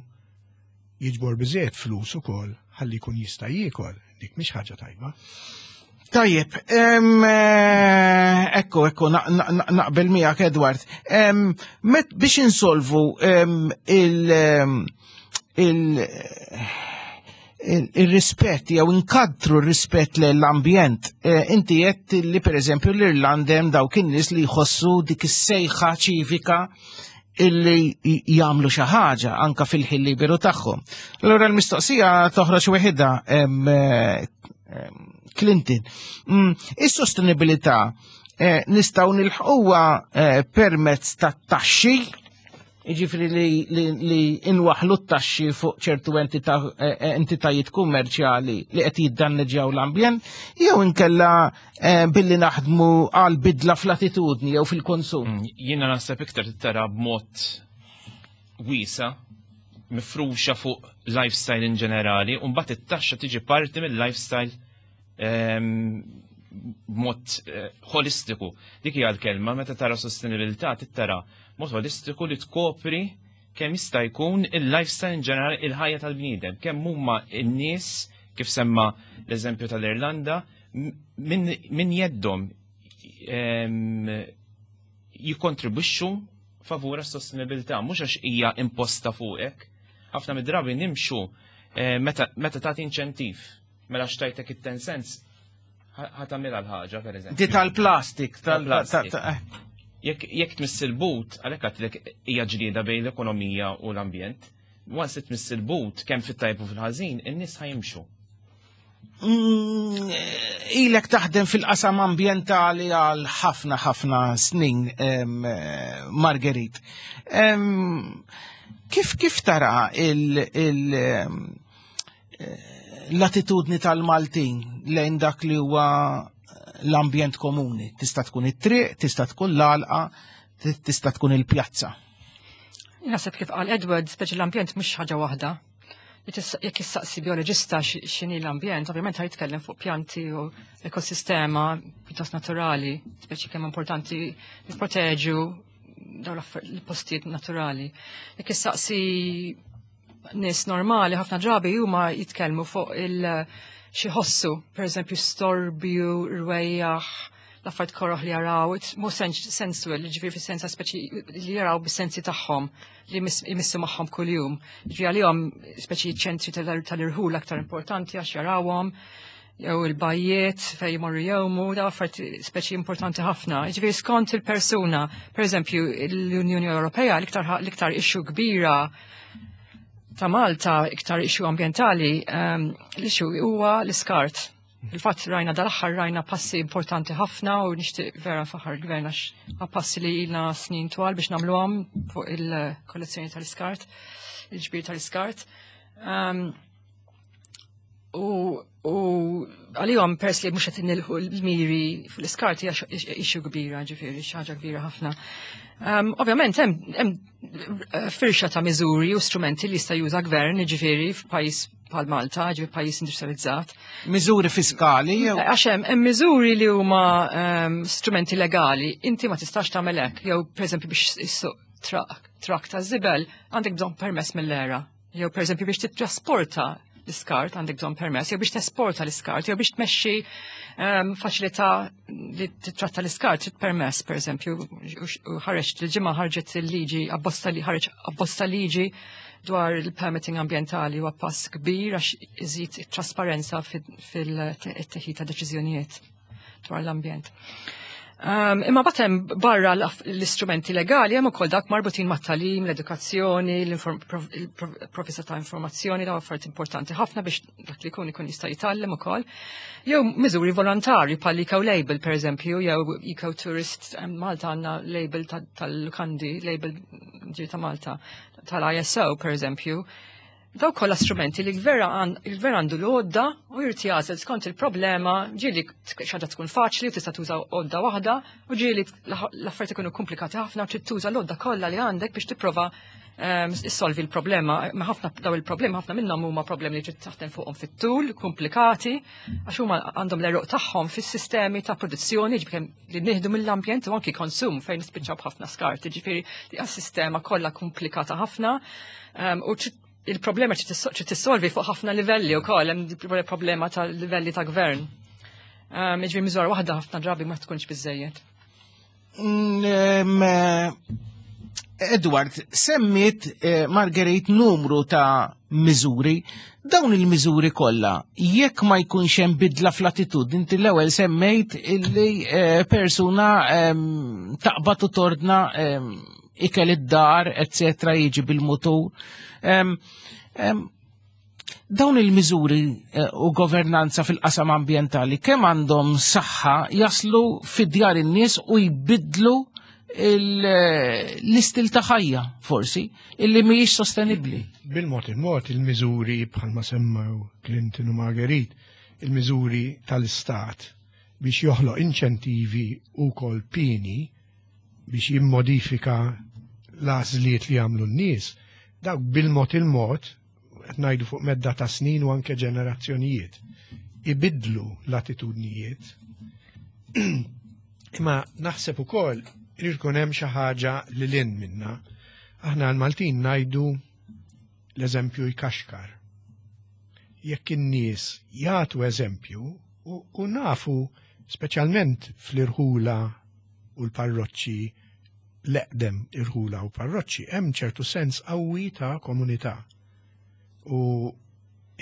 [SPEAKER 11] jiġbor biżejjed flus ukoll ħalli jkun jista' jiekol, dik mhix ħaġa tajba.
[SPEAKER 2] Tajjeb, ekku, ekku, naqbel miegħek Edward. Met biex insolvu il- il- il-rispett jew inkadru r-rispett l-ambjent. Inti qed li pereżempju l-Irlanda hemm dawk in-nies li jħossu dik is-sejħa ċivika illi jagħmlu xi ħaġa anka fil-ħin liberu tagħhom. Allura l-mistoqsija toħroġ weħidha Clinton. Is-sostenibilità nistgħu nilħquha permezz tat-taxxi, jiġifieri li, li, li inwaħlu t-taxxi fuq ċertu entità, entitajiet kummerċjali li qed jiddanneġġjaw l-ambjent, jew inkella billi naħdmu għal bidla fl-attitudni jew fil-konsum.
[SPEAKER 12] Jiena naħseb iktar tara b'mod wiesa mifruxa fuq lifestyle in ġenerali, u mbagħad it-taxxa tiġi parti mill-lifestyle b'mod holistiku. Dik hija l-kelma meta tara sostenibilità tittara mod holistiku li tkopri kemm jista' jkun il-lifestyle in ġenerali, il-ħajja tal-bniedem, kemm huma n-nies, kif semma l-eżempju tal-Irlanda, min jeddhom jikkontribwixxu favur s-sostenibilità, mhux għax hija imposta fuqek. Ħafna mid-drabi nimxu meta tagħti inċentiv, mela xtajtek it-ten cents ħa tagħmilha l-ħaġa, per eżempju.
[SPEAKER 2] Di tal-plastik,
[SPEAKER 12] tal-plastik. Jekk tmiss il-but, għalhekk għedtlek hija ġlieda bejn l-ekonomija u l-ambjent, once tmiss il-but kemm fit-tajb u fil-ħażin, in-nies ħa jimxu.
[SPEAKER 2] Ilek taħdem fil-qasam ambjentali għal ħafna ħafna snin, Marguerite. Kif kif tara l-attitudni tal-Maltin lejn dak li huwa l-ambjent komuni? Tista' tkun it-triq, tista' tkun l-għalqa, tista' tkun il-pjazza.
[SPEAKER 13] Naħseb kif qal Edward, speċi l-ambjent mhux ħaġa waħda. Jekk issaqsi bioloġista x'inhi l-ambjent, ovvjament ħa jitkellem fuq pjanti u ekosistema pjuttost naturali, speċi kemm importanti nipproteġu dawn l-postijiet naturali. Jekk issaqsi nies normali, ħafna drabi huma jitkellmu fuq il- xi ħossu, per eżempju storbju, rwejjaħ, l-affarijiet koroħ li jaraw, it's more sensual, ġifieri fis-sensa speċi li jaraw bis-sensi tagħhom li jmissu magħhom kuljum. Ġifieri għalihom speċi ċentri tal-irħul aktar importanti għax jarawhom, jew il-bajjiet fejn jmorru jgħumu, da affarijiet speċi importanti ħafna. Ġifieri skont il-persuna, per eżempju l-Unjoni Ewropea l-iktar issue kbira ta' Malta, iktar issue ambientali, l-issue huwa l-iskart. Il-fatt rajna dal-aħħar rajna passi importanti ħafna u nixtieq vera nfaħħar il-gvern għax passi li ilna snin twal biex nagħmluhom fuq il-kollezzjoni tal-iskart, il-ġbir tal-iskart. U għalihom pers li mhux qed nilħu l-miri fuq l-iskart hija issue kbira, ġifieri xi ħaġa kbira ħafna. Ovvjament hemm firxa ta' miżuri u strumenti li jista' juża gvern, ġifieri f'pajjiż bħal Malta, ġifieri pajjiż industrializzat.
[SPEAKER 2] Miżuri fiskali jew?
[SPEAKER 13] Għax hemm miżuri li huma strumenti legali, inti ma tistax tagħmel hekk, jew pereżempju biex issuq trakk ta' żibel għandek bżonn permess mill-ERA. Jew pereżempju biex titrasporta l-iskart l-iskart għandek bżonn permess, jew biex tesporta l-iskart, jew biex tmexxi um, faċilità li titratta l-iskart trid permess, per eżempju, u ħareġ il-ġimgħa ħarġet il-liġi abbozz li ħareġ abbozz ta' liġi dwar il-permitting ambientali, huwa pass kbir għax iżid it-trasparenza fil-teħid ta' deċiżjonijiet dwar l-ambjent. Um, imma batem barra l-istrumenti legali hemm ukoll dak marbutin mat-tagħlim, l-edukazzjoni, il-provvista ta' informazzjoni, daw affarijiet importanti ħafna biex dak li jkun ikun jista' jitgħallem ukoll. Jew miżuri volontarji bħal eco label, pereżempju, jew eco tourist. Malta għandna label tal-lukandi, label ġir ta' Malta tal-I S O, pereżempju. Daw kollha strumenti li l-gvern għandu l-għodda u jrid jagħżel skont il-problema. Ġieli xi ħaġa tkun faċli u tista' tuża għodda waħda u ġieli l-affarijiet ikunu komplikati ħafna u trid tuża l-għodda kollha li għandek biex tipprova ehm, issolvi l-problema. Ma ħafna daw il-problemi, ħafna minnhom huma problemi li trid taħdem fuqhom fit-tul, komplikati, għax huma għandhom l-għeruq tagħhom fis-sistemi ta' produzzjoni, ġifieri li nieħdu mill-ambjent, u anki konsum fejn nispiċċaw b'ħafna skart, ġifieri li sistema kollha komplikata ħafna ehm, u il-problema trid tissolvi fuq ħafna livelli wkoll, hemm problema ta' livelli ta' gvern. Um, Ġifieri miżura waħda ħafna drabi ma tkunx biżejjed.
[SPEAKER 2] Mm, eh, Edward, semmiet eh, Marguerite numru ta' miżuri. Dawn il-miżuri kollha, jekk ma jkunx hemm bidla fl-attitudni, inti l-ewwel semmejt illi eh, persuna em, taqbad u tordna em, ikel id-dar, eccetera, jiġi bil-mutur. Em, em, dawn il-miżuri eh, u governanza fil-qasam ambientali kemm għandhom saħħa jaslu fid-djar in-nies u jbidlu il- l-istil ta' ħajja forsi illi mhijiex sostenibbli?
[SPEAKER 11] Bil-mod il-mod, il-miżuri bħalma semmew Clinton u Marguerite, il-miżuri tal-istat biex joħloq inċentivi u kol pieni biex jimmodifika l-għażliet li jagħmlu n-nies, dawk bil-mod il-mod, qed ngħidu fuq medda ta' snin u anke ġenerazzjonijiet, ibidlu l-attitudnijiet. Imma naħseb ukoll irid ikun hemm xi ħaġa li lil hinn minna. Aħna l-Maltin ngħidu l-eżempju jkaxkar. Jekk in-nies jagħtu eżempju u, u nafu speċjalment fl-irħula u l-parroċċi, l-eqdem irħula u parroċċi, hemm ċertu sens qawwi ta' komunità. U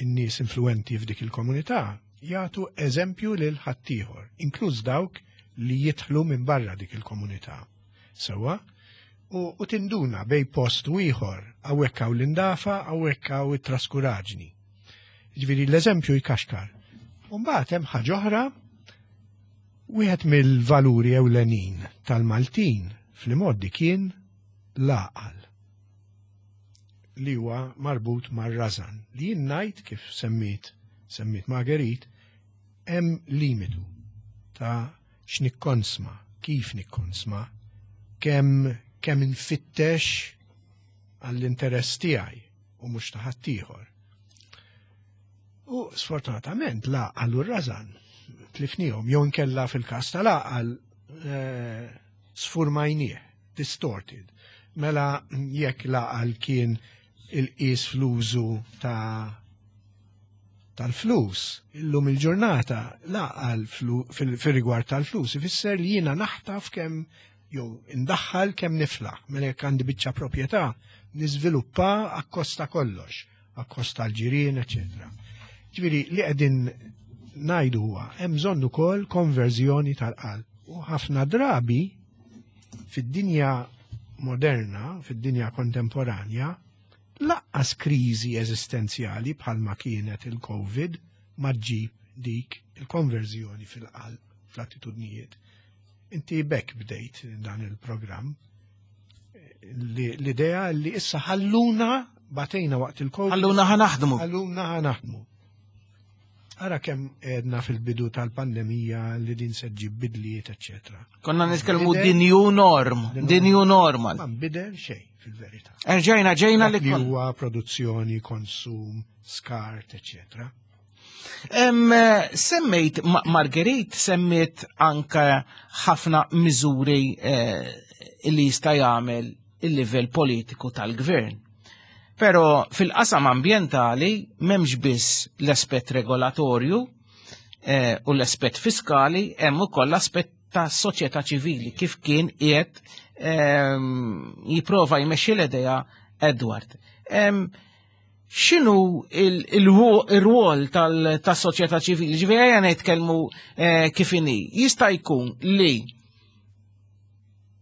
[SPEAKER 11] n-nies influenti f'dik il-komunità jagħtu eżempju lil ħaddieħor, inkluż dawk li jidħlu minn barra dik il-komunità. Sewwa, u, u tinduna bejn post u ieħor, hawnhekk hawn l-indafa, hawnhekk hawn it-traskuraġni. Ġifieri l-eżempju jkaxkar. U mbagħad hemm ħaġa oħra, wieħed mill-valuri ewlenin tal-Maltin fl-imgħoddi kien l-għaqal li huwa marbut mar-rażan, li jien ngħid, kif semmit semmit Marguerite, hemm limitu ta' x'nikkonsma, kif nikkonsma, kemm kemm infittex għall-interess tiegħi u mhux ta' ħaddieħor. U sfortunatament l-għaqal u r-rażan tlifnihom, jew inkella fil-każ tal-għaqal eh, sfurmajnieh, distorted. Mela jekk l-għaqal kien il-qis fl-użu ta' tal-flus, illum il-ġurnata l-għaqal fil-rigward tal-flus ifisser li jiena naħtaf kemm jew indaħħal kemm niflaħ. Mela jekk għandi biċċa proprjetà niżviluppa akkost ta' kollox, akkost tal-ġirien, eċetera. Ġifieri li qegħdin ngħidu huwa hemm bżonn ukoll konverżjoni tal-qalb. U ħafna drabi fid-dinja moderna, fid-dinja kontemporanja, lanqas kriżi eżistenzjali bħalma kienet il-Covid ma ġġib dik il-konverżjoni fil-qalb, fl-attitudnijiet. Inti bekk bdejt dan il-programm. L-idea li issa ħalluna batejna waqt il-Covid.
[SPEAKER 2] Ħalluna ħa naħdmu.
[SPEAKER 11] Ħalluna ħa naħdmu. Ara kemm għedna fil-bidu tal-pandemija li din se ġġib bidliet, eccetera.
[SPEAKER 2] Konna nitkellmu the new norm, the new normal.
[SPEAKER 11] Ma nbidel xejn fil-verità.
[SPEAKER 2] Erġajna ġejna li
[SPEAKER 11] Dak li
[SPEAKER 2] kon.
[SPEAKER 11] huwa produzzjoni, konsum, skart, eccetera.
[SPEAKER 2] Em, semmejt, Ma- Marguerite semmiet anka ħafna miżuri eh, li jista' jagħmel il-livell politiku tal-gvern. Però fil-qasam ambjentali m'hemmx biss l-aspett regolatorju eh, u l-aspett fiskali, hemm ukoll l-aspett ta' soċjetà ċivili kif kien qiegħed ehm, jipprova jmexxi l-idea Edward. Ehm, X'inhu il-rwol tas-soċjetà ċivili? Ġifieri ejja nitkellmu eh, kif inhi. Jista' jkun li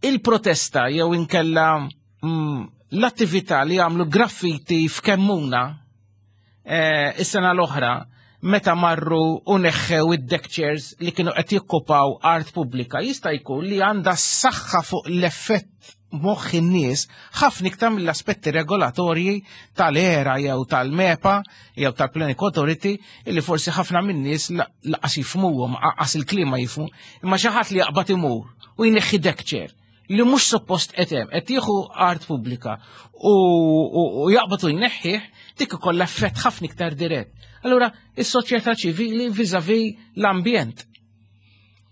[SPEAKER 2] il-protesta jew inkella mm, l-attività li għamlu graffiti f'Kemmuna eh, is-sena l-oħra meta marru u neħħew id-deck chairs li kienu qed jokkupaw art pubblika, jista' jkun li għandha saħħa fuq l-effett moħħ in-nies ħafna iktar mill-aspetti regolatorji tal-ERA jew tal-MEPA jew tal-Planning Authority, illi forsi ħafna min-nies lanqas jifhmuhom, lanqas il-klima jifhmu, imma xi ħadd li jaqbad imur u jneħħi deck chair li mhux suppost qed hemm, qed jieħu art pubblika u, u, u jaqbad u jneħħih, dik ikollha effett ħafna iktar dirett. Allura, is-soċjetà ċivili vis-à-vis l-ambjent.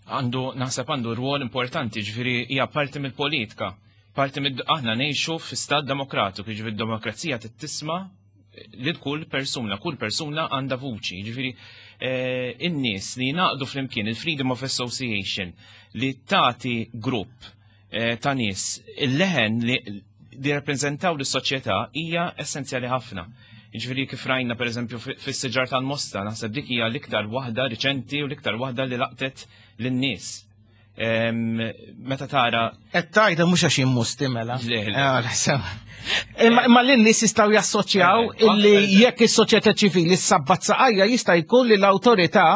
[SPEAKER 12] Għandu, naħseb għandu rwol importanti, ġifieri hija parti mill-politika. Parti mill aħna ngħixu fi stat demokratiku, ġifieri d-demokrazija tisma' li kull persuna, kull persuna għandha vuċi. Ġifieri eh, in-nies li jingħaqdu flimkien il-Freedom of Association li tagħti grupp eh, ta' nies il-leħen li li rappresentaw l-soċjetà hija essenzjali ħafna. Ġifieri kif rajna, per eżempju, fis-siġar tal-Mosta, naħseb dik hija l-iktar waħda riċenti u l-iktar waħda li laqtet lin-nies. Meta tara.
[SPEAKER 2] Qed tgħidha mhux għax immusti mela.
[SPEAKER 12] Le, le.
[SPEAKER 2] Ah, sewa. Imma imma l-nies jistgħu jassoċjaw illi jekk is-soċjetà ċivili ssabbat saqajja, jista' jkun li l-awtorità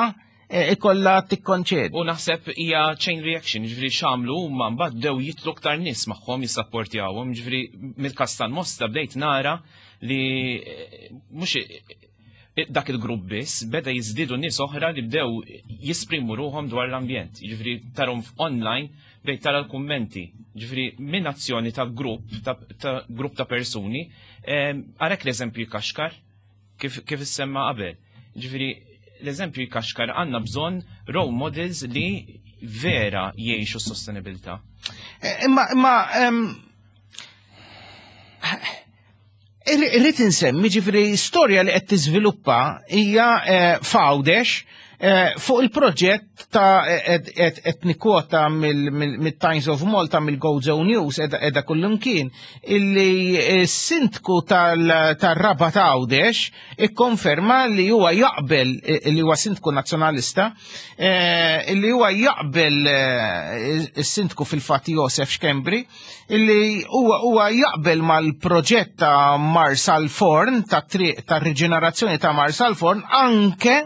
[SPEAKER 2] eh, ikollha tikkonċedi.
[SPEAKER 12] U naħseb hija chain reaction, ġifieri x'għamlu huma mbagħad bdew jitlu aktar nies magħhom jissapportjawhom, ġifieri mill-każ tal-Mosta bdejt nara li eh, mhux eh, dak il-grupp biss, beda jiżdiedu nies oħra li bdew jisprimu ruħhom dwar l-ambjent. Ġifieri tarahom online, bdejt tara l-kummenti. Ġifieri minn azzjoni ta' grupp ta', ta grupp ta' persuni, għarek l-eżempju jkaxkar kif, kif issemma qabel. Ġifieri l-eżempju jkaxkar, għandna bżonn role models li vera jgħixu s-sostenibilità.
[SPEAKER 2] Eh, Imma imma em, irrid insemmi, ġifieri, storja li qed tiżviluppa hija eh, f'Għawdex eh, fuq il-proġett ta' qed nikkwota mill-Times of Malta, mill-Gozo News, edha kullimkien, illi s-sindku tal-Rabat Għawdex ikkonferma li huwa jaqbel, li huwa sindku nazzjonalista, illi huwa jaqbel, is-sindku fil-fatt Josef Schembri, illi huwa huwa jaqbel mal-proġett ta' Marsalforn, ta' triq ta' riġenerazzjoni ta' Marsalforn, anke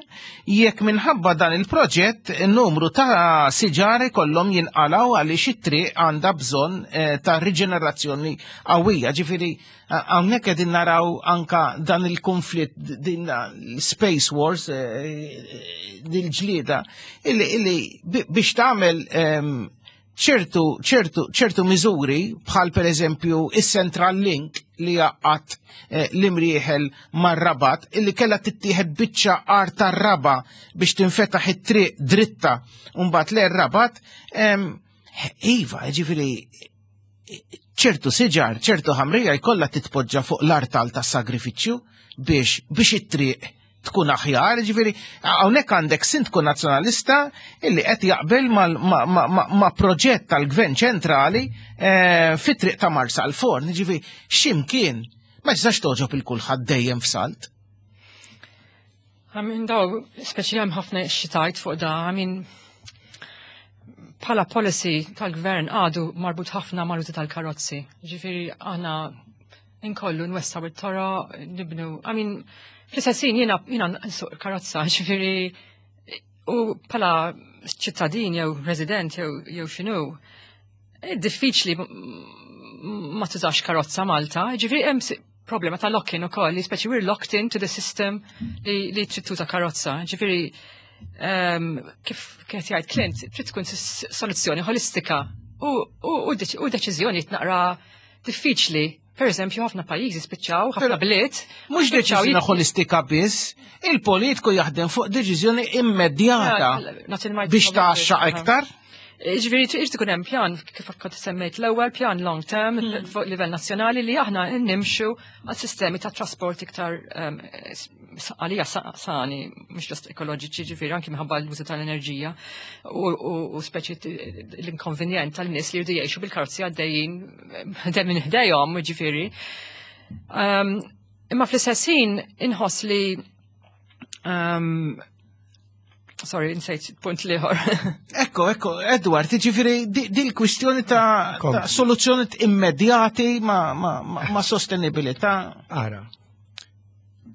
[SPEAKER 2] jekk minħabba dan il-proġett numru ta' siġar kollhom jinqalaw għaliex it-triq għandha bżonn eh, ta' riġenerazzjoni qawwija. Ġifieri hawnhekk qegħdin naraw anka dan il-konflitt, din space wars, eh, dil-ġlieda illi illi biex tagħmel ehm, ċertu ċertu ċertu miżuri bħal per eżempju is-Central Link li jgħaqqad eh, l-Imrieħel mar-Rabat, illi kella tittieħed biċċa art tar-raba biex tinfetaħ it-triq dritta mbagħad le Rabat. Iva, ġifieri ċertu siġar, ċertu ħamrija jkollha titpoġġa fuq l-artal tas sagrifiċċju biex biex it-triq tkun aħjar, ġifieri hawnhekk għandek sindku nazzjonalista illi qed jaqbel ma' proġett tal-Gvern ċentrali eh, fit-triq ta' Marsalforn, ġifieri x'imkien ma tistax togħġob il kulħadd dejjem f'salt.
[SPEAKER 13] I mean, daw, speċi hemm ħafna xitajt fuq da, I mean, bħala policy tal-gvern għadu marbut ħafna mal tal-karozzi. Ġifieri aħna inkollu nwessaw it-toroq, nibnu, I mean, fl-istess jiena jiena nsuq karozza, ġifieri u bħala ċittadin jew resident jew jew x'inhu, diffiċli ma tużax karozza Malta, ġifieri hemm problema ta' lock-in ukoll, li speċi we're locked into the system li, li trid tuża karozza. Ġifieri um, kif kienet jgħid Clint, trid tkun soluzzjoni holistika u, u, u, u deċiżjoni naqra diffiċli. Per eżempju, ħafna pajjiżi spiċċaw, ħafna bliet.
[SPEAKER 2] Mhux deċiżjoni holistika biss, il-politiku jaħdem fuq deċiżjoni immedjata biex taxxa iktar.
[SPEAKER 13] Ġifieri irid ikun hemm pjan kif kont semmejt l-ewwel pjan long term fuq livell nazzjonali li aħna nimxu għal sistemi ta' trasport iktar um, s- għalija sa- sani, mhux just ekoloġiċi, ġifieri anki minħabba l-użu tal-enerġija u, u, u speċi t- l-inkonvenjent tal-nies li jridu jgħixu bil-karozzi għaddejjin eh, minn ħdejhom, ġifieri. Um, imma fl-istess ħin inħoss li um, sorry, insejt punt l-ieħor.
[SPEAKER 2] Ekko, ekko, Edward, ġifieri di, di l-kwistjoni ta', ta soluzzjoni immedjati ma, ma, ma, ma sostenibilità.
[SPEAKER 11] Ara,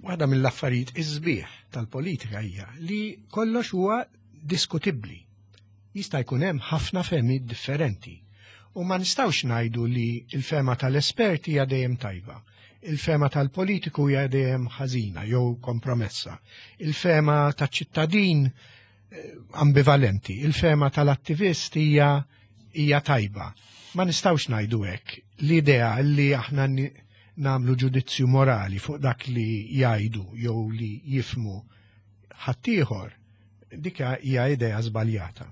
[SPEAKER 11] waħda mill-affarijiet iż-sbieħ tal-politika hija li kollox huwa diskutibbli. Jista' jkun hemm ħafna fehmiet differenti. U ma nistgħux ngħidu li l-fehma tal-esperti hija dejjem tajba. Il-fehma tal-politiku hija dejjem ħażina jew kompromessa. Il-fehma taċ-ċittadin eh, ambivalenti, il-fehma tal-attivist hija hija tajba. Ma nistgħux ngħidu hekk. L-idea li aħna ni- namlu ġudizzju morali fuq dak li jgħidu jew li jifmu ħaddieħor, dik hija idea żbaljata.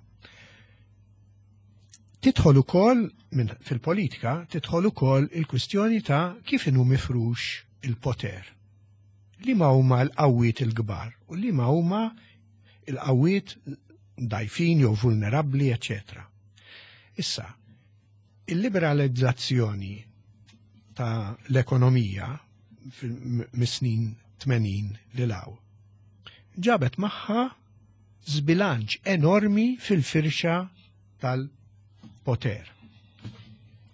[SPEAKER 11] Tidħol ukoll minn fil-politika tidħol ukoll il-kwistjoni ta' kif inhu mifrux il-poter. Liema huma l-qawwiet il-kbar u liema huma il-qawwiet dgħajfin jew vulnerabbli, eċetera. Issa, il-liberalizzazzjoni ta' l-ekonomija mis-snin tmenin lil hawn ġabet magħha zbilanċ enormi fil-firxa tal-poter.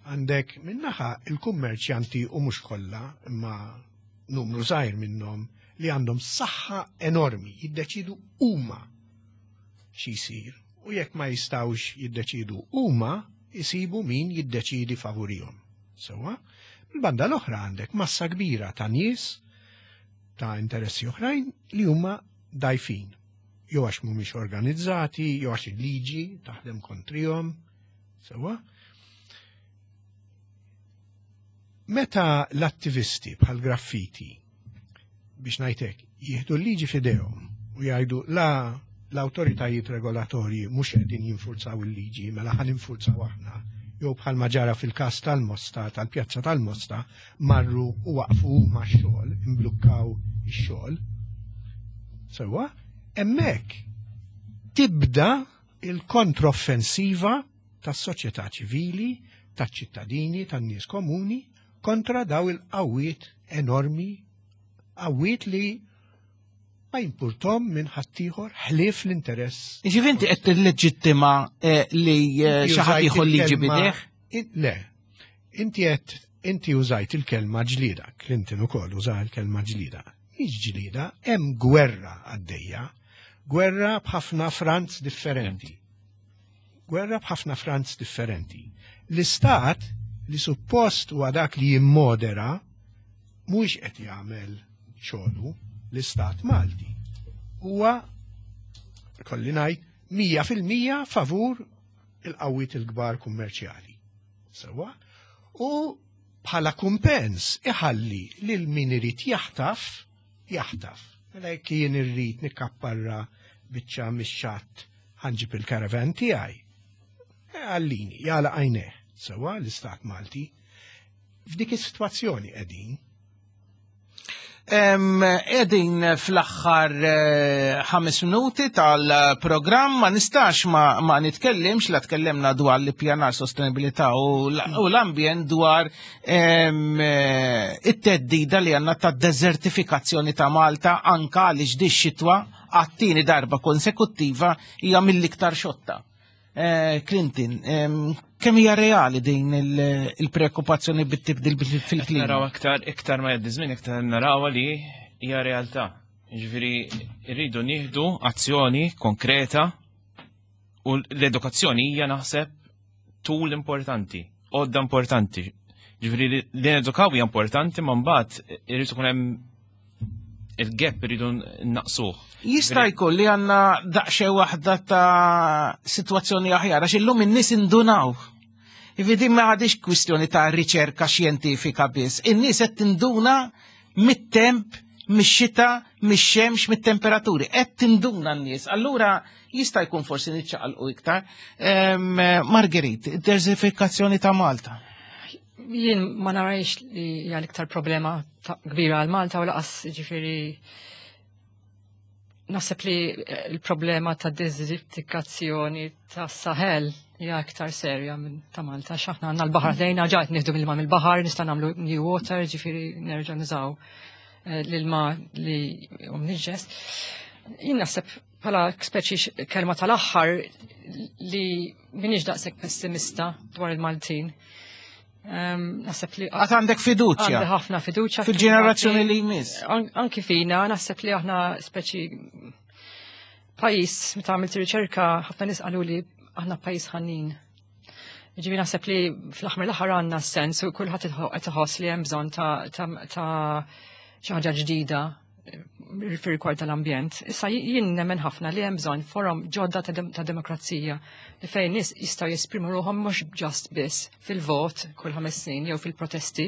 [SPEAKER 11] Għandek minnaħa il-kummerċjanti u mhux kollha, imma numru żgħir minnhom li għandhom saħħa enormi, jiddeċidu huma xi jsir. U jekk ma jistgħux jiddeċidu huma, jisibu min jiddeċidi favurihom. Sewwa, il-banda l-oħra għandek massa kbira ta' nies ta' interessi oħrajn li huma dgħajfin. Jew għax mhumiex organizzati, jew għax il-liġi taħdem kontrihom. Sewwa. Meta l-attivisti bħal graffiti biex ngħidlek jieħdu l-liġi f'idejhom u jgħidu la l-awtoritajiet regolatorji mhux qegħdin jinfurzaw il-liġi, mela ħa ninfurzaw aħna, jew bħalma ġara fil-każ tal-Mosta, tal-Pjazza tal-Mosta, marru u waqfu huma x-xogħol, imblukkaw ix-xogħol. Sewwa, hemmhekk tibda il-kontroffensiva tas-soċjetà ċivili, taċ-ċittadini, tan-nies komuni kontra daw il-qawwiet enormi, qawwiet li ma jimpurtom minn ħaddieħor ħlief l-interess.
[SPEAKER 2] Ġifieri inti qed tilleġittima eh, li eh, xi ħadd
[SPEAKER 11] Użajt
[SPEAKER 2] jieħu liġi
[SPEAKER 11] il-kelma-
[SPEAKER 2] b'idejh?
[SPEAKER 11] In- Le, inti qed inti użajt il-kelma ġlida, Clinton ukoll uża il-kelma ġlida. Mhix ġlida, hemm gwerra għaddejja, gwerra b'ħafna fronts differenti. Gwerra b'ħafna fronts differenti. L-istat li suppost huwa dak li jimmodera mhux qed jagħmel xogħlu l-istat Malti. Huwa kolli ngħid mija fil-mija favur il-qawwiet il-kbar kummerċjali. Sewwa? U bħala kumpens iħalli lil min irid jaħtaf, jaħtaf. Mela jekk jien irrid nikkapparra biċċa mix-xatt ħa nġib il-karavan tiegħi. E, Għallini, jagħlaq għajnejh. Sewwa l-istat Malti. F'dik is-sitwazzjoni qegħdin.
[SPEAKER 2] Em, Qegħdin fl-aħħar eh, ħames minuti tal-programm, ma nistax ma, ma nitkellimx la tkellimna dwar l-ippjanar sostenibilità u l- u l-ambjent dwar em, eh, it-theddida li għandna ta' desertifikazzjoni ta' Malta anka għaliex di xitwa għat-tieni darba konsekuttiva hija mill-iktar xotta. Eh, Clinton, em, kemm hija reali din il- il-preokkupazzjoni bit-tibdil fil-klima?
[SPEAKER 12] Naraw aktar, iktar ma jgħaddi żmien, iktar naraw li hija realtà. Ġifieri rridu nieħdu azzjoni konkreta u l-edukazzjoni hija naħseb tool importanti, għodda importanti. Ġifieri li nedukaw hija importanti, ma mbagħad irid ikun hemm il-gap irridu naqsuh.
[SPEAKER 2] Jista' jkun li għandna daqsxejn waħda ta' sitwazzjoni aħjar, għax illum in-nies indunaw. Ividi ma għadix kwistjoni ta' riċerka xjentifika biss. In-nies qed tinduna mit-temp mix-xita, mix-xemx, mit-temperaturi. Qed tinduna n-nies. Allura jista' jkun forsi niċċaqalqu iktar. Marguerite, id-desertifikazzjoni ta' Malta.
[SPEAKER 13] Jien ma narajx li hija l-iktar problema kbira għal Malta u laqas ġifieri naħseb li l-problema ta' desertifikazzjoni ta' Sahel hija iktar serja minn ta' Malta. X'aħna għandna l-baħar lejna, ġa qed nieħdu mill-ilma mill-baħar, nista' nagħmlu new water, ġifieri nerġa' nużaw l-ilma li hu mniġġes. Jien naħseb bħala speċi kelma tal-aħħar li m'iniex daqshekk pessimista dwar il-Maltin. Naħseb li
[SPEAKER 2] għad għandek fiduċja.
[SPEAKER 13] Għandi ħafna fiduċja
[SPEAKER 2] fil-ġenerazzjoni li jmiss.
[SPEAKER 13] Anki fina, naħseb li aħna speċi pajjiż, meta għamilt riċerka, ħafna nies qalu li aħna pajjiż ħanin. Ġifieri naħseb li fl-aħħar l-aħħar għandna sens u kulħadd qed iħoss li hemm bżonn ta' xi ħaġa ġdida fir-rigward tal-ambjent. Issa jien nemmen ħafna li hemm bżonn forom ġodda ta' demokrazija li fejn nies jistgħu jesprimu ruħhom mhux just biss fil-vot kull ħames snin jew fil-protesti.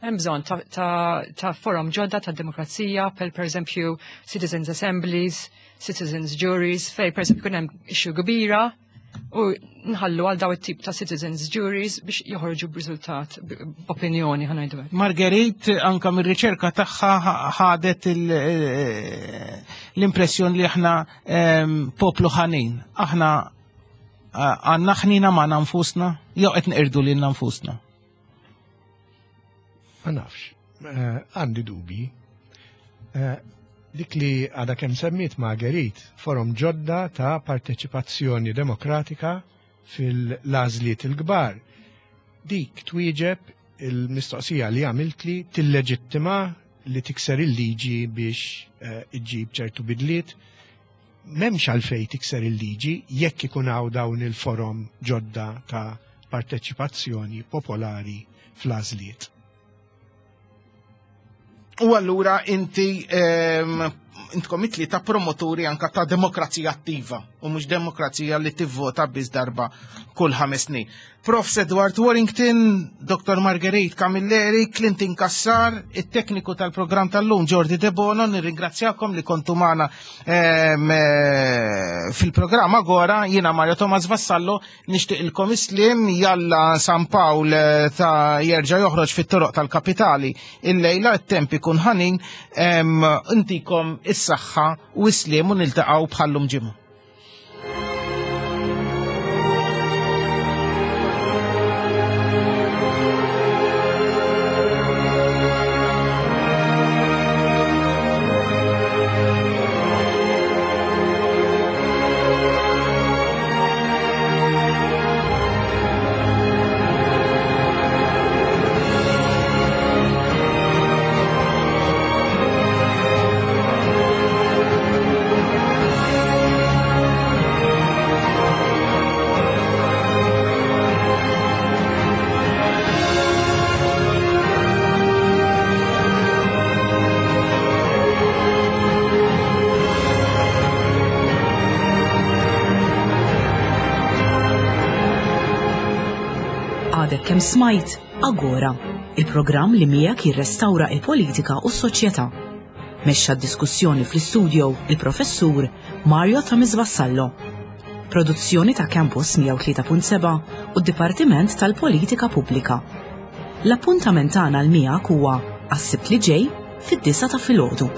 [SPEAKER 13] Hemm bżonn ta' forom ġodda ta' demokrazija, per pereżempju citizens assemblies, citizens juries, fejn pereżempju jkun hemm issue kbira u nħallu għal daw it-tip ta' citizens juries biex joħorġu b'riżultat, b'opinjoni ħa ngħidu hekk.
[SPEAKER 2] Marguerite anka mir-riċerka tagħha ħadet l-impressjoni li aħna poplu ħanin. Aħna għandna ħnina magħna nfusna jew qed nqirdu lilna nfusna?
[SPEAKER 11] Ma nafx, għandi dubi. Dik li għada kemm semmiet Marguerite, forum ġodda ta' parteċipazzjoni demokratika fil-għażliet il-kbar. Dik twieġeb il-mistoqsija li għamilt li tilleġittima li tikser il-liġi biex iġġib ċertu bidliet. M'hemmx għalfejn tikser il-liġi jekk ikun hawn dawn il-forum ġodda ta' parteċipazzjoni popolari fl-għażliet.
[SPEAKER 2] U allura inti intkom it-tlieta ta' promoturi anka ta' demokrazija attiva u mhux demokrazija li tivvota biss darba kull ħames snin. Profs Edward Warrington, Doktor Marguerite Camilleri, Clinton Cassar, it-tekniku tal-programm tal-lum Jordi De Bono, nirringrazzjakom li kontu magħna fil-programm Agora. Jiena Mario Thomas Vassallo, nixtieqilkom islim, jalla San Pawl ta' jerġa' joħroġ fit-toroq tal-kapitali illejla, it-temp ikun ħanin, intikom is-saħħa u islim u niltaqgħu bħallum ġimgħa.
[SPEAKER 1] Kemm smajt Agora, il-programm li miegħek jirrestawra il-politika u s-soċjetà. Mexxa d-diskussjoni fl-istudio il-professur Mario Thomas Vassallo. Produzzjoni ta' Campus mija u tlieta punt seba' u d-Dipartiment tal-Politika Pubblika. L-appuntament tagħna l miegħek huwa għas-Sibt li ġej fid-disgħa ta' filgħodu.